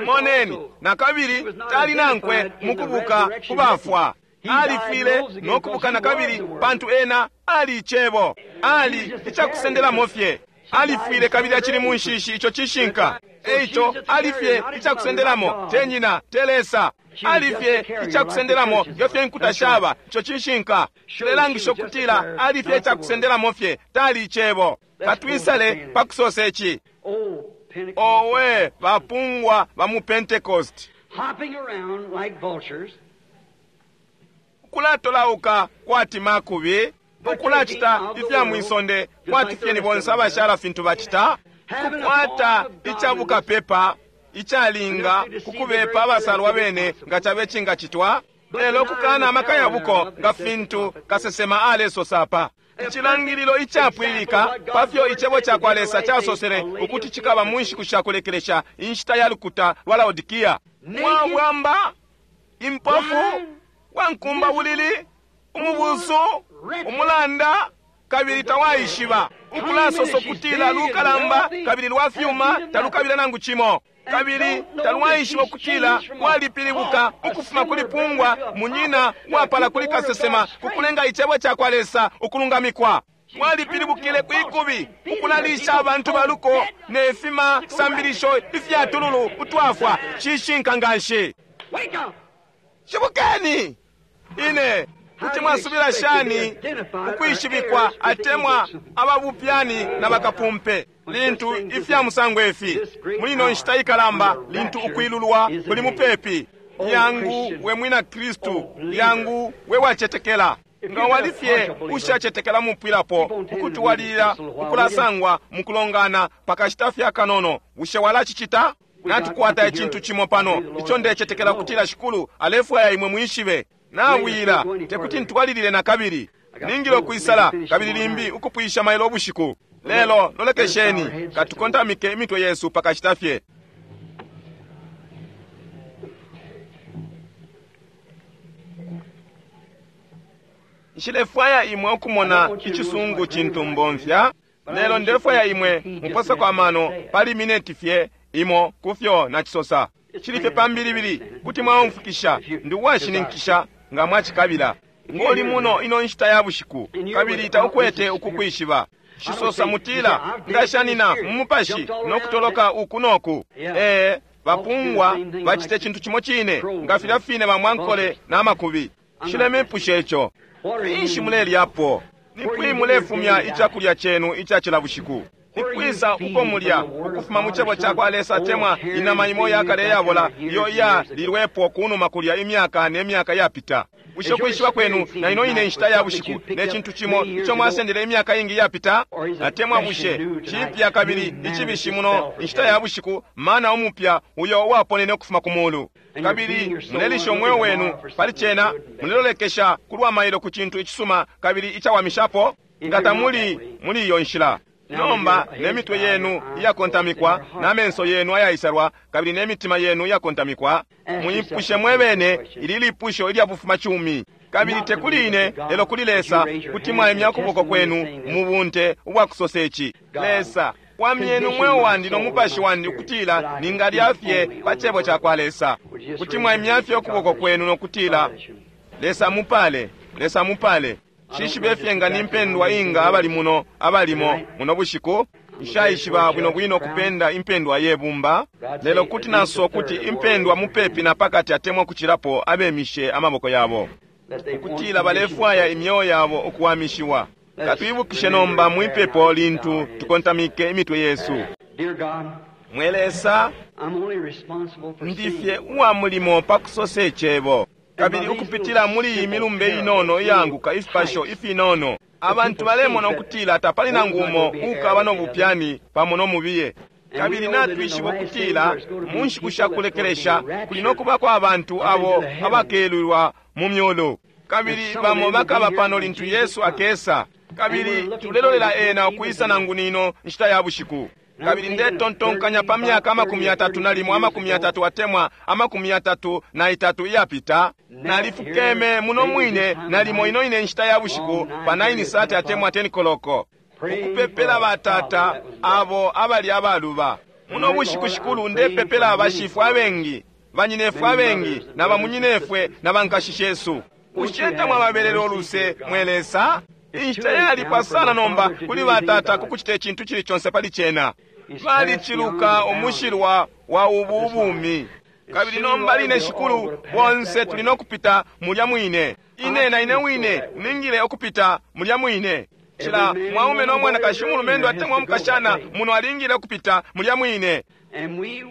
moneni, na kabili tali nankwe mukubuka kubafwa. Alifwile no kubuka na kabili pantu ena ali icebo. Ali icakusendelamo fye. Alifwile kabili acili mu nshishi, ico cishinka. Eico alifye icakusendelamo, te nyina, te Lesa. Alifye icakusendelamo nge fye inkuta shaba, ico cishinka. Cilelangisha ukutila alifye icakusendelamo fye, tali icebo. Katwisale pa kusosa ici. Oh, Pentecost. Owe bapungwa ba mu Pentecost, Hopping around like vultures, ukulatolauka kwati makubi, ukulacita ifya mwisonde kwati fye ni bonse abashala fintu bacita, kukwata icabukapepa icalinga kukubepa abasalwa bene nga cabe cingacitwa, lelo kukana amaka yabuko nga fintu kasesema alesosa apa. Icilangililo icapwililika pafyo Icebo cakwa Lesa casosele ukuti cikaba mu nshiku shakulekelesha, inshita ya lukuta lwa Laodikia. Mwabwamba, impofu, wankumba bulili, umubusu, umulanda, kabili tawaishiba. Ukulasosa ukutila lukalamba kabili lwa fyuma talukabila nangu cimo. Kabili talwaishiba ukutila lwalipilibuka ukufuma kuli pungwa munyina uwapala kuli kasesema ku kulenga Icebo cakwa Lesa ukulungamikwa. Lwalipilibukile kwikubi ukulalisha abantu baluko ne fima sambilisho ifya tululu utwafwa. Cishinka nganshi. Shibukeni! Ine kuti mwasubila shani ukwishibikwa atemwa ababupyani na bakapumpe lintu ifya musango ifi muli ino nshita ikalamba, lintu ukwilulwa kuli mupepi? Yangu we mwina Kristu, yangu we wacetekela. Nga wali fye ushacetekela mupwilapo ukutwalilila ukulasangwa mukulongana pakashita fye akanono, bushe walacicita? Natukwata icintu cimo pano ico ndecetekela kutila Shikulu alefwaya imwe mwishibe. Nawila, tekuti ntwalilile na kabili. Ningile ukwisala kabili limbi ukupwisha mailo ubushiku. Lelo lolekesheni, katukontamike imitwe yesu pakashita fye. Nshilefwaya imwe ukumona icisungu cintu mbomfya, lelo ndefwaya imwe muposeko amano pali mineti fye imo kufyo nacisosa. Cili fye pambilibili, kuti mwaumfukisha, ndi uwashininkisha nga mwacikabila. Ngoli muno ino nshita ya bushiku, kabili taukwete ukukwishiba. Cisosa mutila, ngashanina mu mupashi no kutoloka uku noku. Ee, bapungwa bacite cintu cimo cine nga filya fine bamwankole na makubi. Nshilemiipusha ico. Finshi mulelyapo? Ni kwi mulefumya icakulya cenu ica cila bushiku? Ni kwisa uko mulya ukufuma mu cebo cakwa Lesa atemwa inama imo yakale iyabola iyo iyalilwepo kunuma kulya imyaka ne myaka yapita? Bushe ukwishiba kwenu na ino ine nshita ya bushiku ne cintu cimo ico mwasendele imyaka ingi iyapita? Atemwa bushe cipya kabili icibishi muno inshita ya bushiku mana umupya uyo uwaponene ukufuma ku mulu? Kabili mulelisha umweo wenu pali cena, mulelolekesha kulwa mailo ku cintu icisuma kabili icawamishapo? Nga tamuli muli iyo nshila, nomba ne mitwe yenu iyakontamikwa na menso yenu ayaisalwa kabili ne mitima yenu iyakontamikwa, muipushe mwebene ili lipusho ilya bufuma cumi. Kabili tekuli ine lelo kuli Lesa kuti mwaimya ukuboko kwenu mu bunte ubwa kusosa ici: Lesa, wamyeni umweo wandi no mupashi wandi ukutila ningalya fye pa cebo cakwa Lesa. Kuti mwaimya fye ukuboko kwenu no kutila, Lesa mupale, Lesa mupale. Nshishibe fye nga ni mpendwa inga abali muno abalimo muno bushiku. Nshaishiba bwino bwino kupenda impendwa ye bumba, lelo kuti nasosa ukuti impendwa mupepi na pakati atemwa kucilapo abemishe amaboko yabo ukutila balefwaya imyeo yabo ukuwamishiwa. Katwibukishe nomba mwipepo lintu tukontamike imitwe yesu. Mwe Lesa, ndifye uwa mulimo pa kusosa icebo, kabili ukupitila muli iyi milumbe inono iyaanguka ifipasho ifinono, abantu balemona ukutila tapali nangu umo ukaba no bupyani pamo no mubiye. Kabili natwishiba ukutila mu nshiku sha kulekelesha kuli no kubako abantu abo abakelulwa mu myulu, kabili bamo bakaba pano lintu Yesu akesa. Kabili tulelolela ena ukwisa nangu nino nshita ya bushiku. Kabili ndetontonkanya pa myaka 30 na limo, 30 atemwa 33 iyapita, nalifukeme muno mwine nalimo ino ine nshita ya bushiku pa 9:30 atemwa 10 koloko, ukupepela batata abo abali abaluba. Muno bushiku Shikulu, ndepepela abashifwe abengi, banyinefwe abengi, na bamunyinefwe na bankashi shesu. Bushe tamwababelele uluse, mwe Lesa? Inshita yalipwa sana nomba kuli batata kukucita icintu cili conse pali cena. Baliciluka umushilwa wa ubu ubumi. Kabili nomba line Shikulu, bonse tuli no kupita mulya mwine. Ine na ine wine ningile ukupita mulya mwine. Cila mwaume no mwanakashi, umulumendo atemwa umukashana muno alingile ukupita mulya mwine.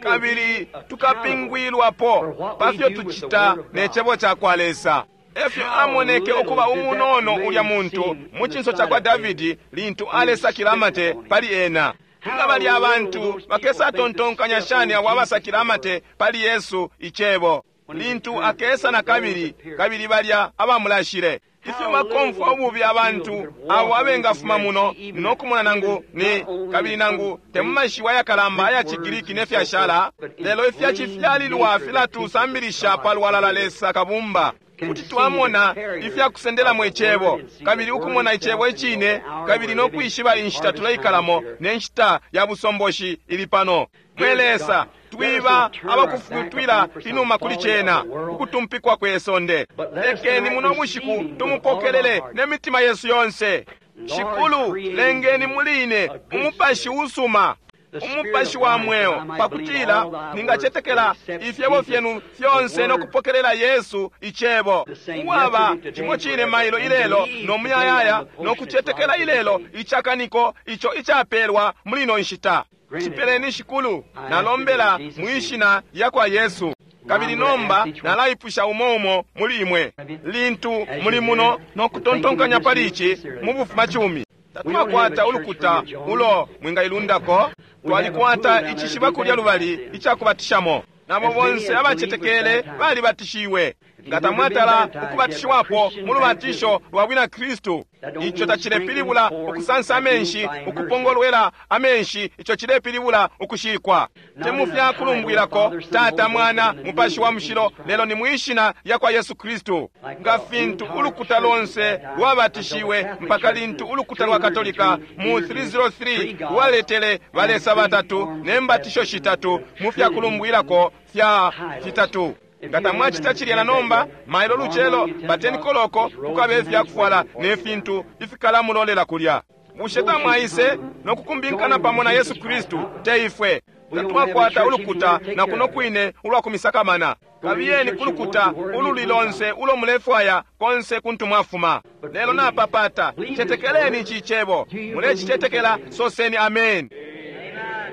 Kabili tukapingwilwapo pafyo tucita ne cebo cakwa Lesa. Efyo amoneke ukuba umunono ulya muntu mu cinso cakwa Davidi lintu alesakila amate pali ena. Nga bali abantu bakesatontonkanya shani abo abasakila amate pali Yesu icebo? Lintu akesa na kabili, kabili balya abamulashile. Ifyo bakomfwa ububi abantu abo abengafuma muno no kumona nangu ni kabili nangu te mu mashiwi ayakalamba aya ciGiriki ne fyashala, lelo ifya cifyalilwa filatusambilisha palwalala Lesa Kabumba. Kuti twamona ifya kusendelamo icebo, kabili ukumona icebo icine, kabili no kwishiba inshita tuleikalamo ne nshita ya busomboshi ili pano. Mwe Lesa, twiba abakufutwila inuma kuli cena, ukutumpikwa kwe sonde. Lekeni muno bushiku tumupokelele ne mitima yesu yonse. Shikulu, lengeni muli ine umupashi usuma, umupashi wa mweo, pakutila ningacetekela ifyebo fyenu fyonse no kupokelela Yesu icebo, uwaba cimo cine mailo ilelo no muyayaya, no kucetekela ilelo icakaniko ico icapelwa muli ino nshita. Cipeleni Shikulu, nalombela mwishina lya kwa Yesu. Kabili nomba nalaipusha umo umo muli imwe, lintu muli muno no kutontonkanya pali ici mu bufumacumi. Tatwakwata ulukuta ulo mwingailundako, twalikwata icishiba kulya lubali icakubatishamo. Nabo bonse abacetekele balibatishiwe. Nga tamwatala ukubatishiwapo mu lubatisho lwa bwina Kristu, ico tacilepilibula ukusansa amenshi, ukupongolwela amenshi, ico cilepilibula ukushikwa. Te mu fya kulumbwilako Tata, Mwana, Mupashi wa Mushilo, lelo ni mwishina lya kwa Yesu Kristu. Nga fintu ulukuta lonse lwabatishiwe mpaka lintu ulukuta lwa Katolika mu 303 lwaletele balesa batatu ne mbatisho shitatu mu fya kulumbwilako fya fitatu. Nga tamwacita cilya na nomba, mailo lucelo pateni koloko kukabe ifyakufwala ne fintu ifikalamulolela kulya. Bushe tamwaise no kukumbinkana pamo na Yesu Kristu? Te ifwe tatwakwata ulukuta na kuno kwine ulwa kumisakamana. Kabiyeni kulukuta ululi lonse ulo mulefwaya konse kuntu mwafuma. Lelo napapata, cetekeleni ici cebo. Mulecicetekela, soseni amen.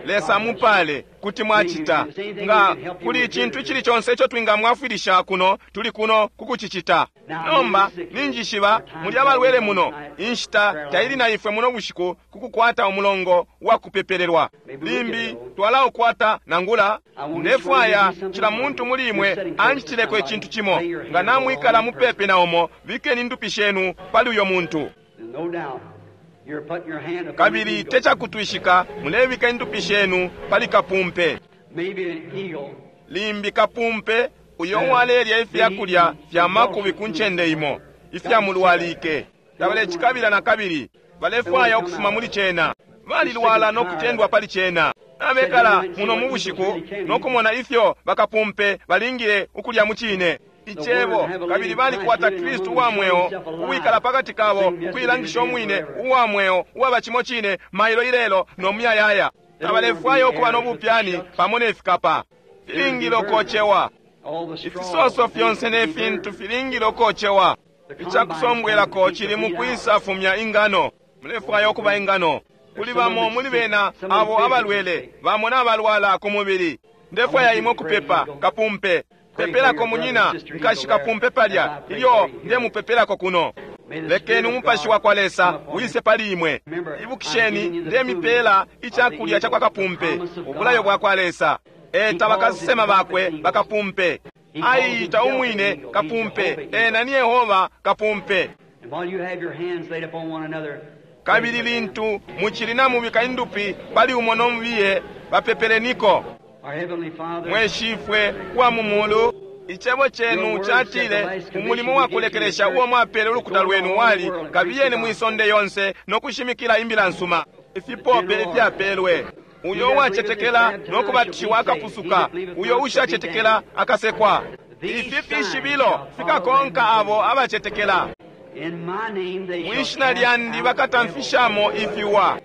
Lesa mupale kuti mwacita. Nga kuli icintu icili conse ico twingamwafwilisha kuno, tuli kuno kukucicita. Nomba ninjishiba muli abalwele muno. Inshita taili na ifwe muno bushiku kukukwata umulongo wa kupepelelwa. Limbi twalaukwata nangula. Ndefwaya cila muntu muli imwe anjitileko icintu cimo. Nga namwikala mupepi na umo, bikeni indupi shenu pali uyo muntu. Kabili tecakutwishika mulebika indupi shenu pali kapumpe. Limbi kapumpe uyo walelya ifyakulya fya makubi ku ncende imo ifyamulwalike. Tabalecikabila na kabili, balefwaya ukufuma muli cena. Balilwala no kutendwa pali cena. Nabekala muno mu bushiku no kumona ifyo bakapumpe balingile ukulya mu cine icebo, kabili balikwata Kristu uwa mweo uwikala pakati kabo, ukuilangisha umwine uwa mweo uwaba cimo cine mailo ilelo no muyayaya. Tabalefwaya ukuba no bupyani pamo ne fikapa. Filingile ukocewa. Ifisoso fyonse ne fintu filingile ukocewa. Icakusombwelako cili mu kwisa fumya ingano. Mulefwaya ukuba ingano. Kuli bamo muli bena abo abalwele, bamo nabalwala ku mubili. Ndefwaya imwe kupepa kapumpe. Pepelako munyina, nkashi kapumpe palya, ilyo ndemupepelako kuno. Lekeni umupashi wa kwa Lesa wise pali imwe. Ibukisheni, ndemipela icakulya ca kwa kapumpe, ubulayo bwa kwa Lesa. Eta bakasesema bakwe bakapumpe. Aiita umwine kapumpe, ena ni Yehova kapumpe. Kabili lintu mucili namubika indupi pali umo no mubiye, bapepeleniko. Mwe Shifwe wa mu mulu, icebo cenu catile umulimo wa kulekelesha uo mwapele ulukuta lwenu wali kabiyeni mwisonde yonse no kushimikila imbila nsuma, ifipope ifyapelwe. Uyo uwacetekela no kubatishiwa akapusuka, uyo ushacetekela akasekwa. Ifi fishibilo fikakonka abo abacetekela. Mwishina lyandi bakatamfishamo ifiwa,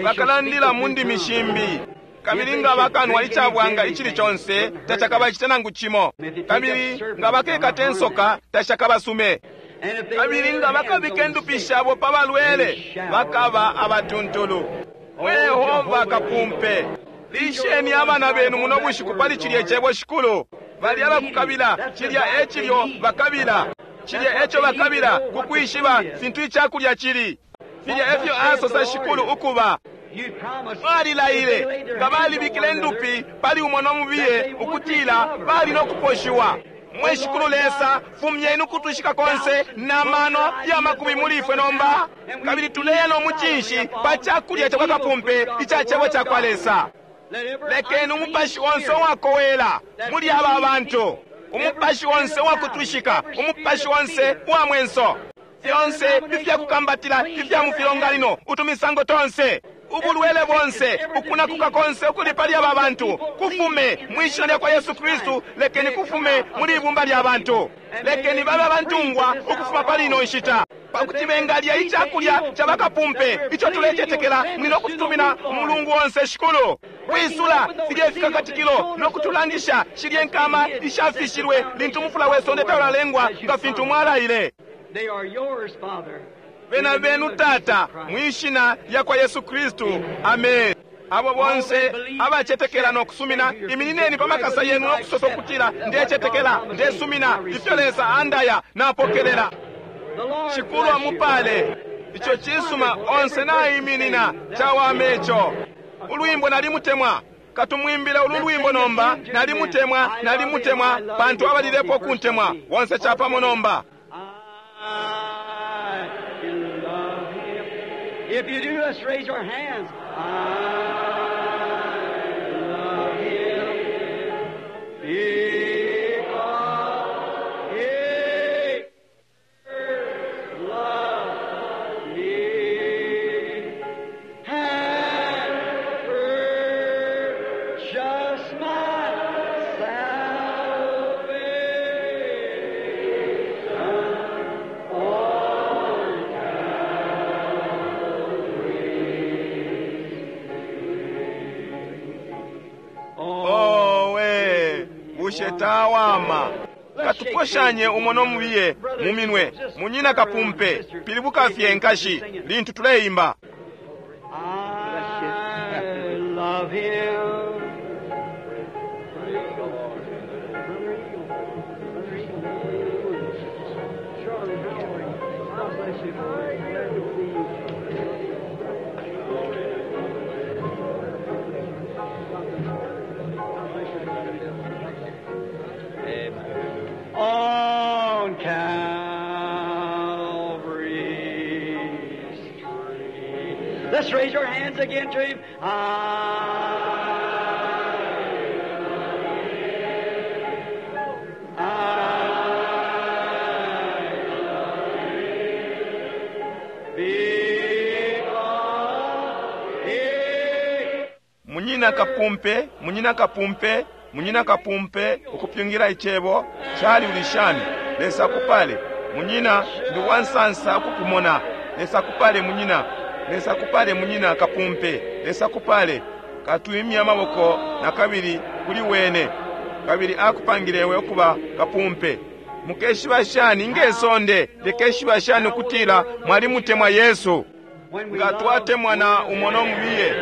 bakalandila mu ndimi shimbi. Kabili nga bakanwa icabwanga icili conse tacakabacite nangu cimo. Kabili nga bakekata insoka tacakabasume. Kabili nga bakabika indupi shabo pa balwele bakaba abatuntulu. Mwe Yehova kapumpe, lisheni abana benu muno bushiku pali cilya icebo Shikulu. Bali abakukabila cilya e cilyo bakabila, cilya eco bakabila kukwishiba fintu icakulya cili. Filya efyo asosa Shikulu ukuba. Balilaile nga balibikile indupi pali umo no mubiye ukutila bali no kuposhiwa. Mwe Shikulu Lesa, fumyeni ukutwishika konse na mano ya makubi muli ifwe nomba, kabili tuleya no mucinshi pa cakulya cakwa kapumpe ica cebo cakwa Lesa. Lekeni umupashi onse uwakowela muli aba bantu, umupashi onse uwakutwishika, umupashi onse uwa mwenso, fyonse ifyakukambatila ifya mu filonganino, utumisango tonse, ubulwele bonse, ukunakuka konse ukuli pali aba bantu, kufume mwishina lya kwa Yesu Kristu. Lekeni kufume muli ibumba lya bantu. Lekeni babe abantungwa ukufuma pali ino nshita, pakuti bengalya icakulya ca bakapumpe ico tulecetekela muli no kututumina umulungu onse. Shikulu, kwisula filye fikakatikilo no kutulangisha shilye nkama ishafishilwe lintu umufula we sonde taulalengwa, nga fintu mwalaile. They are yours, Father. Bena benu Tata, mwishina lya kwa Yesu Kristu, amen. Abo bonse abacetekela no kusumina, iminineni pa makasa yenu no kusosa ukutila, ndecetekela, ndesumina ifyo Lesa andaya, napokelela. The Lord Shikulu bless you. amupale. Ico cisuma, onse naiminina, cawame ico. Ulwimbo nalimutemwa. Katumwimbile ulu lwimbo nomba. Nalimutemwa, nalimutemwa, pantu abalilepo kuntemwa. Bonse capamo nomba. I love him. If you do, let's raise our hands. I love him because he loved me and purchased my salvation on Owe, bushe tawama. Katuposhanye umo nomubiye mu minwe, munyina kapumpe, pilibuka fye nkashi lintu tuleimba. I love him. Praise the Lord. Brother Eagle. Brother Eagle. Charlie, how are you? God bless you. Glad to see you. God bless you, brother. Amen. On Calvary's tree. Let's raise our hands again to Him. I, I love Him because He Munyina kapumpe, munyina kapumpe, munyina kapumpe, ukupyungira icebo chali ulishani. Lesa kupale munyina, ndi wansansa ukukumona. Lesa kupale munyina, Lesa kupale munyina kapumpe, Lesa kupale. Katuimya amaboko na kabili kuli wene, kabili akupangilewe okuba kapumpe. Mukeshiba shani ngesonde likeshiba shani ukutila mwalimutemwa Yesu. When we Nga love twatemwana umo nomubiye,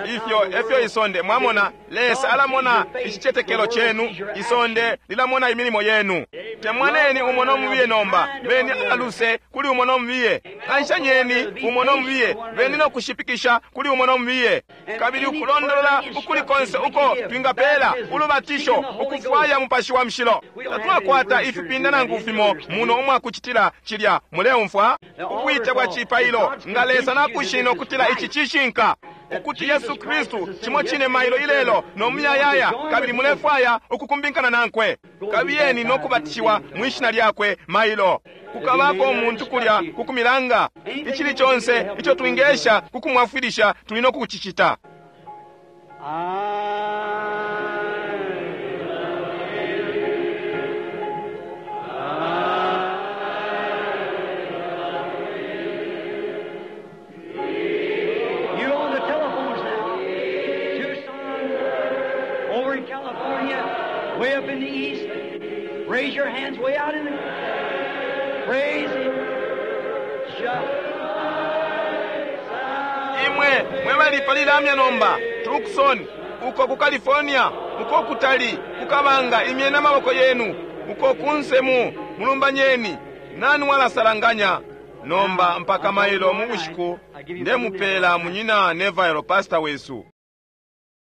ifyo efyo isonde mwamona. Lesa alamona icicetekelo chenu, isonde lilamona imilimo yenu. Temwaneni umo nomubiye nomba, beni aluse kuli umo nomubiye, kanshanyeni umo nomubiye, beni nokushipikisha kuli umo nomubiye, kabili ukulondolola ukuli konse uko twingapela ulubatisho ukufwaya mupashi wa mshilo. Tatwakwata ifipinda nangu fimo muno umwakucitila cilya. Muleumfwa ubwite bwa cipailo nga Lesa nakushina ukutila ici cishinka, ukuti Yesu Kristu cimo cine mailo ilelo no muyayaya, kabili mulefwaya ukukumbinkana nankwe, kabiyeni no kubatishiwa mwishina lyakwe mailo. Kukabako umuntu kulya kukumilanga icili conse ico twingesha kukumwafwilisha, tuli no kukucicita. You on the telephones now. Tucson, over in California, way up in the east. Raise your hands way out in the. Praise Him. Just Imwe mwe bali pali lamya nomba, Tucson, uko ku California, uko kutali kukabanga, imyeni amaboko yenu uko kunse mu mulumbanyeni. Nani walasalanganya nomba mpaka mailo mu bushiku? Ndemupela munyina Neville, pastor wesu.